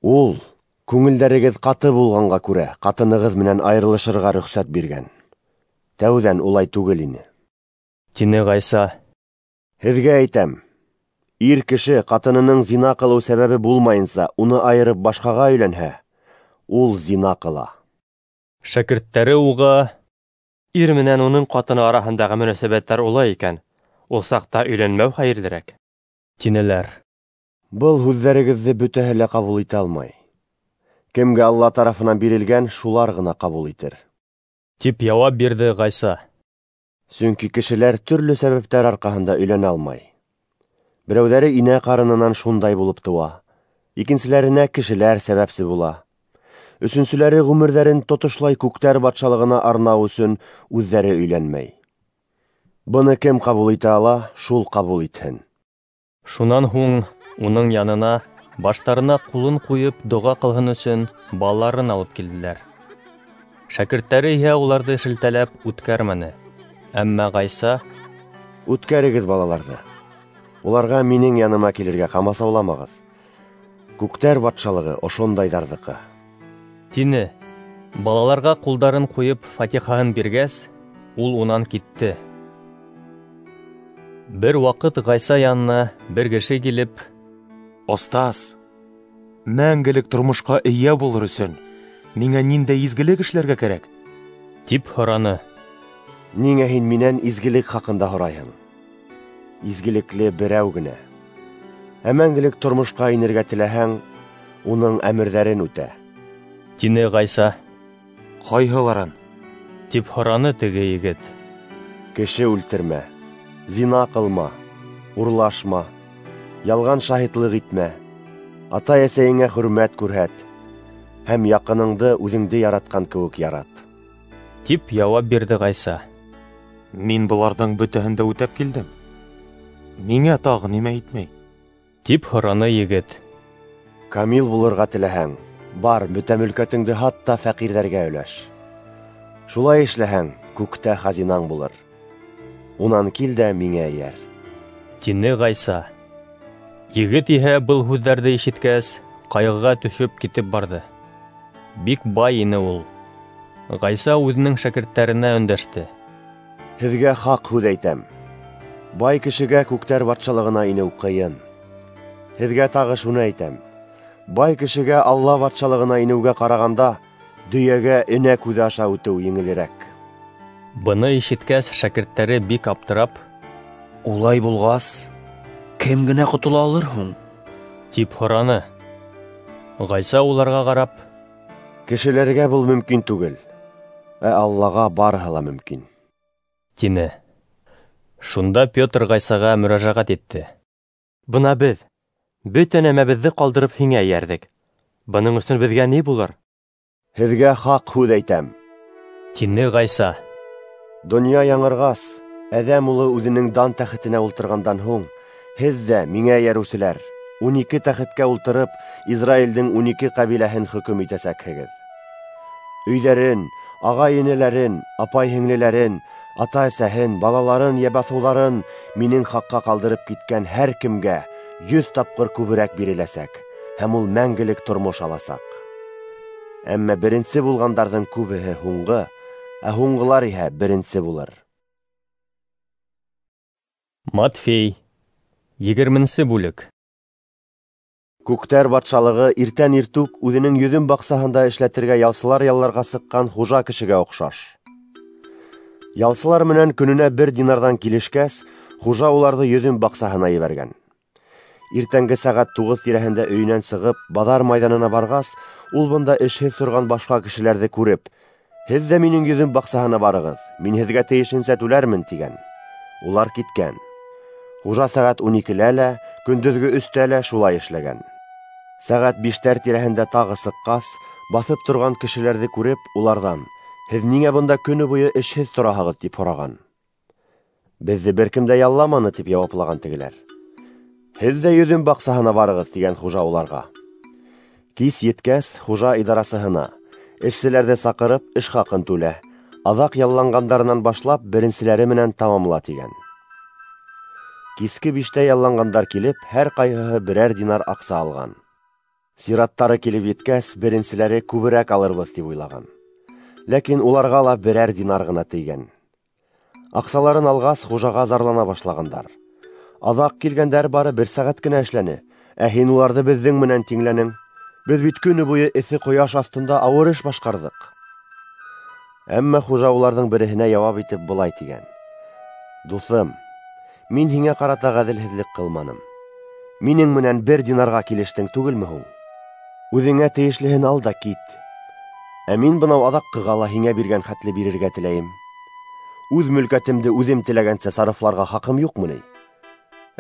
Ул күңелдәрегеҙ ҡаты булғанға күрә ҡатынығыҙ менән айырылышырға рөхсәт биргән. Тәүҙән улай түгел ине. Тине Ғайса. Һеҙгә әйтәм, ир кеше ҡатынының зина ҡылыу сәбәбе булмайынса уны айырып башҡаға өйләнһә, ул зина ҡыла. Шәкерттәре уға: Ир менән уның ҡатыны араһындағы мөнәсәбәттәр улай икән, ул саҡта өйләнмәү хәйерлерәк, тинеләр. Был һүҙҙәрегеҙҙе бөтәһе лә ҡабул итә алмай. Кемгә Алла тарафынан бирелгән, шулар ғына ҡабул итер, тип яуап бирҙе Ғайса. Сөнки кешеләр төрлө сәбәптәр арҡаһында өйләнә алмай. Берәүҙәре инә ҡарынынан шундай булып тыуа, икенселәренә кешеләр сәбәпсе була. Өсөнсөләре ғүмерҙәрен тотошлай күктәр батшалығына арнау өсөн үҙҙәре өйләнмәй. Быны кем ҡабул итә ала, шул ҡабул итһен. Шунан һуң уның янына баштарына ҡулын ҡуйып доға ҡылһын өсөн балаларын алып килделәр. Шәкерттәре иһә уларҙы шелтәләп үткәрмәне. Әммә Ғайса: "Үткәрегеҙ балаларҙы. Уларға минең яныма килергә ҡамасауламағыҙ. Күктәр батшалығы ошондайҙарҙыҡы", тине. Балаларға ҡулдарын ҡуйып фатихаһын биргәс, ул унан китте. Бер ваҡыт Ғайса янына бер кеше килеп: "Остаз, мәңгелек тормошҡа эйә булыр өсөн миңә ниндәй изгелек эшләргә кәрәк?" тип һораны. "Ниңә һин минән изгелек хаҡында һорайһың? Изгелекле берәү генә. Ә мәңгелек тормошҡа инергә теләһәң, уның әмерҙәрен үтә", тине Ғайса. "Ҡайһыларын?" тип һораны теге егет. "Кеше үлтермә, зина ҡылма, урлашма, ялған шаһитлыҡ итмә, атай-әсәйеңә хөрмәт күрһәт һәм яҡыныңды үҙеңде яратҡан кеүек ярат", тип яуап бирҙе Ғайса. "Мин быларҙың бөтәһен дә үтәп килдем. Миңә тағы нимә етмәй?" тип һораны егет. "Камил булырға теләһәң, бар, бөтә мөлкәтеңде һат та фәҡирҙәргә өләш. Шулай эшләһәң, күктә хазинаң булыр. Унан кил дә миңә эйәр", тине Ғайса. Егет иһә был һүҙҙәрҙе ишеткәс, ҡайғыға төшөп китеп барҙы. Бик бай ине ул. Ғайса үҙенең шәкерттәренә өндәште: "Һеҙгә хаҡ һүҙ әйтәм: бай кешегә күктәр батшалығына инеү ҡыйын. Һеҙгә тағы шуны әйтәм: бай кешегә Алла батшалығына инеүгә ҡарағанда, дөйәгә энә күҙе аша үтеү еңелерәк." Быны ишеткәс, шәкерттәре бик аптырап: "Улай булғас, кем генә ҡотола алыр һуң?" тип һораны. Ғайса уларға ҡарап: "Кешеләргә был мөмкин түгел, ә Аллаға барыһы ла мөмкин", тине. Шунда Петр Ғайсаға мөрәжәғәт итте: "Бына беҙ бөтә нәмәбеҙҙе ҡалдырып һиңә эйәрҙек. Бының өсөн беҙгә ни булыр?" "Һеҙгә хаҡ һүҙ әйтәм", тине Ғайса. "Донъя яңырғас, Әҙәм улы үҙенең дан тәхетенә ултырғандан һуң, һеҙ ҙә, миңә эйәреүселәр, ун ике тәхеткә ултырып, Израилдең ун ике ҡәбиләһен хөкөм итәсәкһегеҙ. Өйҙәрен, ағай-энеләрен, апай-һеңлеләрен, ата-әсәһен, балаларын йә баҫыуҙарын минең хаҡҡа ҡалдырып киткән һәр кемгә йөҙ тапҡыр күберәк биреләсәк, һәм ул мәңгелек тормош аласаҡ. Әммә беренсе булғандарҙың күбеһе һуңғы, ә һуңғылар иһә беренсе булыр." Матфей, егерменсе бүлек. Күктәр батшалығы иртән иртүк үҙенең йөҙөм баҡсаһында эшләтергә ялсылар ялларға сыҡҡан хужа кешегә оҡшаш. Ялсылар менән көнөнә бер динарҙан килешкәс, хужа уларҙы йөҙөм баҡсаһына ебәргән. Иртәнге сәғәт туғыҙ тирәһендә өйөнән сығып, баҙар майҙанына барғас, ул бында эшһеҙ торған башҡа кешеләрҙе күреп: "Һеҙ ҙә минең йөҙөм баҡсаһына барығыҙ, мин һеҙгә тейешенсә түләрмен", тигән. Улар киткән. Хужа сәғәт ун икелә лә, көндөҙгө өстә лә шулай эшләгән. Сәғәт биштәр тирәһендә тағы сыҡҡас, баҫып торған кешеләрҙе күреп, уларҙан: "Һеҙ ниңә бында көнө буйы эшһеҙ тораһығыҙ?" тип һораған. "Беҙҙе бер кем дә ялламаны", тип яуаплаған тегеләр. "Һеҙ ҙә йөҙөм баҡсаһына барығыҙ", тигән хужа уларға. Кис еткәс, хужа идарасыһына: "Эшселәрҙе саҡырып, эш хаҡын түлә, аҙаҡ ялланғандарынан башлап, беренселәре менән тамамла", тигән. Киске биштә ялланғандар килеп, һәр ҡайһыһы берәр динар аҡса алған. Сираттары килеп еткәс, беренселәре күберәк алырбыҙ тип уйлаған. Ләкин уларға ла берәр динар ғына тейгән. Аҡсаларын алғас, хужаға зарлана башлағандар: "Аҙаҡ килгәндәр бары бер сәғәт кенә эшләне, ә һин уларҙы беҙҙең менән тиңләнең. Беҙ бит көнө буйы эҫе ҡояш аҫтында ауыр эш башҡарҙыҡ." Әммә хужа уларҙың береһенә яуап итеп былай тигән: "Дуҫым, мин һиңә ҡарата ғәҙелһеҙлек ҡылманым. Минең менән бер динарға килештең түгелме һуң? Үҙеңә тейешлеһен ал да кит. Ә мин бынау аҙаҡҡыға ла һиңә биргән хәтле бирергә теләйем. Үҙ мөлкәтемде үҙем теләгәнсә сарыфларға хаҡым юҡмы ни?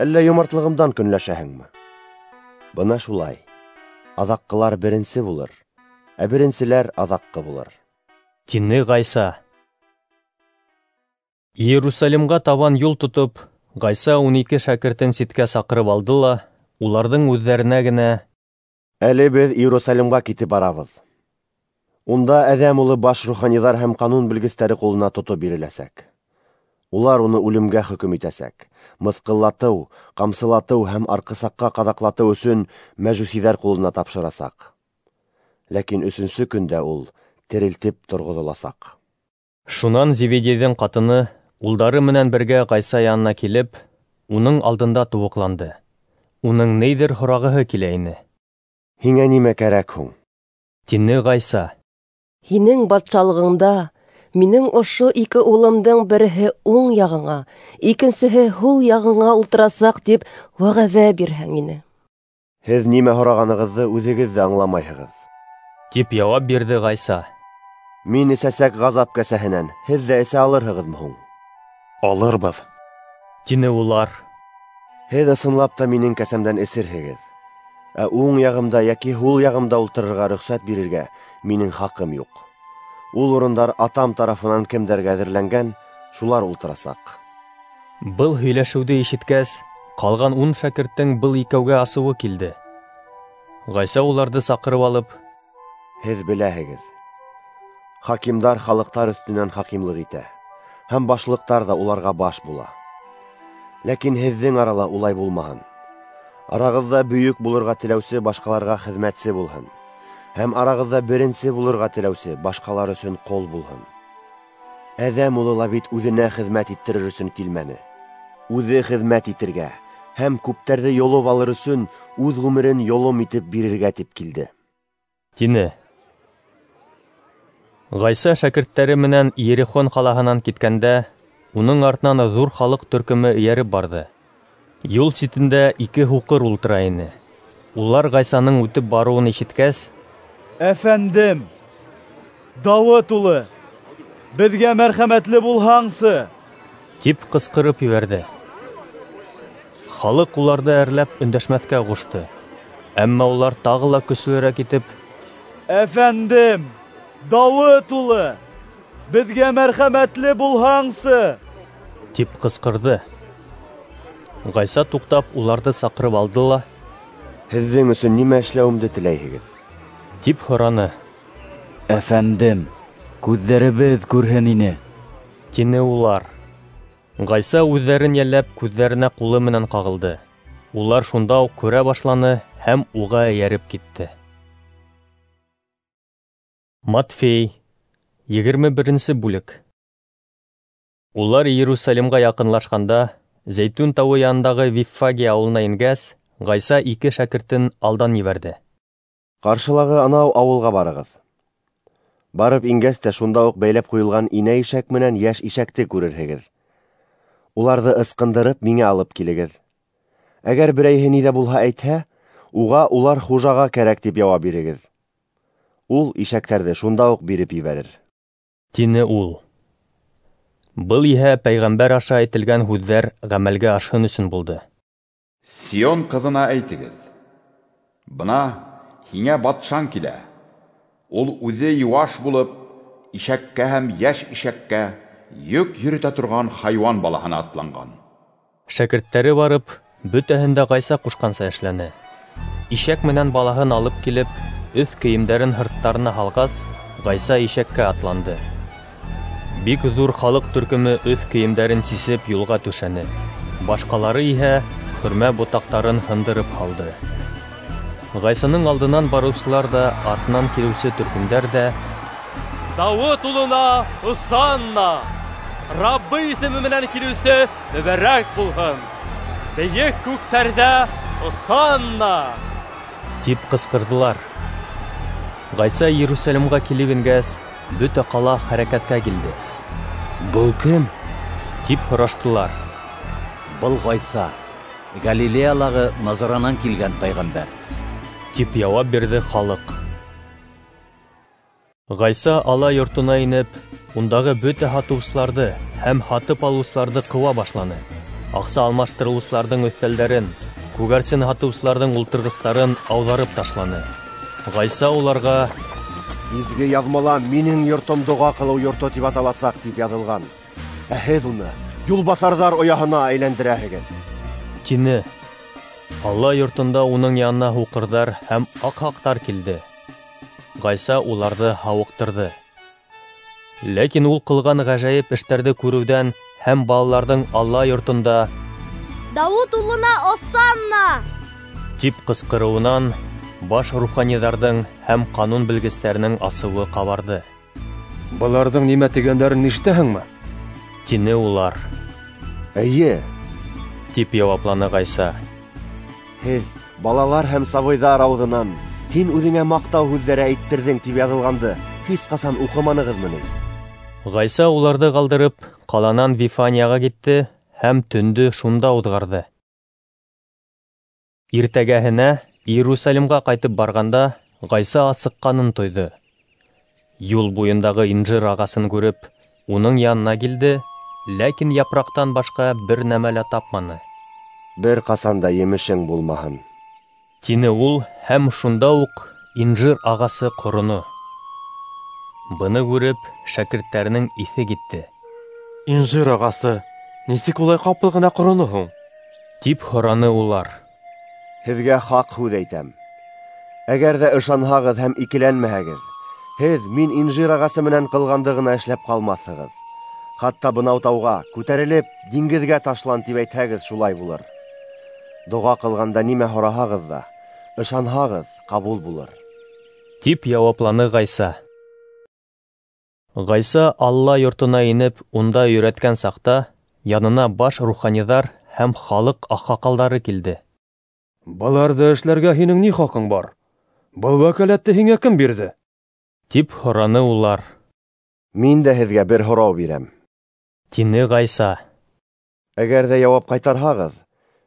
Әллә йомартлығымдан көнләшәһеңме? Бына шулай. Аҙаҡҡылар беренсе булыр, ә беренселәр аҙаҡҡы булыр, тине Ғайса. Иерусалимға табан юл тотоп, Ғайса ун ике шәкертен ситкә саҡырып алды ла, уларҙың үҙҙәренә генә: Әле беҙ Иерусалимға китеп барабыҙ. Унда Әҙәм улы баш руханиҙар һәм ҡанун белгестәре ҡулына тотоп биреләсәк. Улар уны үлемгә хөкөм итәсәк. Мыҫҡыллатыу, ҡамсылатыу һәм арҡысаҡҡа ҡаҙаҡлатыу өсөн мәжүсиҙәр ҡулына тапшырасаҡ. Ләкин өсөнсө көндә ул терелтеп торғоҙоласаҡ. Шунан Зеведейҙең ҡатыны улдары менән бергә Ғайса янына килеп, уның алдында тубыҡланды. Уның ниҙер һорағыһы килә ине. Һиңә нимә кәрәк һуң? Тине Ғайса. Һинең батшалығыңда минең ошо ике улымдың береһе уң яғыңа, икенсеһе һул яғыңа ултырасаҡ тип вәғәҙә бирһәң ине. Һеҙ нимә һорағанығыҙҙы үҙегеҙ ҙә аңламайһығыҙ, тип яуап бирҙе Ғайса. Мин эсәсәк ғазап кәсәһенән һеҙ ҙә эсә алырһығыҙмы һуң? Алырбыҙ, тине улар. Һеҙ ысынлап та минең кәсәмдән эсерһегеҙ, ә уң яғымда йәки һул яғымда ултырырға рөхсәт бирергә минең хаҡым юҡ. Ул урындар атам тарафынан кемдәргә әҙерләнгән, шулар ултырасаҡ. Был һөйләшеүҙе ишеткәс, ҡалған ун шәкерттең был икәүгә асыуы килде. Ғайса уларҙы саҡырып алып: Һеҙ беләһегеҙ, хакимдар халыҡтар өҫтөнән хакимлыҡ итә, һәм башлыҡтар ҙа уларға баш була. Ләкин һеҙҙең арала улай булмаһын. Арағыҙҙа бөйөк булырға теләүсе башҡаларға хеҙмәтсе булһын, һәм арағыҙҙа беренсе булырға теләүсе башҡалар өсөн ҡол булһын. Әҙәм улы ла бит үҙенә хеҙмәт иттерер өсөн килмәне. Үҙе хеҙмәт итергә һәм күптәрҙе йолоп алыр өсөн үҙ ғүмерен йолом итеп бирергә тип килде, тине. Ғайса шәкерттәре менән Иерихон ҡалаһынан киткәндә, уның артынан ҙур халыҡ төркөмө эйәреп барҙы. Юл ситендә ике һуҡыр ултыра ине. Улар Ғайсаның үтеп барыуын ишеткәс: Әфәндем, Дауыт улы, беҙгә мәрхәмәтле булһаңсы, тип ҡысҡырып ебәрҙе. Халыҡ уларҙы әрләп өндәшмәҫкә ҡушты. Әммә улар тағы ла көслөрәк итеп: Әфәндем, Дауыт улы, беҙгә мәрхәмәтле булһаңсы, тип ҡысҡырҙы. Ғайса туҡтап уларҙы саҡырып алды ла: Һеҙҙең өсөн нимә эшләүемде теләйһегеҙ? Тип һораны. Әфәндем, күҙҙәребеҙ күрһен ине, тине улар. Ғайса үҙҙәрен йәлләп күҙҙәренә ҡулы менән ҡағылды. Улар шунда уҡ күрә башланы һәм уға эйәреп китте. Матфей, егерме беренсе бүлек. Улар Иерусалимға яҡынлашҡанда, Зәйтүн тауы янындағы Виффагия ауылына ингәс, Ғайса ике шәкертен алдан ебәрҙе. Ҡаршылағы анау ауылға барығыҙ. Барып ингәс тә шунда уҡ бәйләп ҡуйылған инә ишәк менән йәш ишәкте күрерһегеҙ. Уларҙы ысҡындырып миңә алып килегеҙ. Әгәр берәйһе ни ҙә булһа әйтһә, уға улар хужаға кәрәк тип яуап бирегеҙ. Ул ишәктәрҙе шунда уҡ биреп ебәрер, тине ул. Был иһә пәйғәмбәр аша әйтелгән һүҙҙәр ғәмәлгә ашһын өсөн булды. Сион ҡыҙына әйтегеҙ: бына һиңә батшаң килә. Ул үҙе йыуаш булып, ишәккә һәм йәш ишәккә йөк йөрөтә торған хайуан балаһына атланған. Шәкерттәре барып, бөтәһен дә Ғайса ҡушҡанса эшләне. Ишәк менән балаһын алып килеп, өҫ кейемдәрен һырттарына һалғас, Ғайса ишәккә атланды. Бик ҙур халыҡ төркөмө өҫ кейемдәрен сисеп юлға түшәне. Башҡалары иһә хөрмә ботаҡтарын һындырып һалды. Ғайсаның алдынан барыусылар ҙа, артынан килеүсе төркөмдәр ҙә: Дауыт улына Осанна! Раббы исеме менән килеүсе мөбәрәк булһын! Бейек күктәрҙә Осанна! Тип ҡысҡырҙылар. Ғайса Иерусалимға килеп ингәс, бөтә ҡала хәрәкәткә килде. Был кем? Тип һораштылар. Был Ғайса, Галилеялағы Назаранан килгән пәйғәмбәр, тип яуап бирҙе халыҡ. Ғайса ала йортона инеп, ундағы бөтә һатыусыларҙы һәм һатып алыусыларҙы ҡыуа башланы. Аҡса алмаштырыусыларҙың өҫтәлдәрен, күгәрсен һатыусыларҙың ултырғыстарын ауҙарып ташланы. Ғайса уларға: "Изге яҙмала минең йортом доға ҡылыу йорто тип аталасаҡ тип яҙылған. Ә һеҙ уны юлбаҫарҙар ояһына әйләндерәһегеҙ", тине. Алла йортонда уның янына һуҡырҙар һәм аҡһаҡтар килде. Ғайса уларҙы һауыҡтырҙы. Ләкин ул ҡылған ғәжәйеп эштәрҙе күреүҙән һәм балаларҙың Алла йортонда "Дауыт улына осанна!" тип ҡысҡырыуынан баш руханиҙарҙың һәм ҡанун белгестәренең асыуы ҡабарҙы. Быларҙың нимә тигәндәрен ишетәһеңме? Тине улар. "Эйе", тип яуапланы Ғайса. "Һеҙ балалар һәм сабыйҙар ауыҙынан һин үҙеңә маҡтау һүҙҙәре әйттерҙең тип яҙылғанды һис ҡасан уҡыманығыҙмы ни?" Ғайса уларҙы ҡалдырып, ҡаланан Вифанияға китте һәм төндө шунда уҙғарҙы. Иртәгәһенә Иерусалимға ҡайтып барғанда Ғайса асыҡҡанын тойҙо. Юл буйындағы инжир ағасын күреп, уның янына килде, ләкин япраҡтан башҡа бер нәмә лә тапманы. "Бер ҡасан да емешең булмаһын", тине ул, һәм шунда уҡ инжир ағасы ҡороно. Быны күреп, шәкерттәренең иҫе китте. "Инжир ағасы нисек улай ҡапыл ғына ҡороно һуң?" тип һораны улар. "Һеҙгә хаҡ һүҙ әйтәм. Әгәр ҙә ышанһағыҙ һәм икеләнмәһәгеҙ, һеҙ мин инжир ағасы менән ҡылғанды ғына эшләп ҡалмаҫһығыҙ. Хатта бынау тауға күтәрелеп диңгеҙгә ташлан тип әйтһәгеҙ, шулай булыр. Доға ҡылғанда нимә һораһағыҙ ҙа, ышанһағыҙ, ҡабул булыр", тип яуапланы Ғайса. Ғайса Алла йортона инеп, унда өйрәткән саҡта янына баш руханиҙар һәм халыҡ аҡһаҡалдары килде. "Быларҙы эшләргә һинең ни хаҡың бар? Был вәкәләтте һиңә кем бирҙе?" тип һораны улар. "Мин дә һеҙгә бер һорау бирәм", тине Ғайса. "Әгәр ҙә яуап ҡайтарһағыҙ,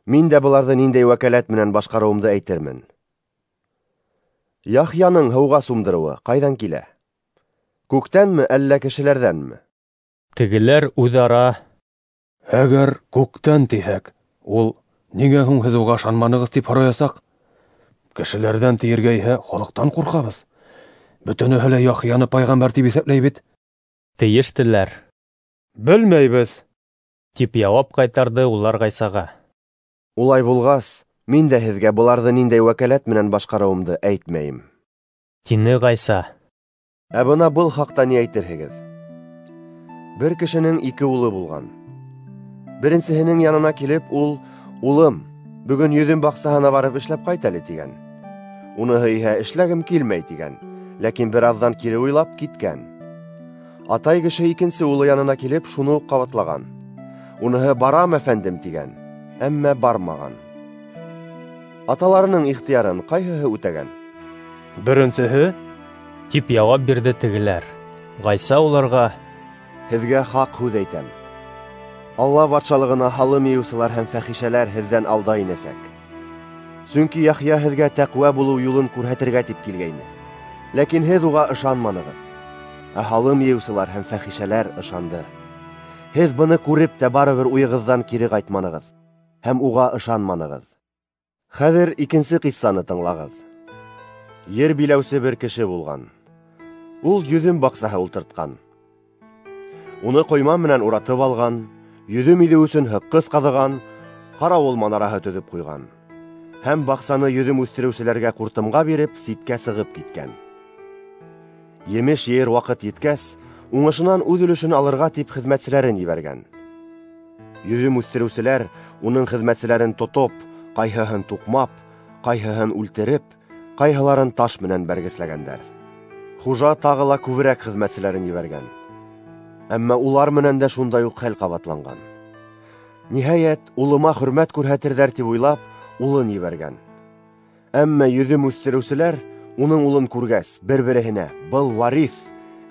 мин дә быларҙы ниндәй вәкәләт менән башҡарыуымды әйтермен. Яхъяның һыуға сумдырыуы ҡайҙан килә? Күктәнме, әллә кешеләрҙәнме?" Тегеләр үҙ-ара: "Әгәр күктән тиһәк, ул ниңә һуң һеҙ уға ышанманығыҙ тип һораясаҡ? Кешеләрҙән тиергә иһә халыҡтан ҡурҡабыҙ. Бөтөнөһө лә Яхъяны пайғамбәр тип иҫәпләй бит", тейештеләр. "Белмәйбеҙ", тип яуап ҡайтарҙы улар Ғайсаға. "Улай булғас, мин дә һеҙгә быларҙы ниндәй вәкәләт менән башҡарыуымды әйтмәйем", тине Ғайса. "Ә бына был хаҡта ни әйтерһегеҙ? Бер кешенең ике улы булған. Беренсеһенең янына килеп, ул: "Улым, бөгөн йөҙөм баҡсаһына барып эшләп ҡайт әле", тигән. Уныһы иһә: "Эшләгем килмәй", тигән, ләкин бер аҙҙан кире уйлап киткән. Атай кеше икенсе улы янына килеп, шуны уҡ ҡабатлаған. Уныһы: "Барам, әфәндем", тигән, әммә бармаған. Аталарының ихтыярын ҡайһыһы үтәгән?" "Беренсеһе", тип яуап бирҙе тегеләр. Ғайса уларға: "Һеҙгә хаҡ һүҙ әйтәм. Алла батшалығына һалым йыйыусылар һәм фәхишәләр һеҙҙән алда инәсәк. Сөнки Яхъя һеҙгә тәҡүә булыу юлын күрһәтергә тип килгәйне. Ләкин һеҙ уға ышанманығыҙ. Ә һалым йыйыусылар һәм фәхишәләр ышанды. Һеҙ быны күреп тә барыбер уйығыҙҙан кире ҡайтманығыҙ һәм уға ышанманығыҙ. Хәҙер икенсе ҡиссаны тыңлағыҙ. Ер биләүсе бер кеше булған. Ул йөҙөм баҡсаһы ултыртҡан. Уны ҡойма менән уратып алған, йөҙөм иҙеү өсөн һыҡҡыс ҡаҙыған, ҡарауыл манараһы төҙөп ҡуйған. Һәм баҡсаны йөҙөм үҫтереүселәргә ҡуртымға биреп, ситкә сығып киткән. Емеш йыйыр ваҡыт еткәс, уңышынан үҙ өлөшөн алырға тип хеҙмәтселәрен ебәргән. Йөҙөм үҫтереүселәр уның хеҙмәтселәрен тотоп, ҡайһыһын туҡмап, ҡайһыһын үлтереп, ҡайһыларын таш менән бәргесләгәндәр. Хужа тағы ла күберәк хеҙмәтселәрен ебәргән. Әммә улар менән дә шундай уҡ хәл ҡабатланған. Ниһайәт, улыма хөрмәт күрһәтерҙәр тип уйлап, улын ебәргән. Әммә йөҙөм үҫтереүселәр уның улын күргәс, бер-береһенә: "Был вариф,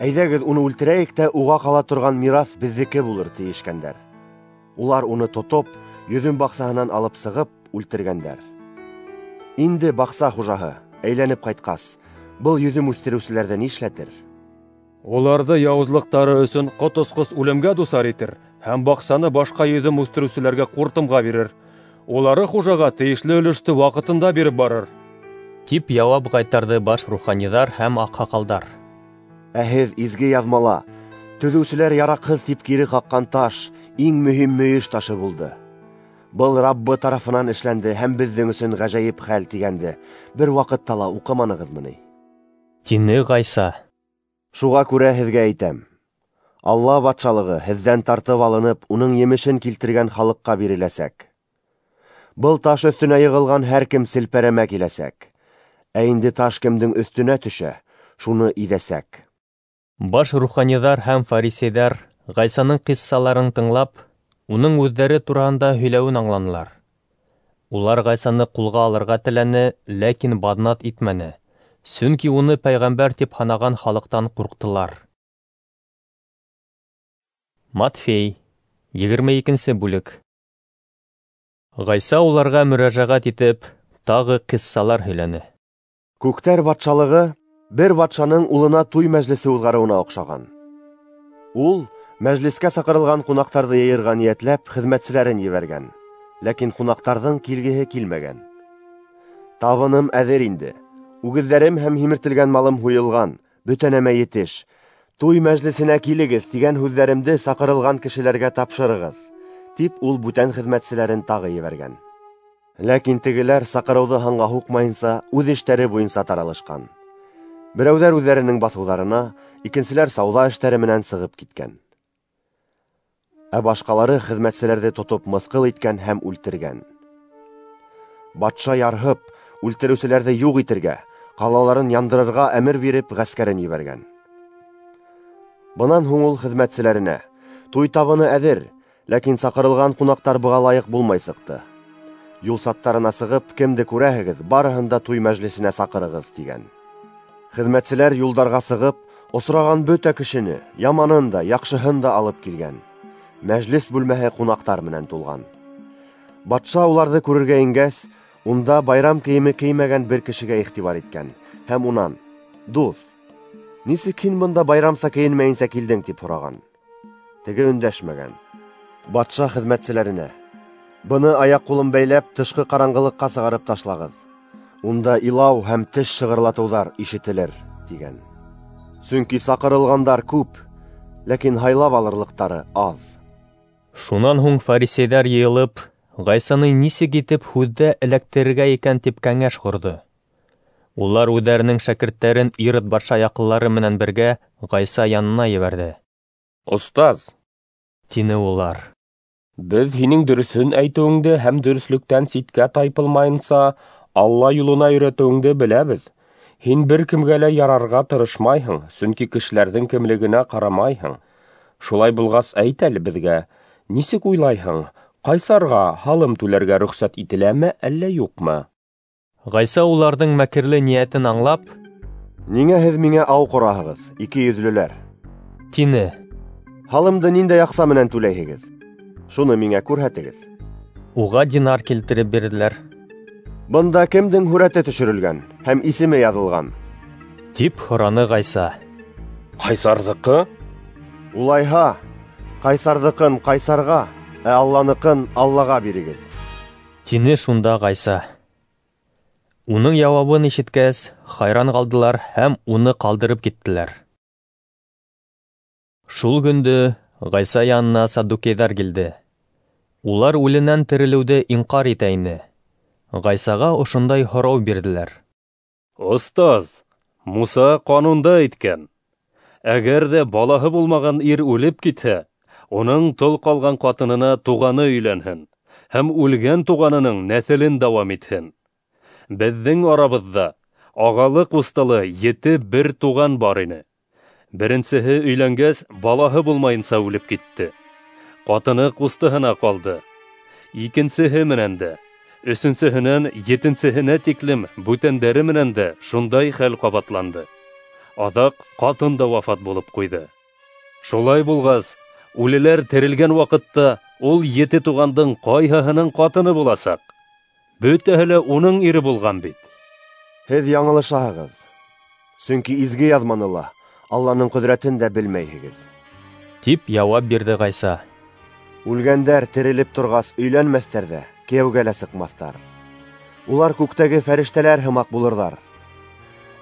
әйҙәгеҙ уны үлтерәйек тә уға ҡала торған мираҫ беҙҙеке булыр", тейешкәндәр. Улар уны тотоп, йөҙөм баҡсаһынан алып сығып, үлтергәндәр. Инде баҡса хужаһы әйләнеп ҡайтҡас, был йөҙөм үҫтереүселәрҙе нишләтер? Уларҙы яуызлыҡтары өсөн ҡот осҡос үлемгә дусар итер һәм баҡсаны башҡа йөҙөм үҫтереүселәргә ҡуртымға бирер. Улары хужаға тейешле өлөштө ваҡытында биреп барыр. Тип яуап ҡайтарҙы баш руханиҙар һәм аҡһаҡалдар. Ә һеҙ изге яҙмала төҙөүселәр яраҡһыҙ тип кире ҡаҡҡан таш иң мөһим мөйөш ташы булды. Был Раббы тарафынан эшләнде һәм беҙҙең өсөн ғәжәйеп хәл тигәнде бер ваҡытта ла уҡыманығыҙмы ни? Тине Ғайса. Шуға күрә һеҙгә әйтәм: Алла батшалығы һеҙҙән тартып алынып, уның емешен килтергән халыҡҡа биреләсәк. Был таш өҫтөнә йығылған һәр кем селпәрәмә киләсәк. Ә инде таш кемдең өҫтөнә төшә, шуны иҙәсәк. Баш руханиҙар һәм фарисейҙар Ғайсаның ҡиссаларын тыңлап, уның үҙҙәре тураһында һөйләүен аңланылар. Улар Ғайсаны ҡулға алырға теләне, ләкин баҙнат итмәне, сөнки уны пәйғәмбәр тип һанаған халыҡтан ҡурҡтылар. Матфей, егерме икенсе бүлек. Ғайса уларға мөрәжәғәт итеп, тағы ҡиссалар һөйләне. Күктәр батшалығы бер батшаның улына туй мәжлесе уҙғарыуына оҡшаған. Ул мәжлескә саҡырылған ҡунаҡтарҙы йыйырға ниәтләп хеҙмәтселәрен ебәргән, ләкин ҡунаҡтарҙың килгеһе килмәгән. Табыным әҙер инде, үгеҙҙәрем һәм һимертелгән малым һуйылған, бөтә нәмә етеш. Туй мәжлесенә килегеҙ тигән һүҙҙәремде саҡырылған кешеләргә тапшырығыҙ, тип ул бүтән хеҙмәтселәрен тағы ебәргән. Ләкин тегеләр саҡырыуҙы һанға һуҡмайынса үҙ эштәре буйынса таралышҡан. Берәүҙәр үҙҙәренең баҫыуҙарына, икенселәр сауҙа эштәре менән сығып киткән. Ә башҡалары хеҙмәтселәрҙе тотоп мыҫҡыл иткән һәм үлтергән. Батша ярһып, үлтереүселәрҙе юҡ итергә, ҡалаларын яндырырға әмер биреп ғәскәрен ебәргән. Бынан һуң ул хеҙмәтселәренә: туй табыны әҙер, ләкин саҡырылған ҡунаҡтар быға лайыҡ булмай сыҡты. Юл саттарына сығып, кемде күрәһегеҙ, барыһын да туй мәжлесенә саҡырығыҙ, тигән. Хеҙмәтселәр юлдарға сығып, осраған бөтә кешене, яманын да, яҡшыһын да алып килгән. Мәжлес бүлмәһе ҡунаҡтар менән тулған. Батша уларҙы күрергә ингәс, унда байрам кейеме кеймәгән бер кешегә иғтибар иткән һәм унан: "Дуҫ, нисек һин бында байрамса кейенмәйенсә килдең?" тип һораған. Теге өндәшмәгән. Батша хеҙмәтселәренә: "Быны аяҡ-ҡулын бәйләп, тышҡы ҡараңғылыҡҡа сығарып ташлағыҙ. Унда илау һәм теш шығырлатыуҙар ишетелер", тигән. Сөнки саҡырылғандар күп, ләкин һайлап алырлыҡтары аҙ. Шунан һуң фарисейҙәр йыйылып, Ғайсаны нисек итеп һүҙҙә эләктерергә икән тип кәңәш ҡорҙо. Улар үҙҙәренең шәкерттәрен Ирод батша яҡынлары менән бергә Ғайса янына ебәрҙе. Остаз, тине улар, беҙ һинең дөрөҫөн әйтеүеңде һәм дөрөҫлөктән ситкә тайпылмайынса Алла юлына өйрәтеүеңде беләбеҙ. Һин бер кемгә лә ярарға тырышмайһың, сөнки кешеләрҙең кемлегенә ҡарамайһың. Шулай булғас, әйт әле беҙгә, нисек уйлайһың, ҡайсарға һалым түләргә рөхсәт ителәме, әллә юҡмы? Ғайса уларҙың мәкерле ниәтен аңлап: "Ниңә һеҙ миңә ау ҡораһығыҙ, ике йөҙлөләр?" тине. "Һалымды ниндәй аҡса менән түләйһегеҙ? Шуны миңә күрһәтегеҙ." Уға динар килтереп бирҙеләр. "Бында кемдең һүрәте төшөрөлгән һәм исеме яҙылған?" тип һораны Ғайса. Ҡайсарҙыҡы? Улайһа, ҡайсарҙыҡын ҡайсарға, ә Алланыҡын Аллаға бирегеҙ, тине шунда Ғайса. Уның яуабын ишеткәс, хайран ҡалдылар һәм уны ҡалдырып киттеләр. Шул көндө Ғайса янына саддукейҙар килде. Улар үленән терелеүҙе инҡар итә ине. Ғайсаға ошондай һорау бирҙеләр: Остаз, Муса ҡанунда әйткән: әгәр ҙә балаһы булмаған ир үлеп китһә, уның тол ҡалған ҡатынына туғаны өйләнһен һәм үлгән туғанының нәҫелен дауам итһен. Беҙҙең арабыҙҙа ағалы-ҡустылы ете бер туған бар ине. Беренсеһе өйләнгәс, балаһы булмайынса үлеп китте. Ҡатыны ҡустыһына ҡалды. Икенсеһе менән дә, өсөнсөһөнән етенсеһенә тиклем бүтәндәре менән дә шундай хәл ҡабатланды. Аҙаҡ ҡатын да вафат булып ҡуйҙы. Шулай булғас, үлеләр терелгән ваҡытта ул ете туғандың ҡайһыһының ҡатыны буласаҡ? Бөтәһе лә уның ире булған бит. Һеҙ яңылышаһығыҙ, сөнки изге яҙманы ла, Алланың ҡөҙрәтен дә белмәйһегеҙ, тип яуап бирҙе Ғайса. Үлгәндәр терелеп торғас өйләнмәҫтәр ҙә, кейәүгә лә сыҡмаҫтар. Улар күктәге фәрештәләр һымаҡ булырҙар.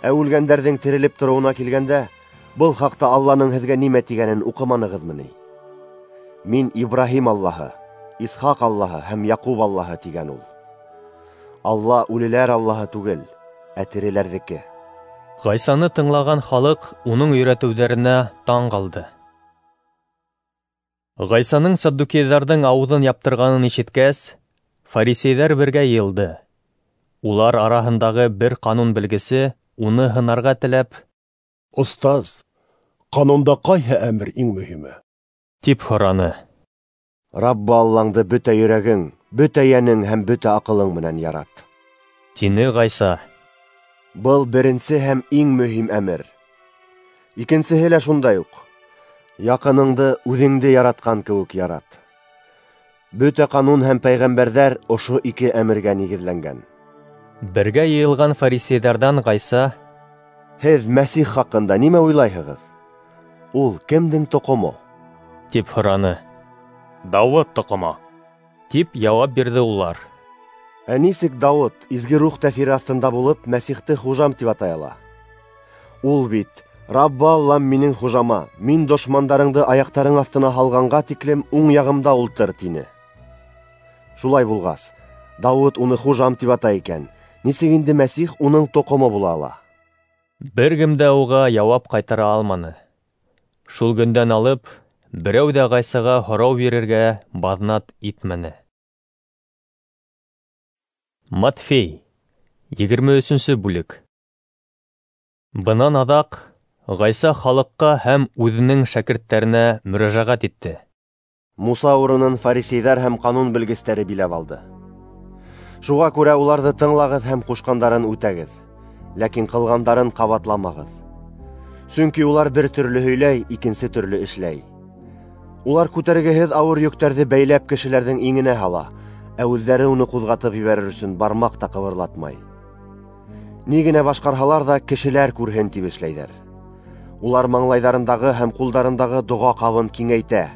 Ә үлгәндәрҙең терелеп тороуына килгәндә, был хаҡта Алланың һеҙгә нимә тигәнен уҡыманығыҙмы ни? Мин Ибраһим Аллаһы, Исхаҡ Аллаһы һәм Яҡуб Аллаһы тигән ул. Алла үлеләр Аллаһы түгел, ә тереләрҙеке. Ғайсаны тыңлаған халыҡ уның өйрәтеүҙәренә таң ҡалды. Ғайсаның саддукейҙарҙың ауыҙын яптырғанын ишеткәс, фарисейҙәр бергә йыйылды. Улар араһындағы бер ҡанун белгесе уны һынарға теләп: "Остаз, ҡанунда ҡайһы әмер иң мөһиме?" тип һораны. "Раббы Аллаңды бөтә йөрәгең, бөтә йәнең һәм бөтә аҡылың менән ярат", тине Ғайса. Был беренсе һәм иң мөһим әмер. Икенсеһе лә шундай уҡ: яҡыныңды үҙеңде яратҡан кеүек ярат. Бөтә ҡанун һәм пәйғәмбәрҙәр ошо ике әмергә нигеҙләнгән. Бергә йыйылған фарисейҙарҙан Ғайса: "Һеҙ Мәсих хаҡында нимә уйлайһығыҙ? Ул кемдең тоҡомо?" тип һораны. "Дауыт тоҡомо", тип яуап бирҙе улар. Ә нисек Дауыт изге рух тәьҫире аҫтында булып Мәсихте хужам тип атай ала? Ул бит: Раббы Аллам минең хужама, мин дошмандарыңды аяҡтарың аҫтына һалғанға тиклем уң яғымда ултыр, тине. Шулай булғас, Дауыт уны хужам тип атай икән, нисек инде Мәсих уның тоҡомо була ала? Бер кем дә уға яуап ҡайтара алманы. Шул көндән алып, берәү ҙә Ғайсаға һорау бирергә баҙнат итмәне. Матфей, егерме өсөнсө бүлек. Бынан аҙаҡ Ғайса халыҡҡа һәм үҙенең шәкерттәренә мөрәжәғәт итте. Муса урынын фарисейҙар һәм ҡанун белгестәре биләп алды. Шуға күрә уларҙы тыңлағыҙ һәм ҡушҡандарын үтәгеҙ, ләкин ҡылғандарын ҡабатламағыҙ. Сөнки улар бер төрлө һөйләй, икенсе төрлө эшләй. Улар күтәргеһеҙ ауыр йөктәрҙе бәйләп кешеләрҙең иңенә һала, ә үҙҙәре уны ҡуҙғатып ебәрер өсөн бармаҡ та ҡыбырлатмай. Ни генә башҡарһалар ҙа, кешеләр күрһен тип эшләйҙәр. Улар маңлайҙарындағы һәм ҡулдарындағы доға ҡабын киңәйтә,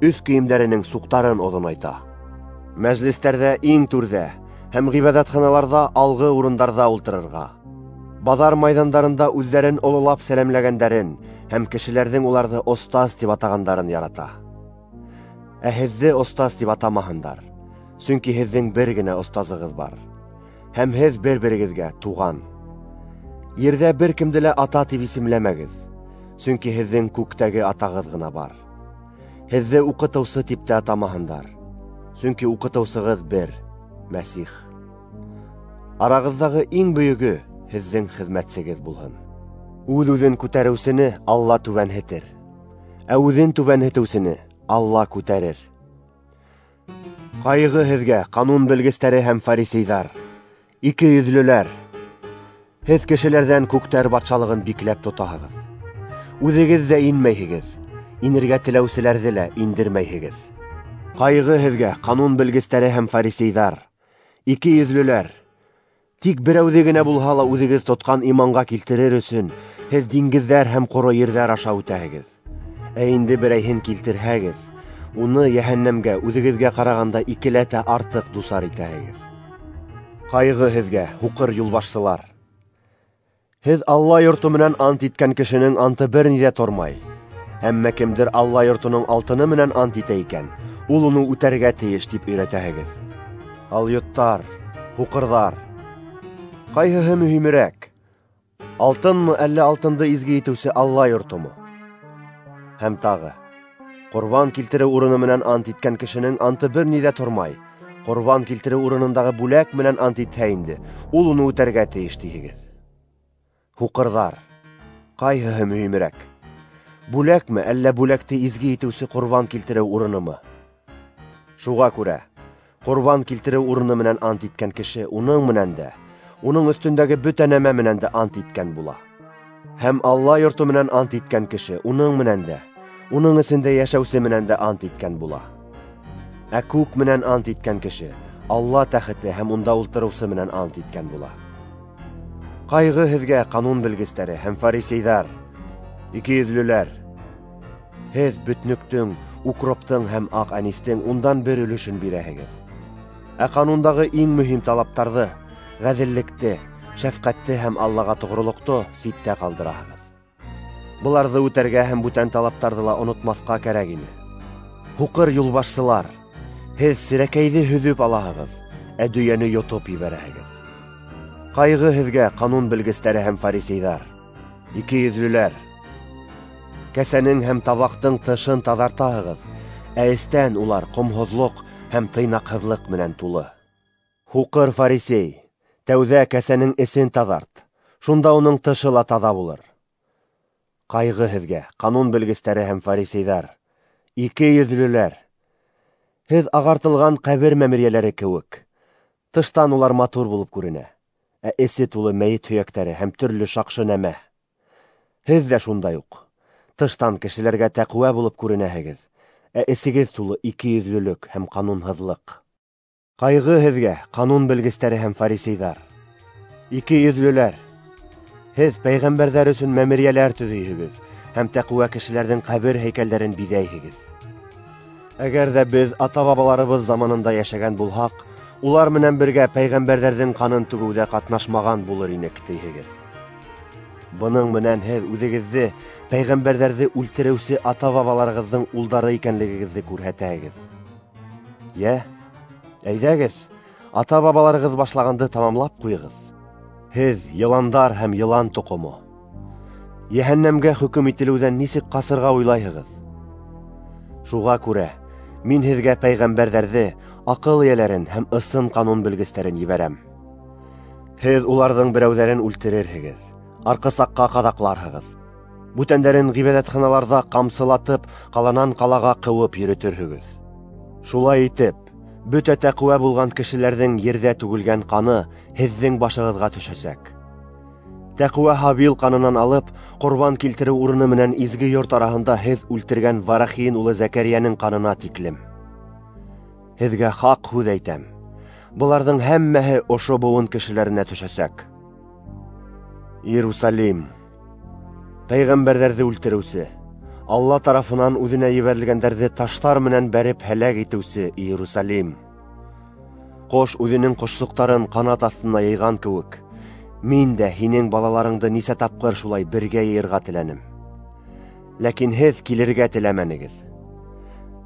өҫ кейемдәренең суҡтарын оҙонайта. Мәжлестәрҙә иң түрҙә һәм ғибәҙәтханаларҙа алғы урындарҙа ултырырға, баҙар майҙандарында үҙҙәрен ололап сәләмләгәндәрен һәм кешеләрҙең уларҙы остаз тип атағандарын ярата. Ә һеҙҙе остаз тип атамаһындар, сөнки һеҙҙең бер генә остазығыҙ бар, һәм һеҙ бер-берегеҙгә туған. Ерҙә бер кемде лә ата тип исемләмәгеҙ, сөнки һеҙҙең күктәге атағыҙ ғына бар. Һеҙҙе уҡытыусы тип тә атамаһындар, сөнки уҡытыусығыҙ бер, Мәсих. Арағыҙҙағы иң бөйөгө һеҙҙең хеҙмәтсегеҙ булһын. Үҙ-үҙен күтәреүсене Алла түбәнһетер, ә үҙен түбәнһетеүсене Алла күтәрер. Ҡайғы һеҙгә, ҡанун белгестәре һәм фарисейҙар, ике йөҙлөләр! Һеҙ кешеләрҙән күктәр батшалығын бикләп тотаһығыҙ. Үҙегеҙ ҙә инмәйһегеҙ, инергә теләүселәрҙе лә индермәйһегеҙ. Ҡайғы һеҙгә, ҡанун белгестәре һәм фарисейҙар, ике йөҙлөләр! Тик берәүҙе генә булһа ла үҙегеҙ тотҡан иманға килтерер өсөн һеҙ диңгеҙҙәр һәм ҡоро ерҙәр аша үтәһегеҙ. Ә инде берәйһен килтерһәгеҙ, уны йәһәннәмгә үҙегеҙгә ҡарағанда икеләтә артыҡ дусар итәһегеҙ. Ҡайғы һеҙгә, һуҡыр юлбашсылар! Һеҙ Алла йорто менән ант иткән кешенең анты бер ни ҙә тормай. Әммә кемдер Алла йортоноң алтыны менән ант итә икән, ул уны үтәргә тейеш тип өйрәтәһегеҙ. Алйоттар, һуҡырҙар! Ҡайһыһы мөһимерәк? Алтынмы, әллә алтынды изге итеүсе Алла йортомо? Һәм тағы, ҡорбан килтереү урыны менән ант иткән кешенең анты бер ни ҙә тормай. Ҡорбан килтереү урынындағы бүләк менән ант итһә инде, ул уны үтәргә тейеш тиһегеҙ. Һуҡырҙар! Ҡайһыһы мөһимерәк? Бүләкме, әллә бүләкте изге итеүсе ҡорбан килтереү урынымы? Шуға күрә, ҡорбан килтереү урыны менән ант иткән кеше уның менән дә, уның өҫтөндәге бөтә нәмә менән дә ант иткән була. Һәм Алла йорто менән ант иткән кеше уның менән дә, уның эсендә йәшәүсе менән дә ант иткән була. Ә күк менән ант иткән кеше Алла тәхете һәм унда ултырыусы менән ант иткән була. Ҡайғы һеҙгә, ҡанун белгестәре һәм фарисейҙар, ике йөҙлөләр! Һеҙ бөтнөктөң, укроптың һәм аҡ әнистең ундан бер өлөшөн бирәһегеҙ. Ә ҡанундағы иң мөһим талаптарҙы, ғәҙеллекте, шәфҡәтте һәм Аллаға тоғролоҡто ситтә ҡалдыраһығыҙ. Быларҙы үтәргә һәм бүтән талаптарҙы ла онотмаҫҡа кәрәк ине. Һуҡыр юлбашсылар, һеҙ серәкәйҙе һөҙөп алаһығыҙ, ә дөйәне йотоп ебәрәһегеҙ. Ҡайғы һеҙгә, ҡанун белгестәре һәм фарисейҙар, ике йөҙлөләр! Кәсәнең һәм табаҡтың тышын таҙартаһығыҙ, ә эстән улар ҡомһоҙлоҡ һәм тыйнаҡһыҙлыҡ менән тулы. Һуҡыр фарисей, тәүҙә кәсәнең эсен таҙарт, шунда уның тышы ла таҙа булыр. Ҡайғы һеҙгә, ҡанун белгестәре һәм фарисейҙар, ике йөҙлөләр! Һеҙ ағартылған ҡәбер мәмерйәләре кеүек. Тыштан улар матур булып күренә, ә эсе тулы мәйет һөйәктәре һәм төрлө шаҡшы нәмә. Һеҙ ҙә шундай уҡ. Тыштан кешеләргә тәҡүә булып күренәһегеҙ, ә эсегеҙ тулы ике йөҙлөлөк һәм ҡанунһыҙлыҡ. Ҡайғы һеҙгә, ҡанун белгестәре һәм фарисейҙар, ике йөҙлөләр! Һеҙ пәйғәмбәрҙәр өсөн мәмерйәләр төҙөйһөгөҙ һәм тәҡүә кешеләрҙең ҡәбер һәйкәлдәрен биҙәйһегеҙ. Әгәр ҙә беҙ ата-бабаларыбыҙ заманында йәшәгән булһаҡ, улар менән бергә пәйғәмбәрҙәрҙең ҡанын түгеүҙә ҡатнашмаған булыр инек, тиһегеҙ. Бының менән һеҙ үҙегеҙҙе пәйғәмбәрҙәрҙе үлтереүсе ата-бабаларығыҙҙың улдары икәнлегегеҙҙе күрһәтәһегеҙ. Йә, әйҙәгеҙ, ата-бабаларығыҙ башлағанды тамамлап ҡуйығыҙ. Һеҙ йыландар һәм йылан тоҡомо. Йәһәннәмгә хөкөм ителеүҙән нисек ҡасырға уйлайһығыҙ? Шуға күрә мин һеҙгә пәйғәмбәрҙәрҙе, аҡыл эйәләрен һәм ысын ҡанун белгестәрен ебәрәм. Һеҙ уларҙың берәүҙәрен үлтерерһегеҙ, арҡысаҡҡа ҡаҙаҡларһығыҙ, бүтәндәрен ғибәҙәтханаларҙа ҡамсылатып, ҡаланан ҡалаға ҡыуып йөрөтөрһөгөҙ. Шулай итеп, бөтә тәҡүә булған кешеләрҙең ерҙә түгелгән ҡаны һеҙҙең башығыҙға төшәсәк. Тәҡүә Һабил ҡанынан алып, ҡорбан килтереү урыны менән изге йорт араһында һеҙ үлтергән Варахин улы Зәкәрйәнең ҡанына тиклем. Һеҙгә хаҡ һүҙ әйтәм, быларҙың һәммәһе ошо быуын кешеләренә төшәсәк. Иерусалим, пәйғәмбәрҙәрҙе үлтереүсе, Алла тарафынан үҙенә ебәрелгәндәрҙе таштар менән бәреп һәләк итеүсе Иерусалим! Ҡош үҙенең ҡошсоҡтарын ҡанат аҫтына йыйған кеүек, мин дә һинең балаларыңды нисә тапҡыр шулай бергә йыйырға теләнем. Ләкин һеҙ килергә теләмәнегеҙ.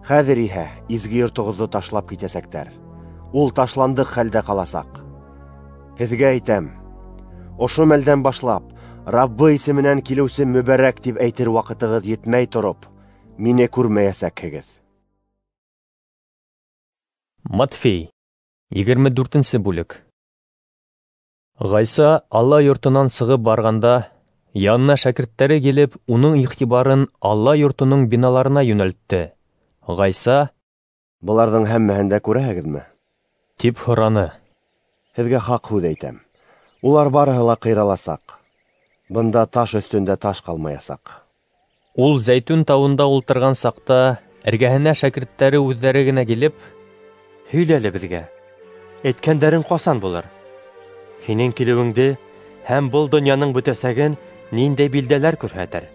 Хәҙер иһә изге йортоғоҙҙо ташлап китәсәктәр. Ул ташландыҡ хәлдә ҡаласаҡ. Һеҙгә әйтәм, ошо мәлдән башлап Раббы исеменән килеүсе мөбәрәк тип әйтер ваҡытығыҙ етмәй тороп, мине күрмәйәсәкһегеҙ. Матфей, егерме дүртенсе бүлек. Ғайса Алла йортонан сығып барғанда, янына шәкерттәре килеп, уның иғтибарын Алла йортоноң биналарына йүнәлтте. Ғайса: "Быларҙың һәммәһен дә күрәһегеҙме?" тип һораны. Һеҙгә хаҡ һүҙ әйтәм, улар барыһы ла ҡыйраласаҡ. Бында таш өҫтөндә таш ҡалмаясаҡ. Ул Зәйтүн тауында ултырған саҡта, эргәһенә шәкерттәре үҙҙәре генә килеп: "Һөйлә әле беҙгә, әйткәндәрең ҡасан булыр? Һинең килеүеңде һәм был донъяның бөтәсәген ниндәй билдәләр күрһәтер?"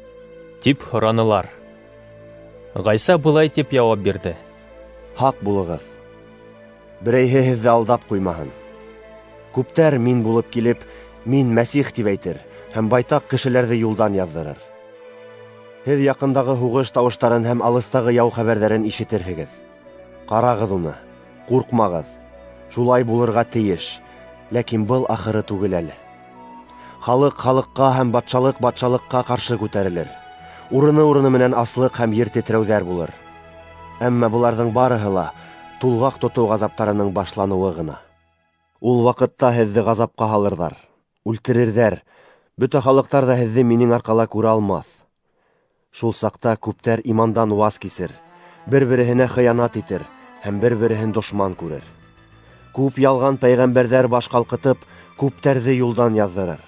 тип һоранылар. Ғайса былай тип яуап бирҙе: "Һаҡ булығыҙ, берәйһе һеҙҙе алдап ҡуймаһын. Күптәр мин булып килеп, мин Мәсих тип әйтер һәм байтаҡ кешеләрҙе юлдан яҙҙырыр. Һеҙ яҡындағы һуғыш тауыштарын һәм алыҫтағы яу хәбәрҙәрен ишетерһегеҙ. Ҡарағыҙ уны, ҡурҡмағыҙ. Шулай булырға тейеш, ләкин был ахыры түгел әле. Халыҡ халыҡҡа һәм батшалыҡ батшалыҡҡа ҡаршы күтәрелер. Урыны-урыны менән аслыҡ һәм ер тетрәүҙәр булыр. Әммә быларҙың барыһы ла тулғаҡ тотоу ғазаптарының башланыуы ғына. Ул ваҡытта һеҙҙе ғазапҡа һалырҙар, үлтерерҙәр, бөтә халыҡтар ҙа һеҙҙе минең арҡала күрә алмаҫ. Шул саҡта күптәр имандан ваз кисер, бер-береһенә хыянат итер һәм бер-береһен дошман күрер. Күп ялған пәйғәмбәрҙәр баш ҡалҡытып, күптәрҙе юлдан яҙҙырыр.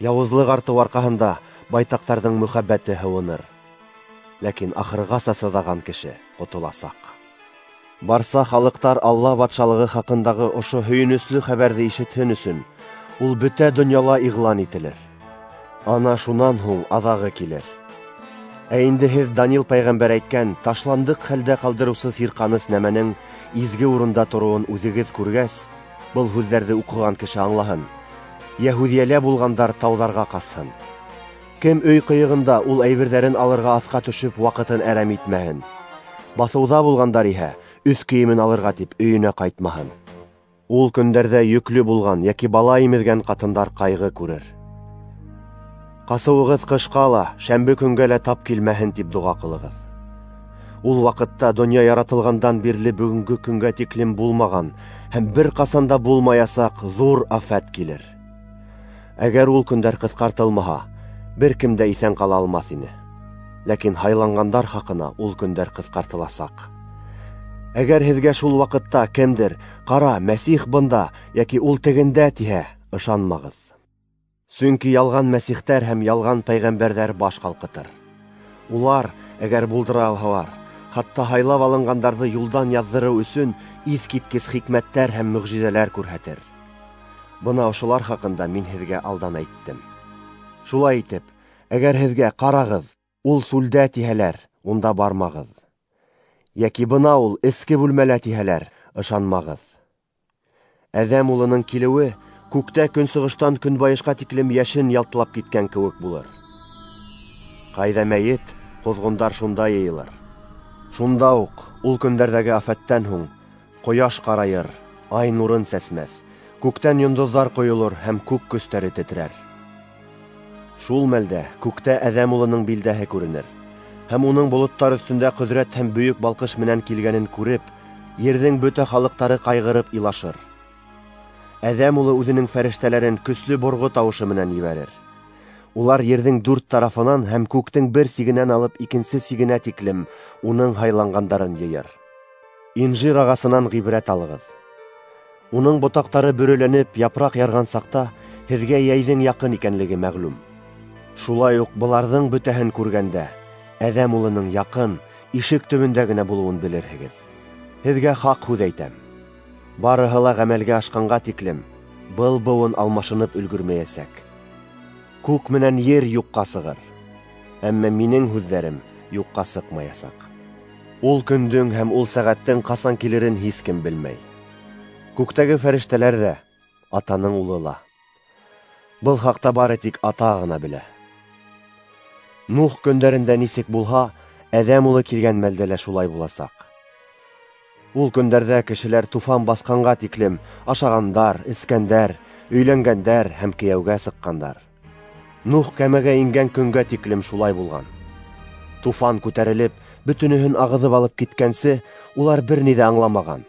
Яуызлыҡ артыу арҡаһында байтаҡтарҙың мөхәббәте һыуыныр. Ләкин ахырғаса сыҙаған кеше ҡотоласаҡ. Барса халыҡтар Алла батшалығы хаҡындағы ошо һөйөнөслө хәбәрҙе ишетһен өсөн, ул бөтә донъяла иғлан ителер. Ана шунан һуң аҙағы килер. Ә инде һеҙ Данил пәйғәмбәр әйткән ташландыҡ хәлдә ҡалдырыусы сирҡаныс нәмәнең изге урында тороуын үҙегеҙ күргәс, был һүҙҙәрҙе уҡыған кеше аңлаһын. Йәһүҙиәлә булғандар тауҙарға ҡасһын. Кем өй ҡыйығында ул әйберҙәрен алырға аҫҡа төшөп ваҡытын әрәм итмәһен. Баҫыуҙа булғандар иһә өҫ кейемен алырға тип өйөнә ҡайтмаһын. Ул көндәрҙә йөклө булған йәки бала имеҙгән ҡатындар ҡайғы күрер. Ҡасыуығыҙ ҡышҡа ла, шәмбе көнгә лә тап килмәһен тип доға ҡылығыҙ. Ул ваҡытта донъя яратылғандан бирле бөгөнгө көнгә тиклем булмаған һәм бер ҡасан да булмаясаҡ ҙур афәт килер. Әгәр ул көндәр ҡыҫҡартылмаһа, бер кем дә иҫән ҡала алмаҫ ине. Ләкин һайланғандар хаҡына ул көндәр ҡыҫҡартыласаҡ. Әгәр һеҙгә шул ваҡытта кемдер «Ҡара, Мәсих бында» йәки «Ул тегендә» тиһә, ышанмағыҙ. Сөнки ялған мәсихтәр һәм ялған пәйғәмбәрҙәр баш ҡалҡытыр. Улар, әгәр булдыра алһалар, хатта һайлап алынғандарҙы юлдан яҙҙырыу өсөн иҫ киткес хикмәттәр һәм мөғжизәләр күрһәтер. Бына ошолар хаҡында мин һеҙгә алдан әйттем. Шулай итеп, әгәр һеҙгә «Ҡарағыҙ, ул сүлдә» тиһәләр, унда бармағыҙ. Йәки бына ул эске бүлмәлә тиһәләр, ышанмағыҙ. Әҙәм улының килеүе күктә көнсығыштан көнбайышҡа тиклем йәшен ялтылап киткән кеүек булыр. Ҡайҙа мәйет, ҡоҙғондар шунда йыйылыр. Шунда уҡ, ул көндәрҙәге афәттән һуң, ҡояш ҡарайыр, ай нурын сәсмәҫ, күктән йондоҙҙар ҡойолор һәм күк көстәре тетрәр. Шул мәлдә күктә Әҙәм улының билдәһе күренер, һәм уның болоттар өҫтөндә ҡөҙрәт һәм бөйөк балҡыш менән килгәнен күреп, ерҙең бөтә халыҡтары ҡайғырып илашыр. Әҙәм улы үҙенең фәрештәләрен көслө борғо тауышы менән ебәрер. Улар ерҙең дүрт тарафынан һәм күктең бер сигенән алып икенсе сигенә тиклем уның һайланғандарын йыйыр. Инжир ағасынан ғибрәт алығыҙ. Уның ботаҡтары бөрөләнеп япраҡ ярған саҡта һеҙгә йәйҙең яҡын икәнлеге мәғлүм. Шулай уҡ быларҙың бөтәһен күргәндә Әҙәм улының яҡын, ишек төбөндә генә булыуын белерһегеҙ. Һеҙгә хаҡ һүҙ әйтәм. Барыһы ла ғәмәлгә ашҡанға тиклем был быуын алмашынып өлгөрмәйәсәк. Күк менән ер юҡҡа сығыр, әммә минең һүҙҙәрем юҡҡа сыҡмаясаҡ. Ул көндөң һәм ул сәғәттең ҡасан килерен һис кем белмәй. Күктәге фәрештәләр ҙә, Атаның улы ла. Был хаҡта бары тик Ата ғына белә. Нух көндәрендә нисек булһа, Әҙәм улы килгән мәлдә лә шулай буласаҡ. Ул көндәрҙә кешеләр туфан баҫҡанға тиклем ашағандар, эскәндәр, өйләнгәндәр һәм кейәүгә сыҡҡандар. Нух кәмәгә ингән көнгә тиклем шулай булған. Туфан күтәрелеп, бөтөнөһөн ағыҙып алып киткәнсе, улар бер ни ҙә аңламаған.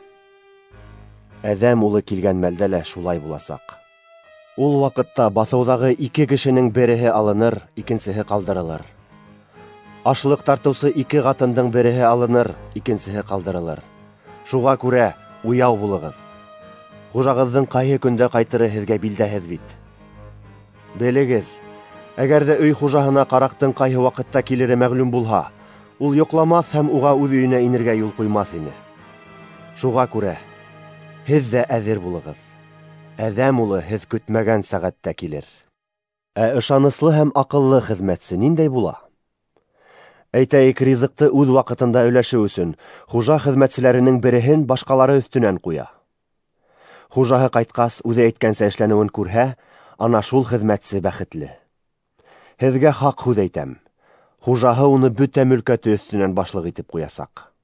Әҙәм улы килгән мәлдә лә шулай буласаҡ. Ул ваҡытта баҫыуҙағы ике кешенең береһе алыныр, икенсеһе ҡалдырылыр. Ашлыҡ тартыусы ике ҡатындың береһе алыныр, икенсеһе ҡалдырылыр. Шуға күрә уяу булығыҙ. Хужағыҙҙың ҡайһы көндә ҡайтыры һеҙгә билдәһеҙ бит. Белегеҙ, әгәр ҙә өй хужаһына ҡараҡтың ҡайһы ваҡытта килере мәғлүм булһа, ул йоҡламаҫ һәм уға үҙ өйөнә инергә юл ҡуймаҫ ине. Шуға күрә һеҙ ҙә әҙер булығыҙ. Әҙәм улы һеҙ көтмәгән сәғәттә килер. Ә ышаныслы һәм аҡыллы хеҙмәтсе ниндәй була? Әйтәйек, ризыҡты үҙ ваҡытында өләшеү өсөн хужа хеҙмәтселәренең береһен башҡалары өҫтөнән ҡуя. Хужаһы ҡайтҡас, үҙе әйткәнсә эшләнеүен күрһә, ана шул хеҙмәтсе бәхетле. Һеҙгә хаҡ һүҙ әйтәм: хужаһы уны бөтә мөлкәте өҫтөнән башлыҡ итеп ҡуясаҡ.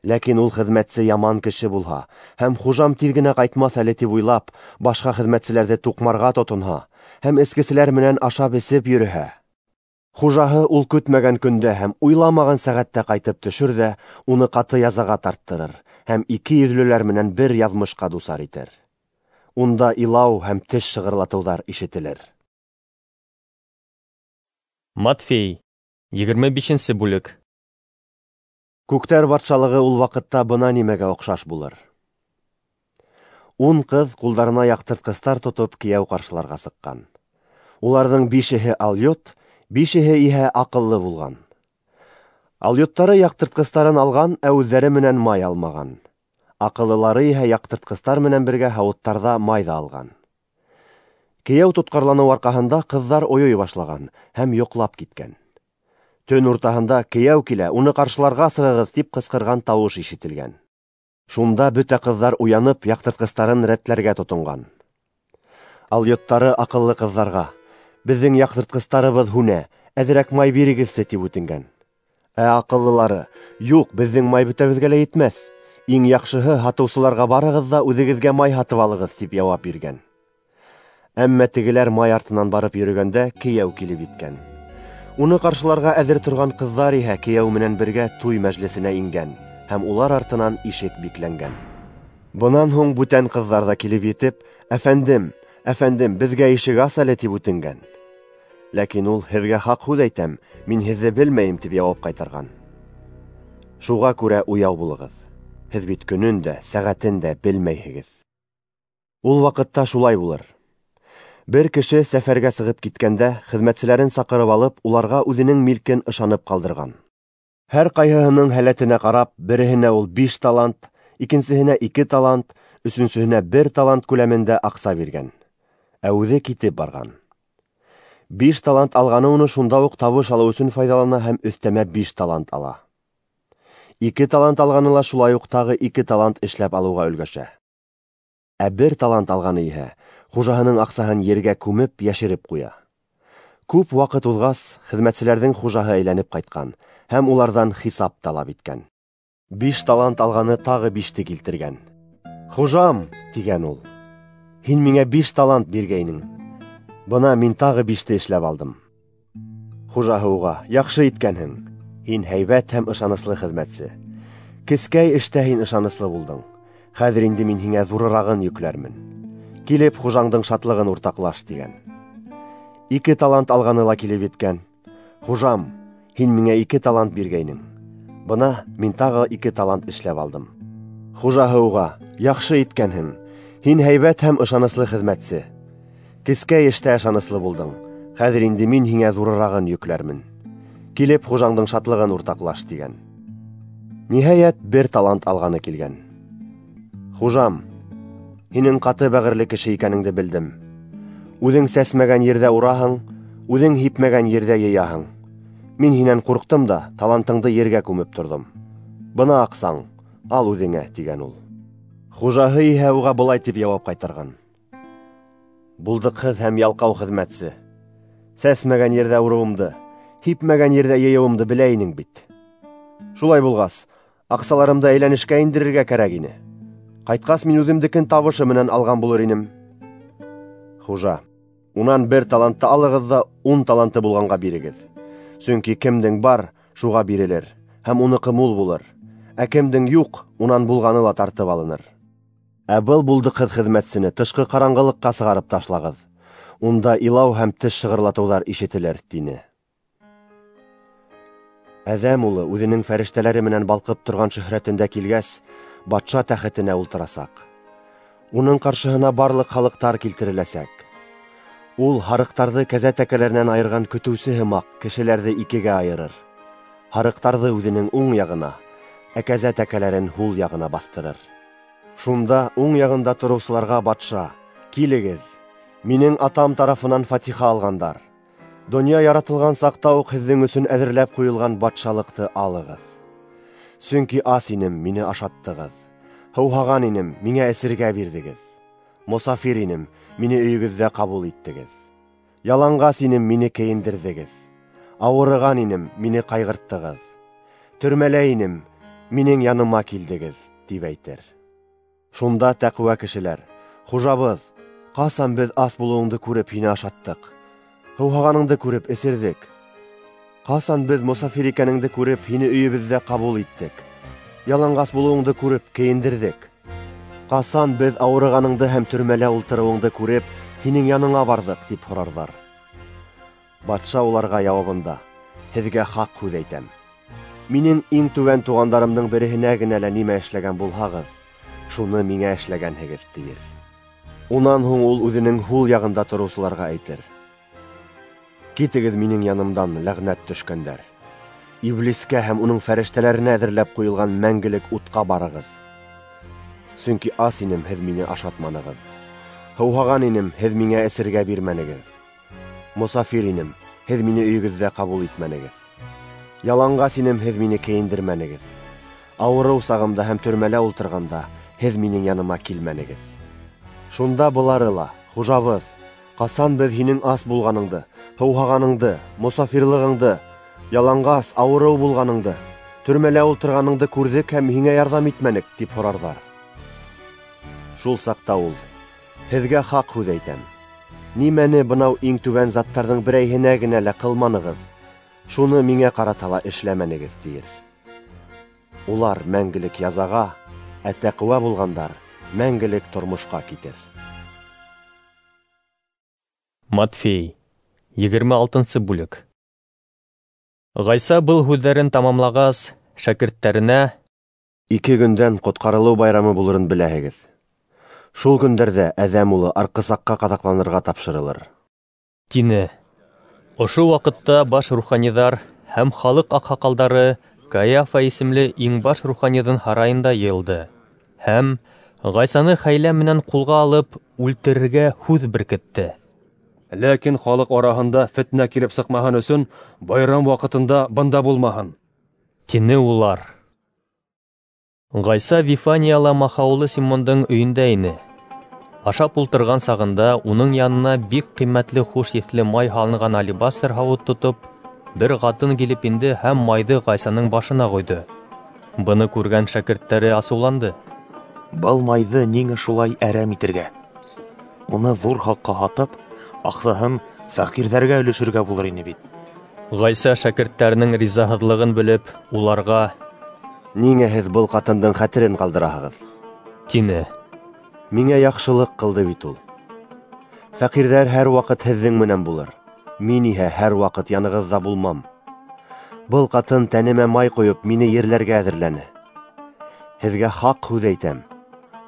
Ләкин ул хеҙмәтсе яман кеше булһа һәм хужам тиҙ генә ҡайтмаҫ әле тип уйлап, башҡа хеҙмәтселәрҙе туҡмарға тотонһа һәм эскеселәр менән ашап эсеп йөрөһә, хужаһы ул көтмәгән көндә һәм уйламаған сәғәттә ҡайтып төшөр ҙә уны ҡаты язаға тарттырыр һәм ике йөҙлөләр менән бер яҙмышҡа дусар итер. Унда илау һәм теш шығырлатыуҙар ишетелер. Матфей, егерме бишенсе бүлек. Күктәр батшалығы ул ваҡытта бына нимәгә оҡшаш булыр. Ун ҡыҙ ҡулдарына яҡтыртҡыстар тотоп кейәү ҡаршыларға сыҡҡан. Уларҙың бишеһе алйот, бишеһе иһә аҡыллы булған. Алйоттары яҡтыртҡыстарын алған, ә үҙҙәре менән май алмаған. Аҡыллылары иһә яҡтыртҡыстар менән бергә һауыттарҙа май ҙа алған. Кейәү тотҡарланыу арҡаһында ҡыҙҙар ойой башлаған һәм йоҡлап киткән. Төн уртаһында кейәү килә, уны ҡаршыларға сығығыҙ, тип ҡысҡырған тауыш ишетелгән. Шунда бөтә ҡыҙҙар уянып, яҡтыртҡыстарын рәтләргә тотонған. Алйоттары аҡыллы ҡыҙҙарға: «Беҙҙең яҡтыртҡыстарыбыҙ һүнә, әҙерәк май бирегеҙсе», тип үтенгән. Ә аҡыллылары: «Юҡ, беҙҙең май бөтәбеҙгә лә етмәҫ. Иң яҡшыһы һатыусыларға барығыҙ ҙа үҙегеҙгә май һатып алығыҙ», тип яуап биргән. Әммә тегеләр май артынан барып йөрөгәндә кейәү килеп еткән. Уны ҡаршыларға әҙер торған ҡыҙҙар иһә кейәү менән бергә туй мәжлесенә ингән, һәм улар артынан ишек бикләнгән. Бынан һуң бүтән ҡыҙҙар ҙа килеп етеп, «Әфәндем, әфәндем, беҙгә ишек ас әле», тип үтенгән. Ләкин ул: «Һеҙгә хаҡ һүҙ әйтәм, мин һеҙҙе белмәйем», тип яуап ҡайтарған. Шуға күрә уяу булығыҙ. Һеҙ бит көнөн дә, сәғәтен дә белмәйһегеҙ. Ул ваҡытта шулай булыр. Бер кеше сәфәргә сығып киткәндә, хеҙмәтселәрен саҡырып алып, уларға үҙенең милкен ышанып ҡалдырған. Һәр ҡайһыһының һәләтенә ҡарап, береһенә ул биш талант, икенсеһенә ике талант, өсөнсөһөнә бер талант күләмендә аҡса биргән. Ә үҙе китеп барған. Биш талант алғаны уны шунда уҡ табыш алыу өсөн файҙалана һәм өҫтәмә биш талант ала. Ике талант алғаны ла шулай уҡ тағы ике талант эшләп алыуға өлгәшә. Ә бер талант алғаны иһә хужаһының аҡсаһын ергә күмеп, йәшереп ҡуя. Күп ваҡыт уҙғас, хеҙмәтселәрҙең хужаһы әйләнеп ҡайтҡан һәм уларҙан хисап талап иткән. Биш талант алғаны тағы биште килтергән. «Хужам», тигән ул, «һин миңә биш талант биргәйнең. Бына мин тағы биште эшләп алдым». Хужаһы уға: «Яҡшы иткәнһең, һин һәйбәт һәм ышаныслы хеҙмәтсе. Кескәй эштә һин ышаныслы булдың. Хәҙер инде мин һиңә ҙурырағын йөкләрмен. Килеп хужаңдың шатлығын уртаҡлаш», тигән. Ике талант алғаны ла килеп еткән. «Хужам, һин миңә ике талант биргәйнең. Бына мин тағы ике талант эшләп алдым». Хужаһы уға: «Яҡшы иткәнһең, һин һәйбәт һәм ышаныслы хеҙмәтсе. Кескәй эштә ышаныслы булдың. Хәҙер инде мин һиңә ҙурырағын йөкләрмен. Килеп хужаңдың шатлығын уртаҡлаш», тигән. Ниһайәт, бер талант алғаны килгән. «Хужам, һинең ҡаты бәғерле кеше икәнеңде белдем. Үҙең сәсмәгән ерҙә ураһың, үҙең һипмәгән ерҙә йыяһың. Мин һинән ҡурҡтым да талантыңды ергә күмеп торҙом. Бына аҡсаң, ал үҙеңә», тигән ул. Хужаһы иһә уға былай тип яуап ҡайтарған: «Булдыҡһыҙ һәм ялҡау хеҙмәтсе. Сәсмәгән ерҙә урыуымды, һипмәгән ерҙә йыйыуымды белә инең бит. Шулай булғас, аҡсаларымды әйләнешкә индерергә кәрәк ине. Ҡайтҡас мин үҙемдекен табышы менән алған булыр инем». Хужа: «Унан бер талантты алығыҙ ҙа ун таланты булғанға бирегеҙ. Сөнки кемдең бар, шуға бирелер, һәм уныҡы мул булыр. Ә кемдең юҡ, унан булғаны ла тартып алыныр. Ә был булдыҡһыҙ хеҙмәтсене тышҡы ҡараңғылыҡҡа сығарып ташлағыҙ. Унда илау һәм теш шығырлатыуҙар ишетелер», тине. Әҙәм улы үҙенең фәрештәләре менән балҡып торған шөһрәтендә килгәс, батша тәхетенә ултырасаҡ. Уның ҡаршыһына барлыҡ халыҡтар килтереләсәк. Ул һарыҡтарҙы кәзә тәкәләренән айырған көтөүсе һымаҡ кешеләрҙе икегә айырыр. Һарыҡтарҙы үҙенең уң яғына, ә кәзә тәкәләрен һул яғына баҫтырыр. Шунда уң яғында тороусыларға батша: «Килегеҙ, минең атам тарафынан фатиха алғандар. Донъя яратылған саҡта уҡ һеҙҙең өсөн әҙерләп ҡуйылған батшалыҡты алығыҙ. Сөнки ас инем, мине ашаттығыҙ. Һыуһаған инем, миңә эсергә бирҙегеҙ. Мосафир инем, мине өйөгөҙҙә ҡабул иттегеҙ. Яланғас инем, мине кейендерҙегеҙ. Ауырыған инем, мине ҡайғырттығыҙ. Төрмәлә инем, минең яныма килдегеҙ», тип әйтер. Шунда тәҡүә кешеләр: «Хужабыҙ, ҡасан беҙ ас булыуыңды күреп һине ашаттыҡ, һыуһағаныңды күреп эсерҙек? Ҡасан беҙ мосафир икәнеңде күреп һине өйөбөҙҙә ҡабул иттек, яланғас булыуыңды күреп кейендерҙек? Ҡасан беҙ ауырығаныңды һәм төрмәлә ултырыуыңды күреп һинең яныңа барҙыҡ?» тип һорарҙар. Батша уларға яуабында: «Һеҙгә хаҡ һүҙ әйтәм. Минең иң түбән туғандарымдың береһенә генә лә нимә эшләгән булһағыҙ, шуны миңә эшләгәнһегеҙ», тиер. Унан һуң ул үҙенең һул яғында тороусыларға әйтер: «Китегеҙ минең янымдан, ләғнәт төшкәндәр. Иблискә һәм уның фәрештәләренә әҙерләп ҡуйылған мәңгелек утҡа барығыҙ. Сөнки ас инем, һеҙ мине ашатманығыҙ. Һыуһаған инем, һеҙ миңә эсергә бирмәнегеҙ. Мосафир инем, һеҙ мине өйөгөҙҙә ҡабул итмәнегеҙ. Яланғас инем, һеҙ мине кейендермәнегеҙ. Ауырыу сағымда һәм төрмәлә ултырғанда һеҙ минең яныма килмәнегеҙ. Шунда былары ла: Хужабыҙ, ҡасан беҙ һинең ас булғаныңды, һыуһағаныңды, мосафирлығыңды, яланғас, ауырыу булғаныңды, төрмәлә ултырғаныңды күрҙек һәм һиңә ярҙам итмәнек, тип һорарҙар. Шул саҡта ул: Һеҙгә хаҡ һүҙ әйтәм, нимәне бынау иң түбән заттарҙың берәйһенә генә лә ҡылманығыҙ, шуны миңә ҡарата ла эшләмәнегеҙ, тиер. Улар мәңгелек язаға, ә тәҡүә булғандар мәңгелек тормошҡа китер. Матфей, егерме алтынсы бүлек. Ғайса был һүҙҙәрен тамамлағас, шәкерттәренә: Ике көндән ҡотҡарылыу байрамы булырын беләһегеҙ. Шул көндәрҙә Әҙәм улы арҡысаҡҡа ҡаҙаҡланырға тапшырылыр, тине. Ошо ваҡытта баш руханиҙар һәм халыҡ аҡһаҡалдары Каяфа исемле иң баш руханиҙың һарайында йыйылды һәм Ғайсаны хәйлә менән ҡулға алып үлтерергә һүҙ беркетте. Ләкин халыҡ араһында фетнә килеп сыҡмаһын өсөн байрам ваҡытында бында булмаһын, тине улар. Ғайса Вифанияла махаулы Симондың өйөндә ине. Ашап ултырған сағында уның янына бик ҡиммәтле хуш еҫле май һалынған алебастр һауыт тотоп, бер ҡатын килеп инде һәм майҙы Ғайсаның башына ҡойҙо. Быны күргән шәкерттәре асыуланды. Был майҙы ниңә шулай әрәм итергә? Уны ҙур хаҡҡа һатып, аҡсаһын фәҡирҙәргә өлөшөргә булыр ине бит. Ғайса шәкерттәренең ризаһыҙлығын белеп, уларға: Ниңә һеҙ был ҡатындың хәтерен ҡалдыраһығыҙ? Тине. Миңә яҡшылыҡ ҡылды бит ул. Фәҡирҙәр һәр ваҡыт һеҙҙең менән булыр, мин иһә һәр ваҡыт янығыҙҙа булмам. Был ҡатын тәнемә май ҡойоп, мине ерләргә әҙерләне. Һеҙгә хаҡ һүҙ әйтәм: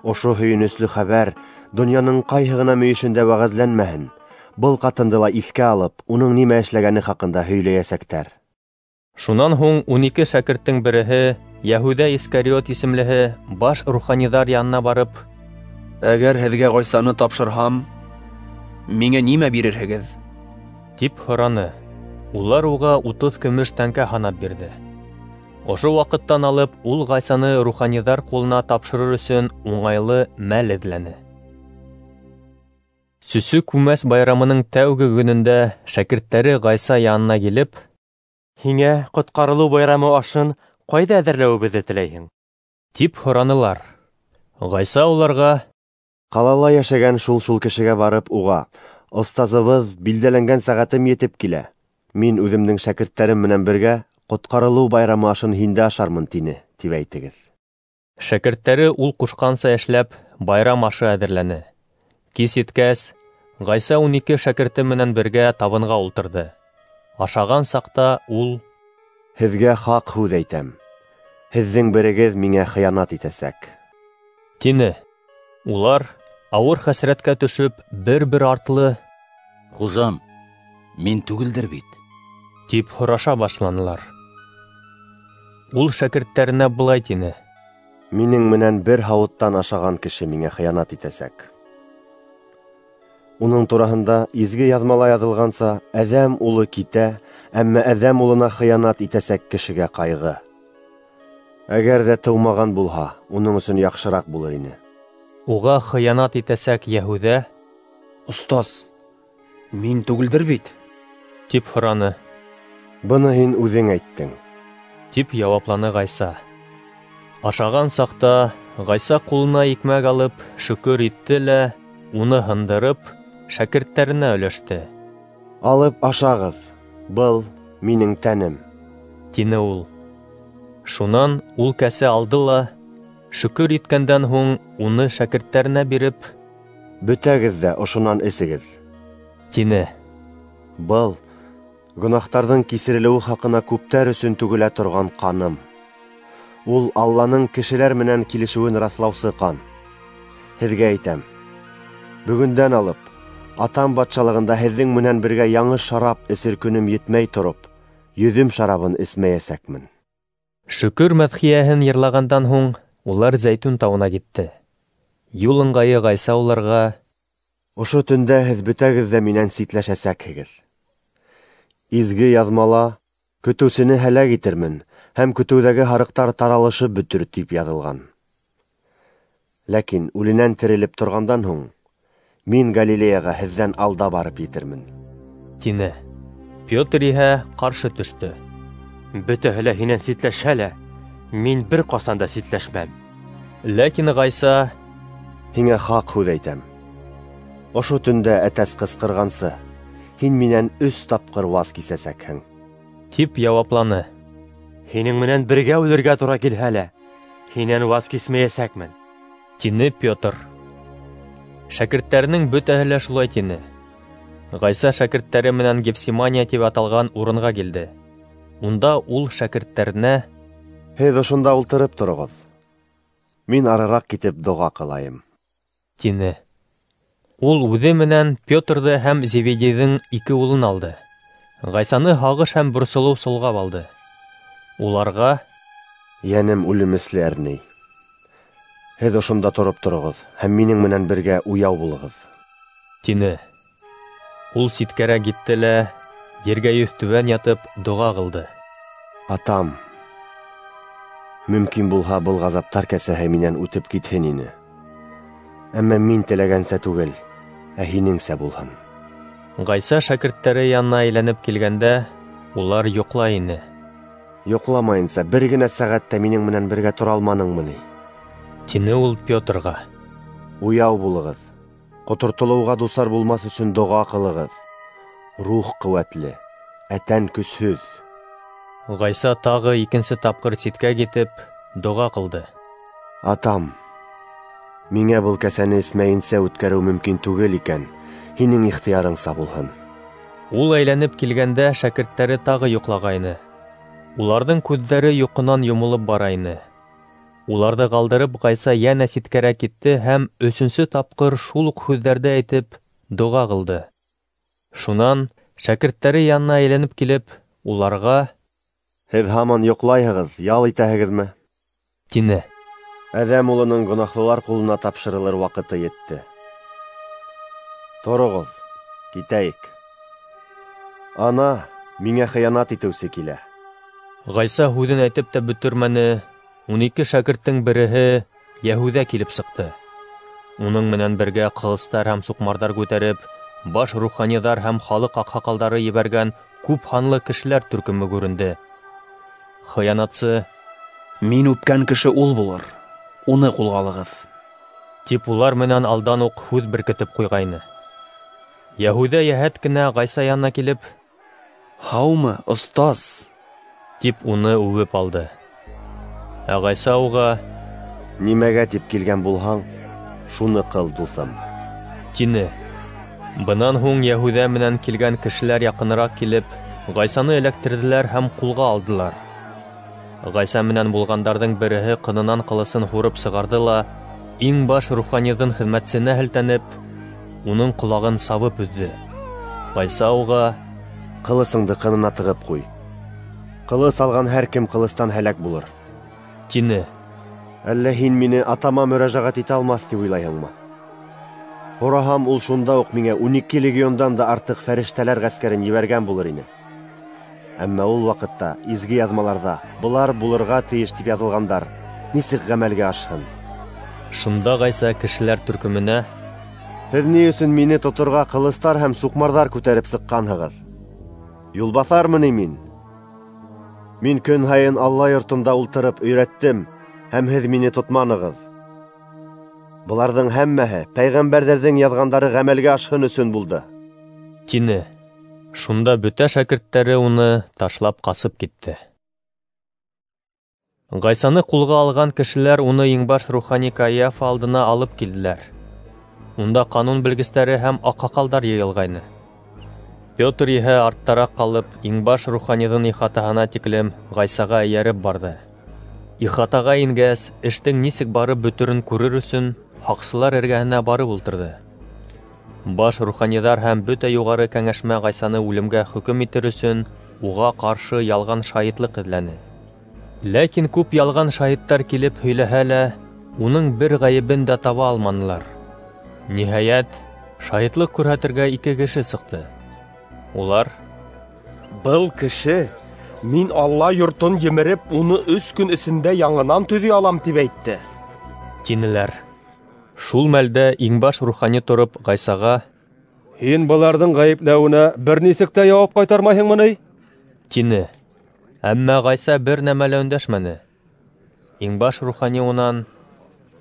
ошо һөйөнөслө хәбәр донъяның ҡайһы ғына мөйөшөндә вәғәзләнмәһен, был ҡатынды ла иҫкә алып, уның нимә эшләгәне хаҡында һөйләйәсәктәр. Шунан һуң ун ике шәкерттең береһе, Йәһүҙә Искариот исемлеһе, баш руханиҙар янына барып: Әгәр һеҙгә Ғайсаны тапшырһам, миңә нимә бирерһегеҙ? Тип һораны. Улар уға утыҙ көмөш тәңкә һанап бирҙе. Ошо ваҡыттан алып ул Ғайсаны руханиҙар ҡулына тапшырыр өсөн уңайлы мәл эҙләне. Сөсө күмәс байрамының тәүге көнөндә шәкерттәре Ғайса янына килеп: Һиңә ҡотҡарылыу байрамы ашын ҡайҙа әҙерләүебеҙҙе теләйһең? Тип һоранылар. Ғайса уларға: Ҡалала йәшәгән шул-шул кешегә барып, уға: Остазыбыҙ, билдәләнгән сәғәтем етеп килә. Мин үҙемдең шәкерттәрем менән бергә ҡотҡарылыу байрамы ашын һиндә ашармын, тине, тип әйтегеҙ. Шәкерттәре ул ҡушҡанса эшләп, байрам ашы әҙерләне. Кис еткәс, Ғайса ун ике шәкерте менән бергә табынға ултырҙы. Ашаған саҡта ул: Һеҙгә хаҡ һүҙ әйтәм, һеҙҙең берегеҙ миңә хыянат итәсәк, тине. Улар, ауыр хәсрәткә төшөп, бер-бер артлы: Хужам, мин түгелдер бит? Тип һораша башланылар. Ул шәкерттәренә былай тине: Минең менән бер һауыттан ашаған кеше миңә хыянат итәсәк. Уның тураһында изге яҙмала яҙылғанса, Әҙәм улы китә, әммә Әҙәм улына хыянат итәсәк кешегә ҡайғы. Әгәр ҙә тыумаған булһа, уның өсөн яҡшыраҡ булыр ине. Уға хыянат итәсәк Йәһүҙә: Остаз, мин түгелдер бит? Тип һораны. Быны һин үҙең әйттең, тип яуапланы Ғайса. Ашаған саҡта Ғайса ҡулына икмәк алып, шөкөр итте лә, уны һындырып, шәкерттәренә өләште. Алып ашағыҙ, был минең тәнем, тине ул. Шунан ул кәсә алды ла, шөкөр иткәндән һуң уны шәкерттәренә биреп: Бөтәгеҙ ҙә ошонан эсегеҙ, тине. Был гонаһтарҙың кисерелеүе хаҡына күптәр өсөн түгелә торған ҡаным. Ул Алланың кешеләр менән килешеүен раҫлаусы ҡан. Һеҙгә әйтәм, бөгөндән алып Атам батшалығында һеҙҙең менән бергә яңы шарап эсер көнөм етмәй тороп, йөҙөм шарабын эсмәйәсәкмен. Шөкөр мәҙхиәһен йырлағандан һуң улар Зәйтүн тауына китте. Юл ыңғайы Ғайса уларға: Ошо төндә һеҙ бөтәгеҙ ҙә минән ситләшәсәкһегеҙ. Изге яҙмала: Көтөүсене һәләк итермен, һәм көтөүҙәге һарыҡтар таралышып бөтөр, тип яҙылған. Ләкин үленән терелеп торғандан һуң, мин Галилеяға һеҙҙән алда барып етермен, тине. Петр иһә ҡаршы төштө. Бөтәһе лә һинән ситләшһә лә, мин бер ҡасан да ситләшмәм. Ләкин Ғайса: Һиңә хаҡ һүҙ әйтәм, ошо төндә әтәс ҡысҡырғансы, һин минән өс тапҡыр ваз кисәсәкһең, тип яуапланы. Һинең менән бергә үлергә тура килһә лә, һинән ваз кисмәйәсәкмен, тине Петр. Шәкерттәренең бөтәһе лә шулай тине. Ғайса шәкерттәре менән Гефсимания тип аталған урынға килде. Унда ул шәкерттәренә: Һеҙ ошонда ултырып тороғоҙ, мин арыраҡ китеп доға ҡылайым, тине. Ул үҙе менән Петрҙы һәм Зеведейҙың ике улын алды. Ғайсаны һағыш һәм борсолоу солғап алды. Уларға: Йәнем үлемесле әрней. Һеҙ ошонда тороп тороғоҙ һәм минең менән бергә уяу булығыҙ, тине. Ул ситкәрәк китте лә, ергә йөҙтүбән ятып, доға ҡылды. Атам, мөмкин булһа, был ғазаптар кәсәһе минән үтеп китһен ине. Әммә мин теләгәнсә түгел, ә һинеңсә булһын. Ғайса шәкерттәре янына әйләнеп килгәндә, улар йоҡлай ине. Йоҡламайынса бер генә сәғәт тә минең менән бергә тора алманыңмы ни? Тине ул Петрға. Уяу булығыҙ, ҡотортолоуға дусар булмаҫ өсөн доға ҡылығыҙ. Рух ҡеүәтле, ә тән көсһөҙ. Ғайса тағы икенсе тапҡыр ситкә китеп, доға ҡылды. Атам, миңә был кәсәне эсмәйенсә үткәреү мөмкин түгел икән, һинең ихтыярыңса булһын. Ул әйләнеп килгәндә шәкерттәре тағы йоҡлағайны. Уларҙың күҙҙәре йоҡонан йомолоп бара ине. Уларҙы ҡалдырып, Ғайса йәнә ситкәрәк китте һәм өсөнсө тапҡыр шул уҡ һүҙҙәрҙе әйтеп, доға ҡылды. Шунан шәкерттәре янына әйләнеп килеп, уларға: Һеҙ һаман йоҡлайһығыҙ, ял итәһегеҙме? Тине. Әҙәм улының гонаһлылар ҡулына тапшырылыр ваҡыты етте. Тороғоҙ, китәйек. Ана, миңә хыянат итеүсе килә. Ғайса һүҙен әйтеп тә бөтөрмәне, ун ике шәкерттең береһе Йәһүҙә килеп сыҡты. Уның менән бергә ҡылыстар һәм суҡмарҙар күтәреп, баш руханиҙар һәм халыҡ аҡһаҡалдары ебәргән күп һанлы кешеләр төркөмө күренде. Хыянатсы: Мин үпкән кеше ул булыр, уны ҡулға алығыҙ, тип улар менән алдан уҡ һүҙ беркетеп ҡуйғайны. Йәһүҙә йәһәт кенә Ғайса янына килеп: Һаумы, остаз? Тип уны үбеп алды. Ә Ғайса уға: Нимәгә тип килгән булһаң, шуны ҡыл, дуҫым, тине. Бынан һуң Йәһүҙә менән килгән кешеләр яҡыныраҡ килеп, Ғайсаны эләктерҙеләр һәм ҡулға алдылар. Ғайса менән булғандарҙың береһе ҡынынан ҡылысын һурып сығарҙы ла, иң баш руханиҙың хеҙмәтсеһенә һелтәнеп, уның ҡолағын сабып өҙҙө. Ғайса уға: Ҡылысыңды ҡынына тығып ҡуй. Ҡылыс алған һәр кем ҡылыстан һәләк булыр, тине. Әллә һин мине атама мөрәжәғәт итә алмаҫ тип уйлайһыңмы? Һораһам, ул шунда уҡ миңә ун ике легиондан да артыҡ фәрештәләр ғәскәрен ебәргән булыр ине. Әммә ул ваҡытта изге яҙмаларҙа былар булырға тейеш тип яҙылғандар нисек ғәмәлгә ашһын? Шунда Ғайса кешеләр төркөмөнә: Һеҙ ни өсөн мине тоторға ҡылыстар һәм суҡмарҙар күтәреп сыҡҡанһығыҙ? Юлбаҫармы ни мин? Мин көн һайын Алла йортонда ултырып өйрәттем, һәм һеҙ мине тотманығыҙ. Быларҙың һәммәһе пәйғәмбәрҙәрҙең яҙғандары ғәмәлгә ашһын өсөн булды, тине. Шунда бөтә шәкерттәре уны ташлап ҡасып китте. Ғайсаны ҡулға алған кешеләр уны иңбаш рухани Каиафа алдына алып килделәр. Унда ҡанун белгестәре һәм аҡһаҡалдар йыйылғайны. Петр иһә арттараҡ ҡалып, иңбаш руханиҙың ихатаһына тиклем Ғайсаға эйәреп барҙы. Ихатаға ингәс, эштең нисек барып бөтөрөн күрер өсөн һаҡсылар эргәһенә барып ултырҙы. Баш руханиҙар һәм бөтә юғары кәңәшмә Ғайсаны үлемгә хөкөм итер өсөн уға ҡаршы ялған шаһитлыҡ эҙләне. Ләкин күп ялған шаһиттар килеп һөйләһә лә, уның бер ғәйебен дә таба алманылар. Ниһайәт, шаһитлыҡ күрһәтергә ике кеше сыҡты. Улар: Был кеше Мин Алла йортон емереп, уны өс көн эсендә яңынан төҙөй алам, тип әйтте, тинеләр. Шул мәлдә иңбаш рухани тороп Ғайсаға: Һин быларҙың ғәйепләүенә бер нисек тә яуап ҡайтармайһыңмы ни? Тине. Әммә Ғайса бер нәмә лә өндәшмәне. Иңбаш рухани унан: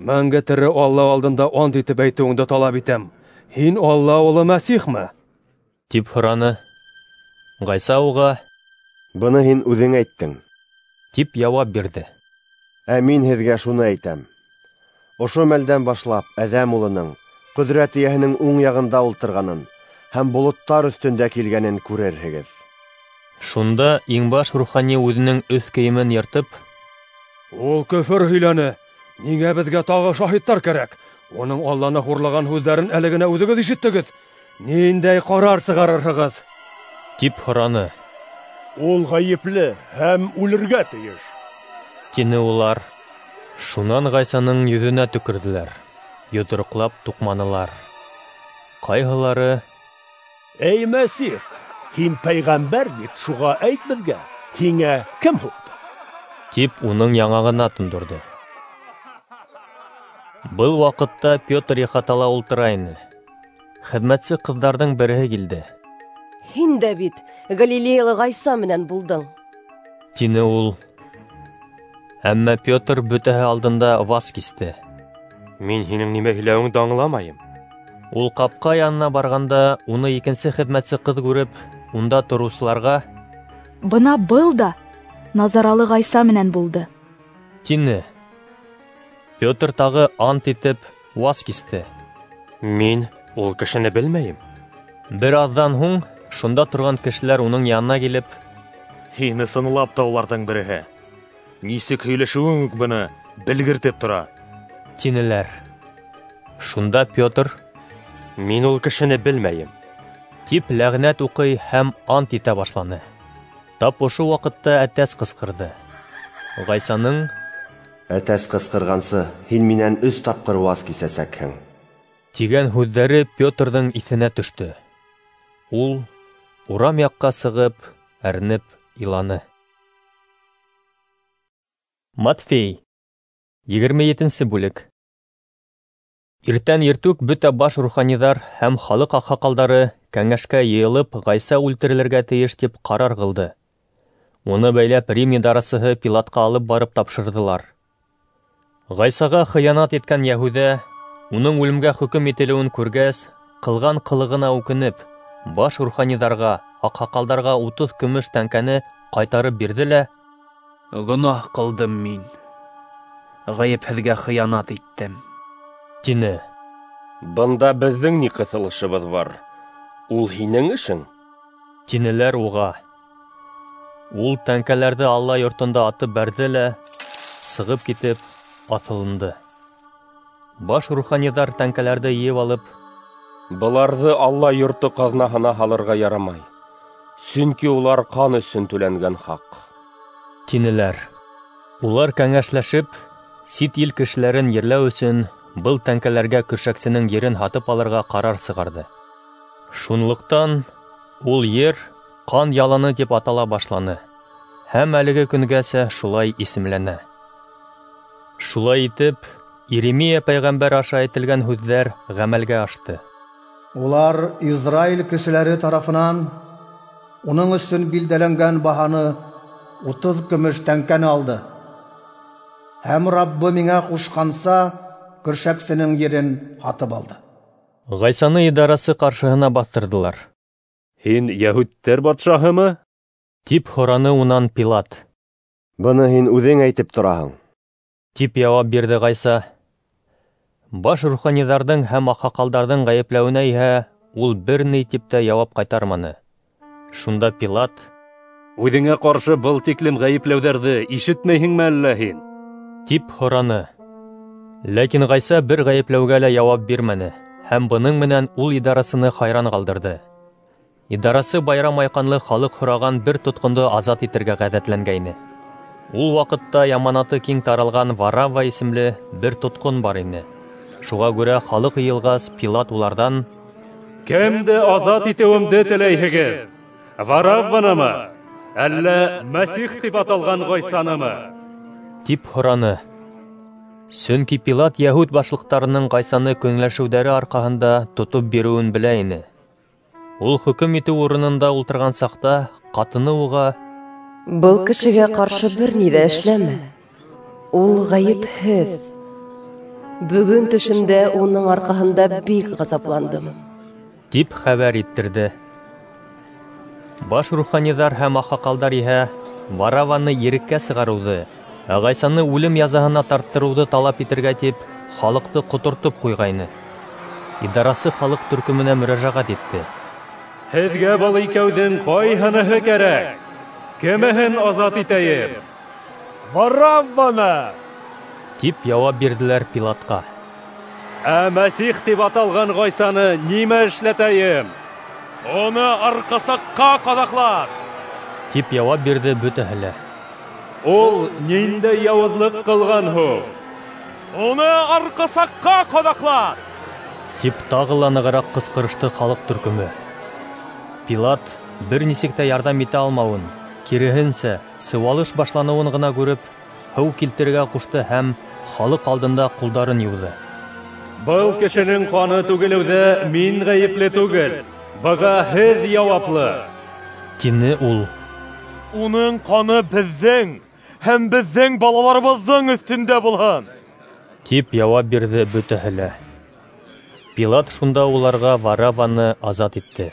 Мәңге тере Алла алдында ант итеп әйтеүеңде талап итәм. Һин Алла улы Мәсихме? Тип һораны. Ғайса уға: Быны һин үҙең әйттең, тип яуап бирҙе. Ә мин һеҙгә шуны әйтәм: ошо мәлдән башлап Әҙәм улының ҡөҙрәт эйәһенең уң яғында ултырғанын һәм болоттар өҫтөндә килгәнен күрерһегеҙ. Шунда иңбаш рухани үҙенең өҫ кейемен йыртып: Ул көфөр һөйләне! Ниңә беҙгә тағы шаһиттар кәрәк? Уның Алланы хурлаған һүҙҙәрен әле генә үҙегеҙ ишеттегеҙ. Ниндәй ҡарар сығарырһығыҙ? Тип һораны. Ул ғәйепле һәм үлергә тейеш, тине улар. Шунан Ғайсаның йөҙөнә төкөрҙөләр, йоҙроҡлап туҡманылар. Ҡайһылары: Эй, Мәсих, һин пәйғәмбәр бит, шуға әйт беҙгә, һиңә кем һуҡты? Тип уның яңағына тондорҙо. Был ваҡытта Петр ихатала ултыра ине. Хеҙмәтсе ҡыҙҙарҙың береһе килде. Һин дә бит Галилеялы Ғайса менән булдың, тине ул. Әммә Петр бөтәһе алдында ваз кисте. Мин һинең нимә һөйләүеңде аңламайым. Ул ҡапҡа янына барғанда, уны икенсе хеҙмәтсе ҡыҙ күреп, унда тороусыларға: Бына был да Назаралы Ғайса менән булды, тине. Петр тағы ант итеп ваз кисте. Мин ул кешене белмәйем. Бер аҙҙан һуң шунда торған кешеләр уның янына килеп: Һин ысынлап та уларҙың береһе. Нисек һөйләшеүең үк быны белгертеп тора, тинеләр. Шунда Петр: Мин ул кешене белмәйем, тип ләғнәт уҡый һәм ант итә башланы. Тап ошо ваҡытта әтәс ҡысҡырҙы. Ғайсаның: Әтәс ҡысҡырғансы, һин минән өс тапҡыр ваз кисәсәкһең, тигән һүҙҙәре Петрҙың иҫенә төштө. Ул урам яҡҡа сығып, әрнеп иланы. Матфей, егерме етенсе бүлек. Иртән иртүк бөтә баш руханиҙар һәм халыҡ аҡһаҡалдары кәңәшкә йыйылып, Ғайса үлтерелергә тейеш тип ҡарар ҡылды. Уны бәйләп Рим идарасыһы Пилатҡа алып барып тапшырҙылар. Ғайсаға хыянат иткән Йәһүҙә, уның үлемгә хөкөм ителеүен күргәс, ҡылған ҡылығына үкенеп, баш руханиҙарға, аҡһаҡалдарға утыҙ көмөш тәңкәне ҡайтарып бирҙе лә: Гонаһ ҡылдым мин, ғәйепһеҙгә хыянат иттем, тине. Бында беҙҙең ни ҡыҫылышыбыҙ бар? Ул һинең эшең, тинеләр уға. Ул тәңкәләрҙе Алла йортонда атып бәрҙе лә, сығып китеп, аҫылынды. Баш руханиҙар тәңкәләрҙе йыйып алып: Быларҙы Алла йорто ҡаҙнаһына һалырға ярамай, сөнки улар ҡан өсөн түләнгән хаҡ, тинеләр. Улар кәңәшләшеп, сит ил кешеләрен ерләү өсөн был тәңкәләргә көршәксенең ерен һатып алырға ҡарар сығарҙы. Шунлыҡтан ул ер ҡан яланы тип атала башланы һәм әлеге көнгәсә шулай исемләнә. Шулай итеп, Иеремия пәйғәмбәр аша әйтелгән һүҙҙәр ғәмәлгә ашты. Улар Израиль кешеләре тарафынан уның өсөн билдәләнгән баһаны утыҙ көмөш тәңкәне алды. Һәм Раббы миңә ҡушҡанса көршәксенең ерен һатып алды. Ғайсаны идарасы ҡаршыһына баҫтырҙылар. Һин йәһүдтәр батшаһымы? Тип һораны унан Пилат. Быны һин үҙең әйтеп тораһың, тип яуап бирҙе Ғайса. Баш руханиҙарҙың һәм аҡһаҡалдарҙың ғәйепләүенә иһә ул бер ни тип тә яуап ҡайтарманы. Шунда Пилат: Үҙеңә ҡаршы был тиклем ғәйепләүҙәрҙе ишетмәйһеңме әллә һин? Тип һораны. Ләкин Ғайса бер ғәйепләүгә лә яуап бирмәне һәм бының менән ул идарасыны хайран ҡалдырҙы. Идарасы байрам айҡанлы халыҡ һораған бер тотҡондо азат итергә ғәҙәтләнгәйне. Ул ваҡытта яманаты киң таралған Варавва исемле бер тотҡон бар ине. Шуға күрә халыҡ йыйылғас, Пилат уларҙан: Кемде азат итеүемде теләйһегеҙ? Варавванымы Әллә Мәсих тип аталған Ғайсанымы? Тип һораны. Сөнки Пилат йәһүд башлыҡтарының Ғайсаны көнләшеүҙәре арҡаһында тотоп биреүен белә ине. Ул хөкөм итеү урынында ултырған саҡта ҡатыны уға: "Был кешегә ҡаршы бер ни ҙә эшләмә. Ул ғәйепһеҙ. Бөгөн төшөмдә уның арҡаһында бик ғазапландым", тип хәбәр иттерҙе. Баш руханиҙар һәм аҡһаҡалдар иһә Варавваны иреккә сығарыуҙы, ә Ғайсаны үлем язаһына тарттырыуҙы талап итергә тип халыҡты ҡотортоп ҡуйғайны. Идарасы халыҡ төркөмөнә мөрәжәғәт итте. Һеҙгә был икәүҙең ҡайһыныһы кәрәк? Кемеһен азат итәйем? Варавваны! Тип яуап бирҙеләр Пилатҡа. Ә Мәсих тип аталған Ғайсаны нимә эшләтәйем? Уны арҡасаҡҡа ҡаҙаҡлат! Тип яуап бирҙе бөтәһе лә. Ул ниндәй яуызлыҡ ҡылған һуң? Уны арҡасаҡҡа ҡаҙаҡлат! Тип тағы ла нығыраҡ ҡысҡырышты халыҡ төркөмө. Пилат бер нисек тә ярҙам итә алмауын, киреһенсә, сыуалыш башланыуын ғына күреп, һыу килтерергә ҡушты һәм халыҡ алдында ҡулдарын йыуҙы. Был кешенең ҡаны түгелеүҙә мин ғәйепле түгел, быға һеҙ яуаплы, тине ул. Уның ҡаны беҙҙең һәм беҙҙең балаларыбыҙҙың өҫтөндә булһын, тип яуап бирҙе бөтәһе лә. Пилат шунда уларға Варавваны азат итте,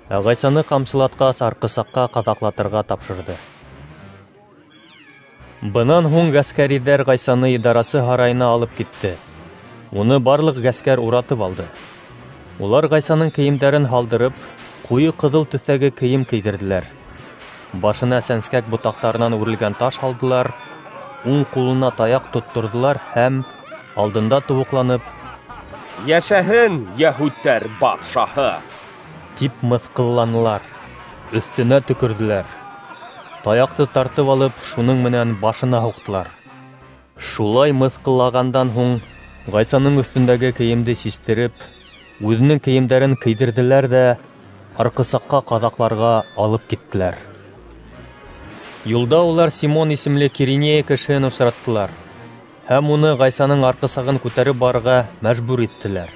ә Ғайсаны ҡамсылатҡас арҡысаҡҡа ҡаҙаҡлатырға тапшырҙы. Бынан һуң ғәскәриҙәр Ғайсаны идарасы һарайына алып китте. Уны барлыҡ ғәскәр уратып алды. Улар Ғайсаның кейемдәрен һалдырып, ҡуйы ҡыҙыл төҫтәге кейем кейҙерҙеләр. Башына сәнскәк ботаҡтарынан үрелгән таш һалдылар, уң ҡулына таяҡ тотторҙолар һәм алдында тубыҡланып: "Йәшәһен йәһүдтәр батшаһы!" тип мыҫҡылланылар, өҫтөнә төкөрҙөләр. Таяҡты тартып алып, шуның менән башына һуҡтылар. Шулай мыҫҡыллағандан һуң Ғайсаның өҫтөндәге кейемде систереп, үҙенең кейемдәрен кейҙерҙеләр ҙә арҡысаҡҡа ҡаҙаҡларға алып киттеләр. Юлда улар Симон исемле Киринея кешеһен осраттылар һәм уны Ғайсаның арҡысағын күтәреп барырға мәжбүр иттеләр.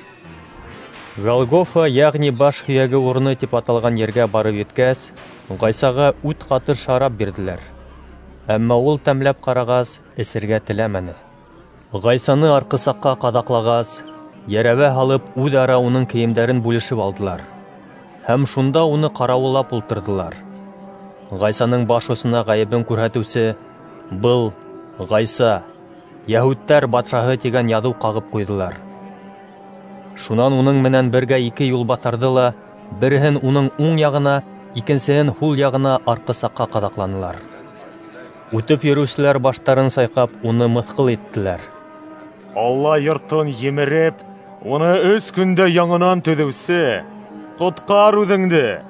Голгофа, йәғни баш һөйәге урыны тип аталған ергә барып еткәс, Ғайсаға ут ҡаты шарап бирҙеләр. Әммә ул тәмләп ҡарағас, эсергә теләмәне. Ғайсаны арҡысаҡҡа ҡаҙаҡлағас, йәрәбә һалып, үҙ-ара уның кейемдәрен бүлешеп алдылар. Һәм шунда уны ҡарауыллап ултырҙылар. Ғайсаның баш осона ғәйебен күрһәтеүсе: "Был Ғайса, йәһүдтәр батшаһы" тигән яҙыу ҡағып ҡуйҙылар. Шунан уның менән бергә ике юлбаҫарҙы ла, береһен уның уң яғына, икенсеһен һул яғына арҡысаҡҡа ҡаҙаҡланылар. Үтеп йөрөүселәр баштарын сайҡап, уны мыҫҡыл иттеләр. Алла йортон емереп, уны өс көндә яңынан төҙөүсе, ҡотҡар үҙеңде.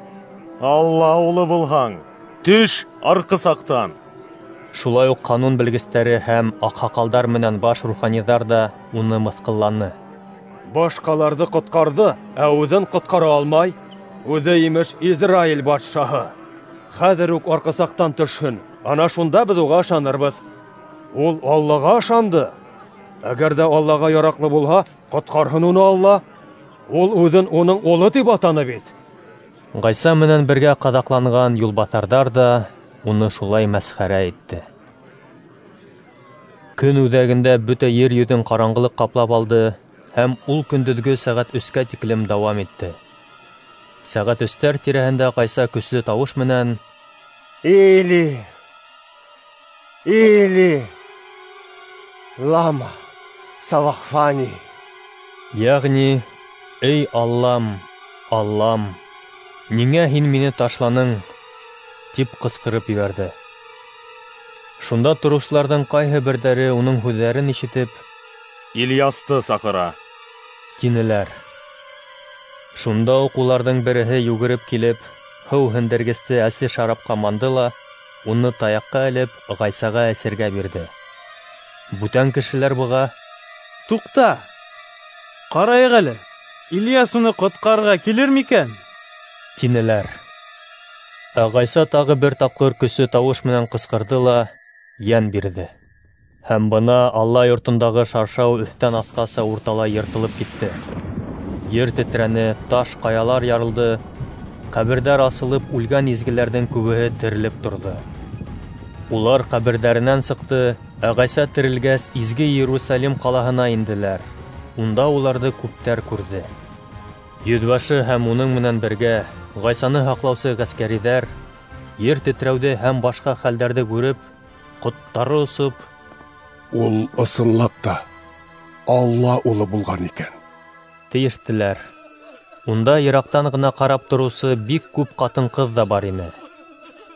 Алла улы булһаң, төш арҡысаҡтан. Шулай уҡ ҡанун белгестәре һәм аҡһаҡалдар менән баш руханиҙар ҙа уны мыҫҡылланы. Башҡаларҙы ҡотҡарҙы, ә үҙен ҡотҡара алмай. Үҙе имеш Израиль батшаһы. Хәҙер үк арҡысаҡтан төшһөн, ана шунда беҙ уға ышанырбыҙ. Ул Аллаға ышанды. Әгәр ҙә Аллаға яраҡлы булһа, ҡотҡарһын уны Алла. Ул үҙен уның улы тип атаны бит. Ғайса менән бергә ҡаҙаҡланған юлбаҫарҙар ҙа уны шулай мәсхәрә итте. Көн үҙәгендә бөтә ер йөҙөн ҡараңғылыҡ ҡаплап алды, һәм ул көндөҙгө сәғәт өскә тиклем дауам итте. Сәғәт өстәр тирәһендә Ғайса көслө тауыш менән: "Или, Или, лама савахфани", йәғни "Эй Аллам, Аллам, ниңә һин мине ташланың?" тип ҡысҡырып ебәрҙе. Шунда тороусыларҙың ҡайһы берҙәре уның һүҙҙәрен ишетеп: "Ильясты саҡыра", тинеләр. Шунда уҡ уларҙың береһе йүгереп килеп, һыу һендергесте әсе шарапҡа манды ла, уны таяҡҡа элеп, Ғайсаға эсергә бирҙе. Бүтән кешеләр быға: "Туҡта, ҡарайыҡ әле, Ильяс уны ҡотҡарырға килер микән?" тинеләр. Ә Ғайса тағы бер тапҡыр көслө тауыш менән ҡысҡырҙы ла йән бирҙе. Һәм бына Алла йортондағы шаршау өҫтән аҫҡаса урталай йыртылып китте. Ер тетрәне, таш ҡаялар ярылды, ҡәберҙәр асылып, үлгән изгеләрҙең күбеһе терелеп торҙо. Улар ҡәберҙәренән сыҡты, ә Ғайса терелгәс, изге Иерусалим ҡалаһына инделәр. Унда уларҙы күптәр күрҙе. Йөҙбашы һәм уның менән бергә Ғайсаны һаҡлаусы ғәскәриҙәр ер тетрәүҙе һәм башҡа хәлдәрҙе күреп, ҡоттары осоп, «Ул ысынлап та Алла улы булған икән», тейештеләр. Унда йыраҡтан ғына ҡарап тороусы бик күп ҡатын-ҡыҙ ҙа бар ине.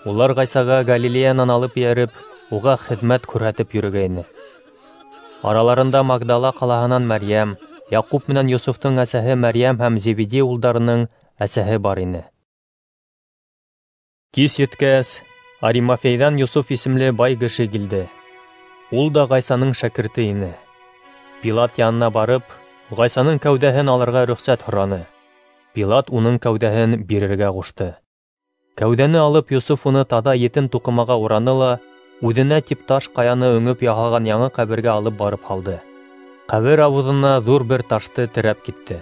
Улар Ғайсаға Галилеянан алып эйәреп, уға хеҙмәт күрһәтеп йөрөгәйне. Араларында Магдала ҡалаһынан Мәрйәм, Яҡуп менән Йософтоң әсәһе Мәрйәм һәм Зеведей улдарының әсәһе бар ине. Кис еткәс, Аримафейҙан Йософ исемле бай кеше килде. Ул да Ғайсаның шәкерте ине. Пилат янына барып, Ғайсаның кәүҙәһен алырға рөхсәт һораны. Пилат уның кәүҙәһен бирергә ҡушты. Кәүҙәне алып, Йософ уны таҙа етен туҡымаға ураны ла, үҙенә тип таш ҡаяны өңөп яһалған яңы ҡәбергә алып барып һалды. Ҡәбер ауыҙына ҙур бер ташты терәп китте.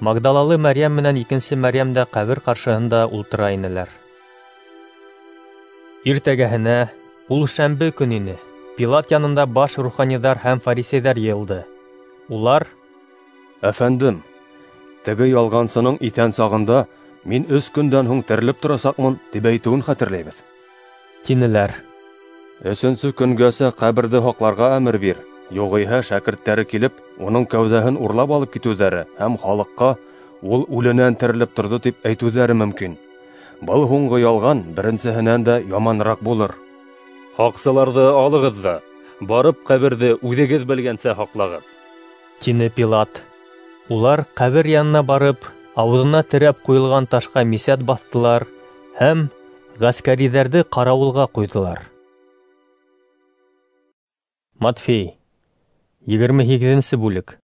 Магдалалы Мәрйәм менән икенсе Мәрйәм дә ҡәбер ҡаршыһында ултыра инеләр. Иртәгәһенә, ул шәмбе көн ине, Пилат янында баш руханиҙар һәм фарисейҙар йыйылды. Улар: «Әфәндем, теге ялғансының иҫән сағында мин өс көндән һуң терелеп торасаҡмын, тип әйтеүен хәтерләйбеҙ», тинеләр. «Өсөнсө көнгәсә ҡәберҙе һаҡларға әмер бир, юғиһә шәкерттәре килеп, уның кәүҙәһен урлап алып китеүҙәре һәм халыҡҡа ул үленән терелеп торҙо тип әйтеүҙәре мөмкин. Был һуңғы ялған беренсеһенән дә яманыраҡ булыр». «Һаҡсыларҙы алығыҙ ҙа, барып ҡәберҙе үҙегеҙ белгәнсә һаҡлағыҙ», тине Пилат. Улар ҡәбер янына барып, ауыҙына терәп ҡуйылған ташҡа мисәт баҫтылар һәм ғәскәриҙәрҙе ҡарауылға ҡуйҙылар. Матфей, егерме һигеҙенсе бүлек.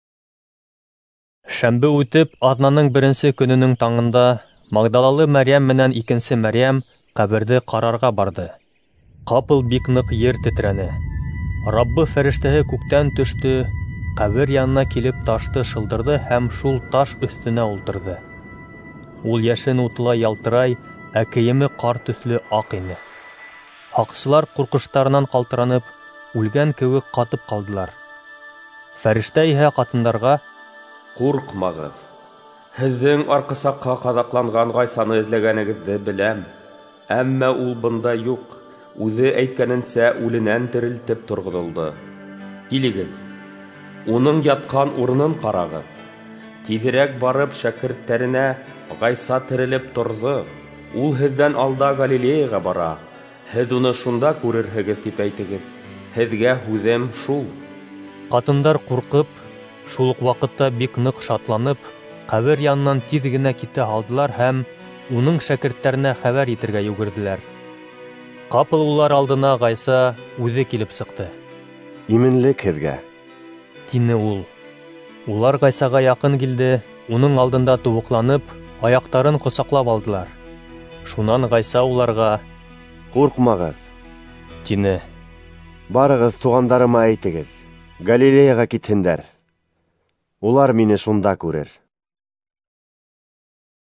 Шәмбе үтеп, аҙнаның беренсе көнөнөң таңында Магдалалы Мәрйәм менән икенсе Мәрйәм ҡәберҙе ҡарарға барҙы. Ҡапыл бик ныҡ ер тетрәне. Раббы фәрештәһе күктән төштө, ҡәбер янына килеп ташты шылдырҙы һәм шул таш өҫтөнә ултырҙы. Ул йәшен утылай ялтырай, ә кейеме ҡар төҫлө аҡ ине. Һаҡсылар ҡурҡыштарынан ҡалтыранып, үлгән кеүек ҡатып ҡалдылар. Фәрештә иһә ҡатындарға: «Ҡурҡмағыҙ, һеҙҙең арҡысаҡҡа ҡаҙаҡланған Ғайсаны эҙләгәнегеҙҙе беләм, әммә ул бында юҡ, үҙе әйткәненсә үленән терелтеп торғоҙолдо. Килегеҙ, уның ятҡан урынын ҡарағыҙ. Тиҙерәк барып шәкерттәренә: Ғайса терелеп торҙо, ул һеҙҙән алда Галилеяға бара, һеҙ уны шунда күрерһегеҙ, тип әйтегеҙ. Һеҙгә һүҙем шул». Ҡатындар ҡурҡып, шул уҡ ваҡытта бик ныҡ шатланып, ҡәбер янынан тиҙ генә китә һалдылар һәм уның шәкерттәренә хәбәр итергә йүгерҙеләр. Ҡапыл улар алдына Ғайса үҙе килеп сыҡты. «Именлек һеҙгә», тине ул. Улар Ғайсаға яҡын килде, уның алдында тубыҡланып, аяҡтарын ҡосаҡлап алдылар. Шунан Ғайса уларға: «Ҡурҡмағыҙ», тине. «Барығыҙ, туғандарыма әйтегеҙ, Галилеяға китһендәр. Улар мине шунда күрер».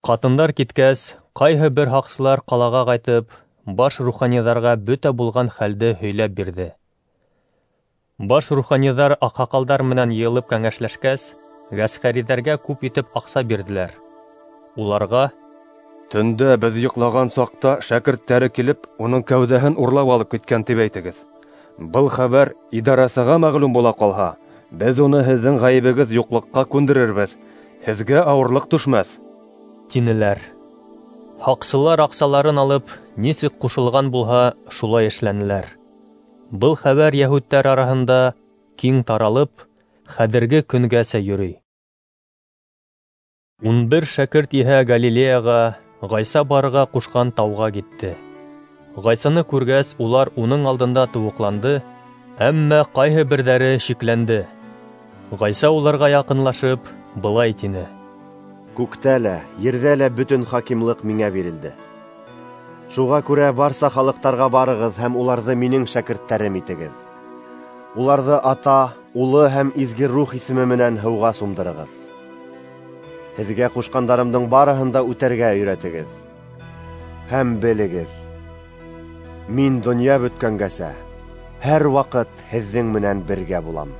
Ҡатындар киткәс, ҡайһы бер һаҡсылар ҡалаға ҡайтып, баш руханиҙарға бөтә булған хәлде һөйләп бирҙе. Баш руханиҙар аҡһаҡалдар менән йыйылып кәңәшләшкәс, ғәскәриҙәргә күп итеп аҡса бирҙеләр. Уларға: «Төндә беҙ йоҡлаған саҡта шәкерттәре килеп, уның кәүҙәһен урлап алып киткән тип әйтегеҙ. Был хәбәр идарасыға мәғлүм була ҡалһа, беҙ уны һеҙҙең ғәйебегеҙ юҡлыҡҡа күндерербеҙ, һеҙгә ауырлыҡ төшмәҫ», тинеләр. Һаҡсылар аҡсаларын алып, нисек ҡушылған булһа, шулай эшләнеләр. Был хәбәр йәһүдтәр араһында киң таралып, хәҙерге көнгәсә йөрөй. Ун бер шәкерт иһә Галилеяға, Ғайса барырға ҡушҡан тауға китте. Ғайсаны күргәс, улар уның алдында тубыҡланды, әммә ҡайһы берҙәре шикләнде. Ғайса уларға яҡынлашып, былай тине: «Күктә лә, ерҙә лә бөтөн хакимлыҡ миңә бирелде. Шуға күрә барса халыҡтарға барығыҙ һәм уларҙы минең шәкерттәрем итегеҙ. Уларҙы Ата, Улы һәм Изге Рух исеме менән һыуға сумдырығыҙ. Һеҙгә ҡушҡандарымдың барыһын да үтәргә өйрәтегеҙ. Һәм белегеҙ, мин донъя бөткәнгәсә һәр ваҡыт һеҙҙең менән бергә булам.